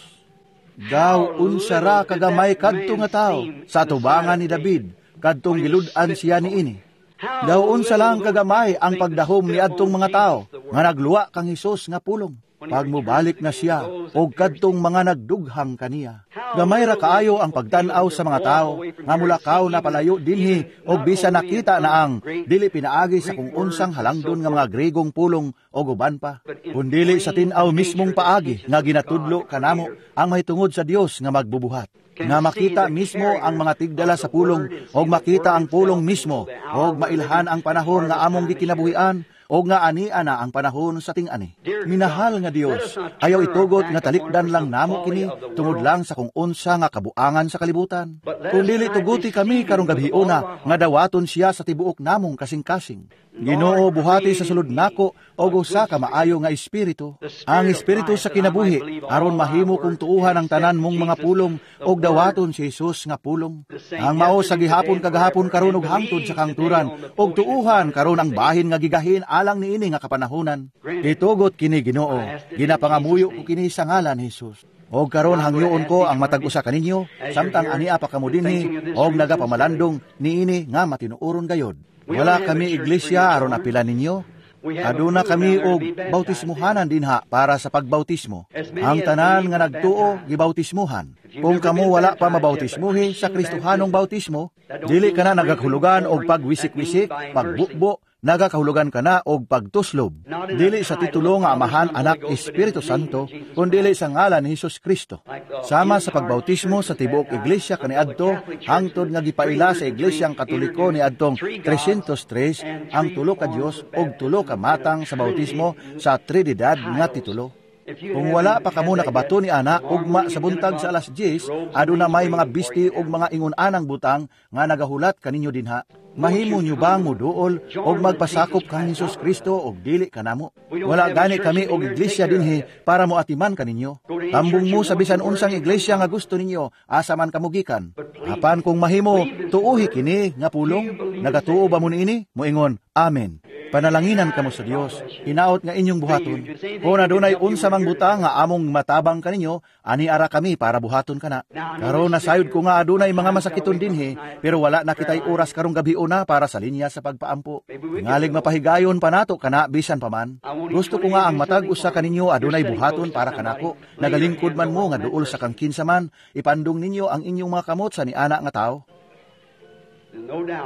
Daw unsa ra kagamay kadto nga tawo sa tubangan ni David, kadtong gilud-an siya niini. Daw unsa lang kagamay ang pagdahom ni adtong mga tawo nga nagluwa kang Hesus nga pulong. Pag mubalik na siya, og kadtong mga nagdughang kaniya. Gamay ra kaayo ang pagtan-aw sa mga tao, nga mulakaw na palayo dinhi, og bisa nakita na ang dili pinaagi sa kung unsang halangdon nga mga Gregong pulong og uban pa, kundili sa tin-aw mismong paagi nga ginatudlo kanamo ang mahitungod sa Dios nga magbubuhat. Nga makita mismo ang mga tigdala sa pulong, og makita ang pulong mismo, og mailhan ang panahon nga among gikinabuhian, o nga ani ana ang panahon sa ting-ani. Minahal nga Dios, ayaw itugot nga talikdan lang namo kini tungod lang sa kung unsa nga kabuangan sa kalibutan. Kung dili tuguti kami karong gabhiona nga dawaton siya sa tibuok namong kasing-kasing. Ginoo, buhati sa sulod nako og usa ka maayo nga espiritu, ang espiritu sa kinabuhi, aron mahimo kong tuuhan ang tanan mong mga pulong og dawaton si Jesus nga pulong. Ang mao sa gihapon kagahapon karon ug hangtod sa kangturan, og tuuhan karon ang bahin nga gigahin alang niini nga kapanahonan. Itugot kini, Ginoo, ginapangamuyo ko kini sa ngalan ni Jesus. Og karon hangyoon ko ang matag usa kaninyo samtang ania pa kamo dinhi og nagapamalandong niini nga matinuoron gayod. Wala kami iglesia aron apilan ninyo. Aduna kami og bautismuhanan dinha para sa pagbautismo. Ang tanan nga nagtuo gibautismuhan. Kung kamo wala pa mabautismuhi sa Kristohanong bautismo, dili kana nagakahulugan og pagwisik-wisik, pagbukbo, nagakahulugan kana og pagtuslob. Dili sa titulo nga Amahan, Anak, Espiritu Santo, kundili sa ngalan ni Hesus Kristo. Sama sa pagbautismo sa tibuok iglesia kaniadto, hangtod nga gipaila sa Iglesyang Katoliko niadtong 303 ang tulo ka Dios og tulo ka matang sa bautismo sa Trinidad nga titulo. Kung wala pa kamo nakabato ni ana, ugma sa buntag sa alas 10, aduna may mga bisti og mga ingon-anang butang nga nagahulat kaninyo dinha. Mahimo nyo bang muduol og magpasakop kang Hesus Kristo og dili kanamo? Wala gani kami og iglesia dinhi para moatiman kaninyo. Tambong mo sa bisan unsang iglesia nga gusto ninyo, asa man kamo gikan. Apan kung mahimo, tuuhi kini nga pulong. Nagatuo ba mo niini? Moingon, Amen. Panalanginan kamo sa Dios, hinaot nga inyong buhaton. Kung adunay unsa mang butang nga among matabang kaninyo, ani ara kami para buhaton kana. Karon nasayod ko nga adunay mga masakiton dinhi, pero wala na kitay oras karong gabi una para sa linya sa pagpaampo. Ngalig mapahigayon pa nato kana bisan pa man. Gusto ko nga ang matag usa kaninyo adunay buhaton para kanako. Nagalingkod man mo nga duol sa kang kinsa man, ipandong ninyo ang inyong mga kamot sa niana nga tawo.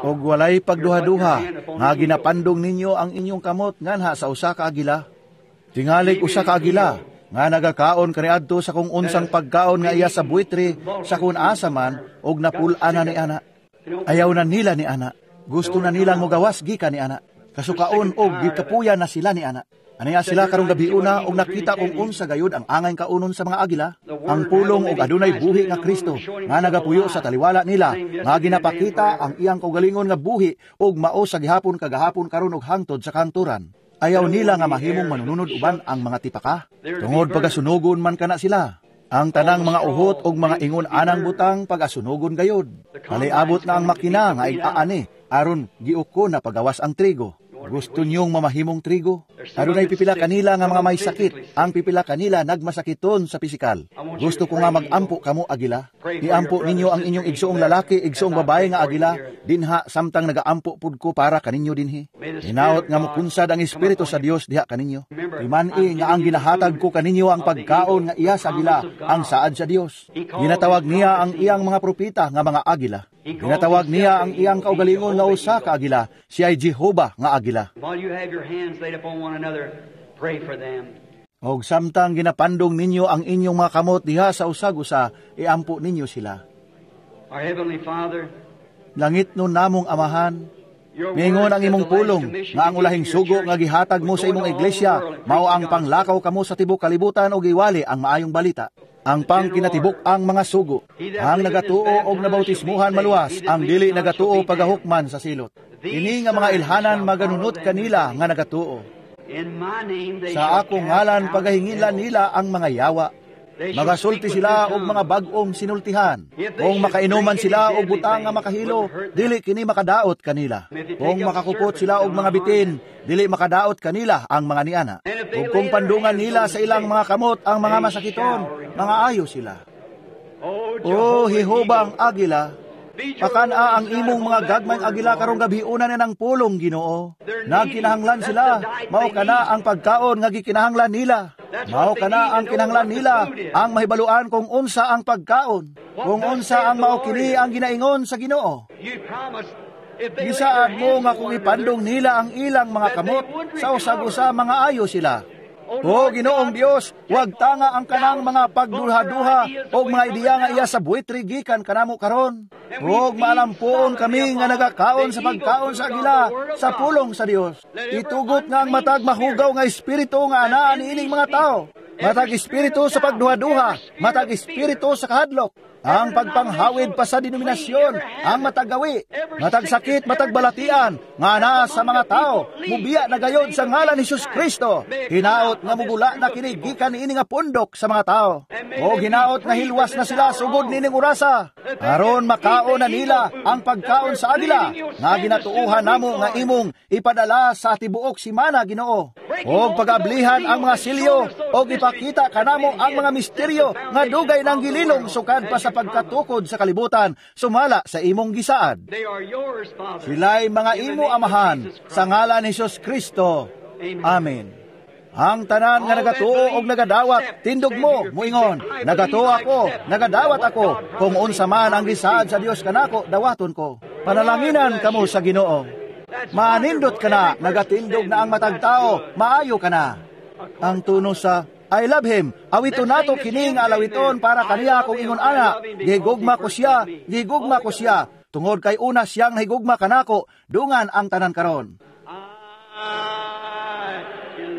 Og walay pagduha-duha nga ginapandong ninyo ang inyong kamot nganha sa usa ka agila. Tingalig usa ka agila nga nagakaon kaniadto sa kung unsang pagkaon nga iya sa buitre sa kung asa man og napul-an na ni ana. Ayaw na nila ni ana. Gusto na nilang mogawas gikan ni ana. Kasukaon og gikapuya na sila ni ana. Aniya sila karong gabi una og nakita kung unsa gayud ang angay kaunon sa mga agila, ang pulong og adunay buhi nga Kristo nga nagapuyo sa taliwala nila, nga ginapakita ang iyang kaugalingon nga buhi og mao sa gihapon kagahapon karon og hangtod sa kanturan. Ayaw nila nga mahimong manununod uban ang mga tipaka, tungod pagasunogon man kana sila. Ang tanang mga uhot og mga ingon anang butang pagasunogon gayod. Paliabot na ang makina nga ig-aani aron giuko na pagawas ang trigo. Gusto niyong mamahimong trigo? Adunay pipila kanila nga mga may sakit. Ang pipila kanila nagmasakiton sa pisikal. Gusto ko nga magampo kamo agila. Iampo ninyo ang inyong igsuong lalaki, igsuong babae nga agila dinha samtang nagaampo pud ko para kaninyo dinhi. Hinaot nga mokunsad ang Espiritu sa Dios diha kaninyo. Timan-i nga ang ginahatag ko kaninyo ang pagkaon nga iya sa agila, ang saad sa Dios. Ginatawag niya ang iyang mga propeta nga mga agila. Ginatawag niya ang iyang kaugalingon nga usa ka agila, siya ay Jehova nga agila. Og samtang ginapandong ninyo ang inyong mga kamot diha sa usag-usa, iampo ninyo sila. Langit nun namong Amahan, mingon ang imong pulong nga ang ulahing sugo nga gihatag mo sa imong iglesia, mao ang panglakaw kamo sa tibok kalibutan og iwali ang maayong balita. Ang pangkinatibok ang mga sugo, ang nagatuo og nabautismuhan maluwas, ang dili nagatuo pagahukman sa silot. Ini nga mga ilhanan maganunot kanila nga nagatuo. Sa akong ngalan pagahingilan nila ang mga yawa. Magasulti sila og mga bag-ong sinultihan. Kung makainuman sila og butang nga makahilo, dili kini makadaot kanila. Kung makakupot sila og mga bitin, dili makadaot kanila ang mga niana. Ug kung pandungan nila sa ilang mga kamot ang mga masakiton, mga ayo sila. O Jehova ang agila, pakan-a ang imong mga gagmayng agila karong gabiuna na ng pulong, Ginoo. Nagkinahanglan sila, mao kana ang pagkaon nga gikinahanglan nila. Mao kana ang kinahanglan nila, ang mahibaluan kung unsa ang pagkaon, kung unsa ang mao kini ang ginaingon sa Ginoo. Gisaad mo nga kung ipandong nila ang ilang mga kamot, sa usag-usa mga ayo sila. O Ginoong Dios, wag tanga ang kanang mga pagduha-duha o mga ideya nga iya sa buitri gikan kanamo karon. Og maalampuon kami nga nagakaon sa pagkaon sa agila sa pulong sa Dios. Itugot nga ang matag mahugaw nga espiritu nga anaa niining mga tao. Matag espiritu sa pagduha-duha, matag espiritu sa kahadlok. Ang pagpanghawid pa sa denominasyon, ang matagawi, matag sakit, matag balatian, nga naa sa mga tao, mubiya na gayon sa ngalan ni Jesus Kristo. Hinaot nga mugula na kini gikan niini nga pundok sa mga tao. O hinaot nga hilwas na sila sugod niining orasa, aron makaon na nila ang pagkaon sa agila, nga ginatuohan namo nga imong ipadala sa tibuok simana, Ginoo. Og pagablihan ang mga silyo, og ipakita kanamo ang mga misteryo nga dugay nang gililong sukad pa sa pagkatukod sa kalibutan, sumala sa imong gisaad. Sila'y mga imo, Amahan, sa ngalan ni Jesus Kristo. Amen. Ang tanan nga nagatuo og nagadawat, tindog mo, muingon, nagatuo ako, nagadawat ako, kung unsa man ang gisaad sa Dios kanako, dawaton ko. Panalanginan kamo sa Ginoo. Maanindot ka na, nagatindog na ang matag tao, maayo ka na. Ang tuno sa I love him, awito nato kini nga alawiton para kaniya kung ingon ana, gigugma ko siya, gigugma ko siya, tungod kay una siyang higugma kanako, dungan ang tanan karon.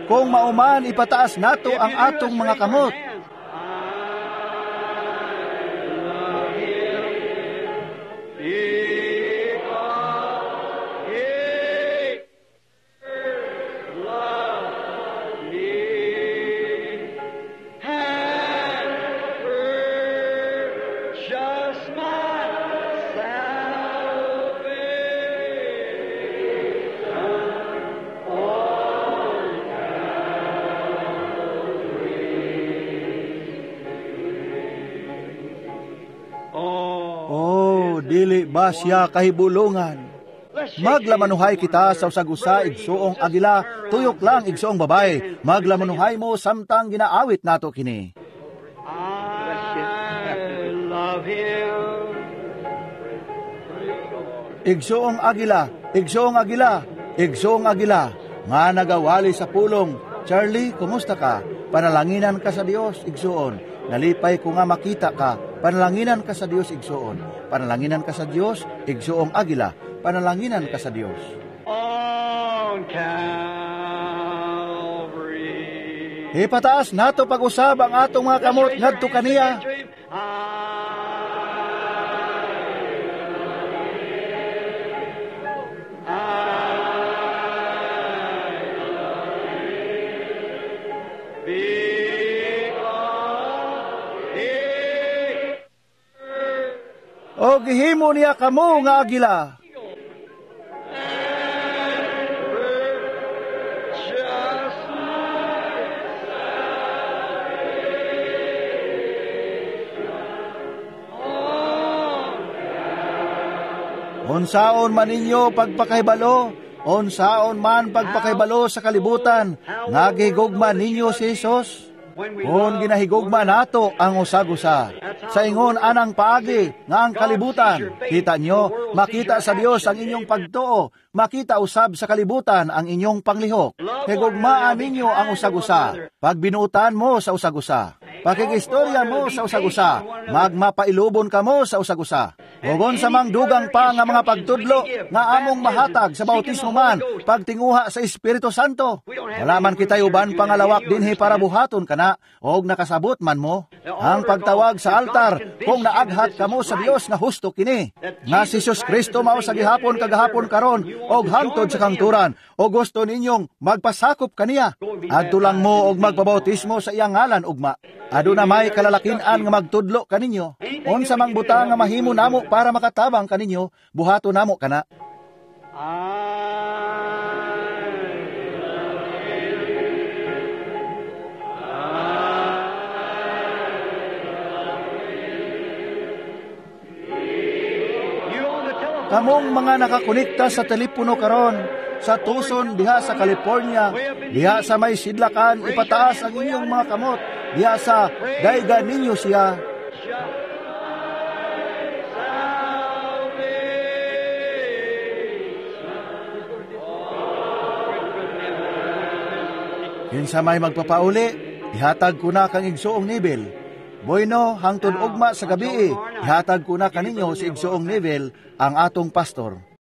Kung mauman ipataas nato ang atong mga kamot. Dili ba siya kahibulungan? Maglamanuhay kita sa usag-usa igsuong agila, tuyok lang igsuong babae. Maglamanuhay mo samtang ginaawit nato kini. I love him. Igsuong agila, igsuong agila, igsuong agila, nga nagawali sa pulong. Charlie, kumusta ka? Panalanginan ka sa Dios, igsuon. Nalipay ko nga makita ka. Panalanginan ka sa Dios, igsuon. Panalanginan ka sa Dios, igsuong agila. Panalanginan ka sa Dios. On Calvary. Ipataas nato pag-usab ang atong mga kamot ngadto kaniya. O gihimo niya kamo nga agila. Unsaon man ninyo pagpakahibalo, unsaon man pagpakahibalo sa kalibutan, nga gihigugma ninyo si Jesus? Kung ginahigugma nato ang usag-usa, sa ingon anang paagi nga ang kalibutan, kita nyo, makita sa Dios ang inyong pagtuo, makita usab sa kalibutan ang inyong panglihok. Higugmaan ninyo ang usag-usa, pagbinuutan mo sa usag-usa, pakikistorya mo sa usag-usa, magmapailubon ka mo sa usag-usa. Hugon sa mangdugang pa nga mga pagtudlo nga among mahatag sa bautismo man, pagtinguha sa Espiritu Santo. Wala man kita'y uban pangalawak dinhi para buhaton kana, og nakasabot man mo. Ang pagtawag sa altar, kung naaghat kamo sa Dios nga husto kini, nga si Jesus Kristo mao sa gihapon kagahapon karon og hangtod sa kangturan, o gusto ninyong magpasakop kaniya, adto lang mo og magpabautismo sa iyang ngalan ugma. Aduna may kalalakin-an nga magtudlo kaninyo. Unsa mang butang nga mahimo namo para makatabang kaninyo, buhato namo kana. Kamong mga nakakonekta sa telepono karon, sa Tucson, diha sa California, diha sa may sidlakan, ipataas ang inyong mga kamot, diha sa dayga ninyo siya. Kinsa may magpapauli, ihatag ko na kang igsuong Neville. Bueno, hangtod ugma sa gabi, ihatag ko na kaninyo si igsuong Neville, ang atong pastor.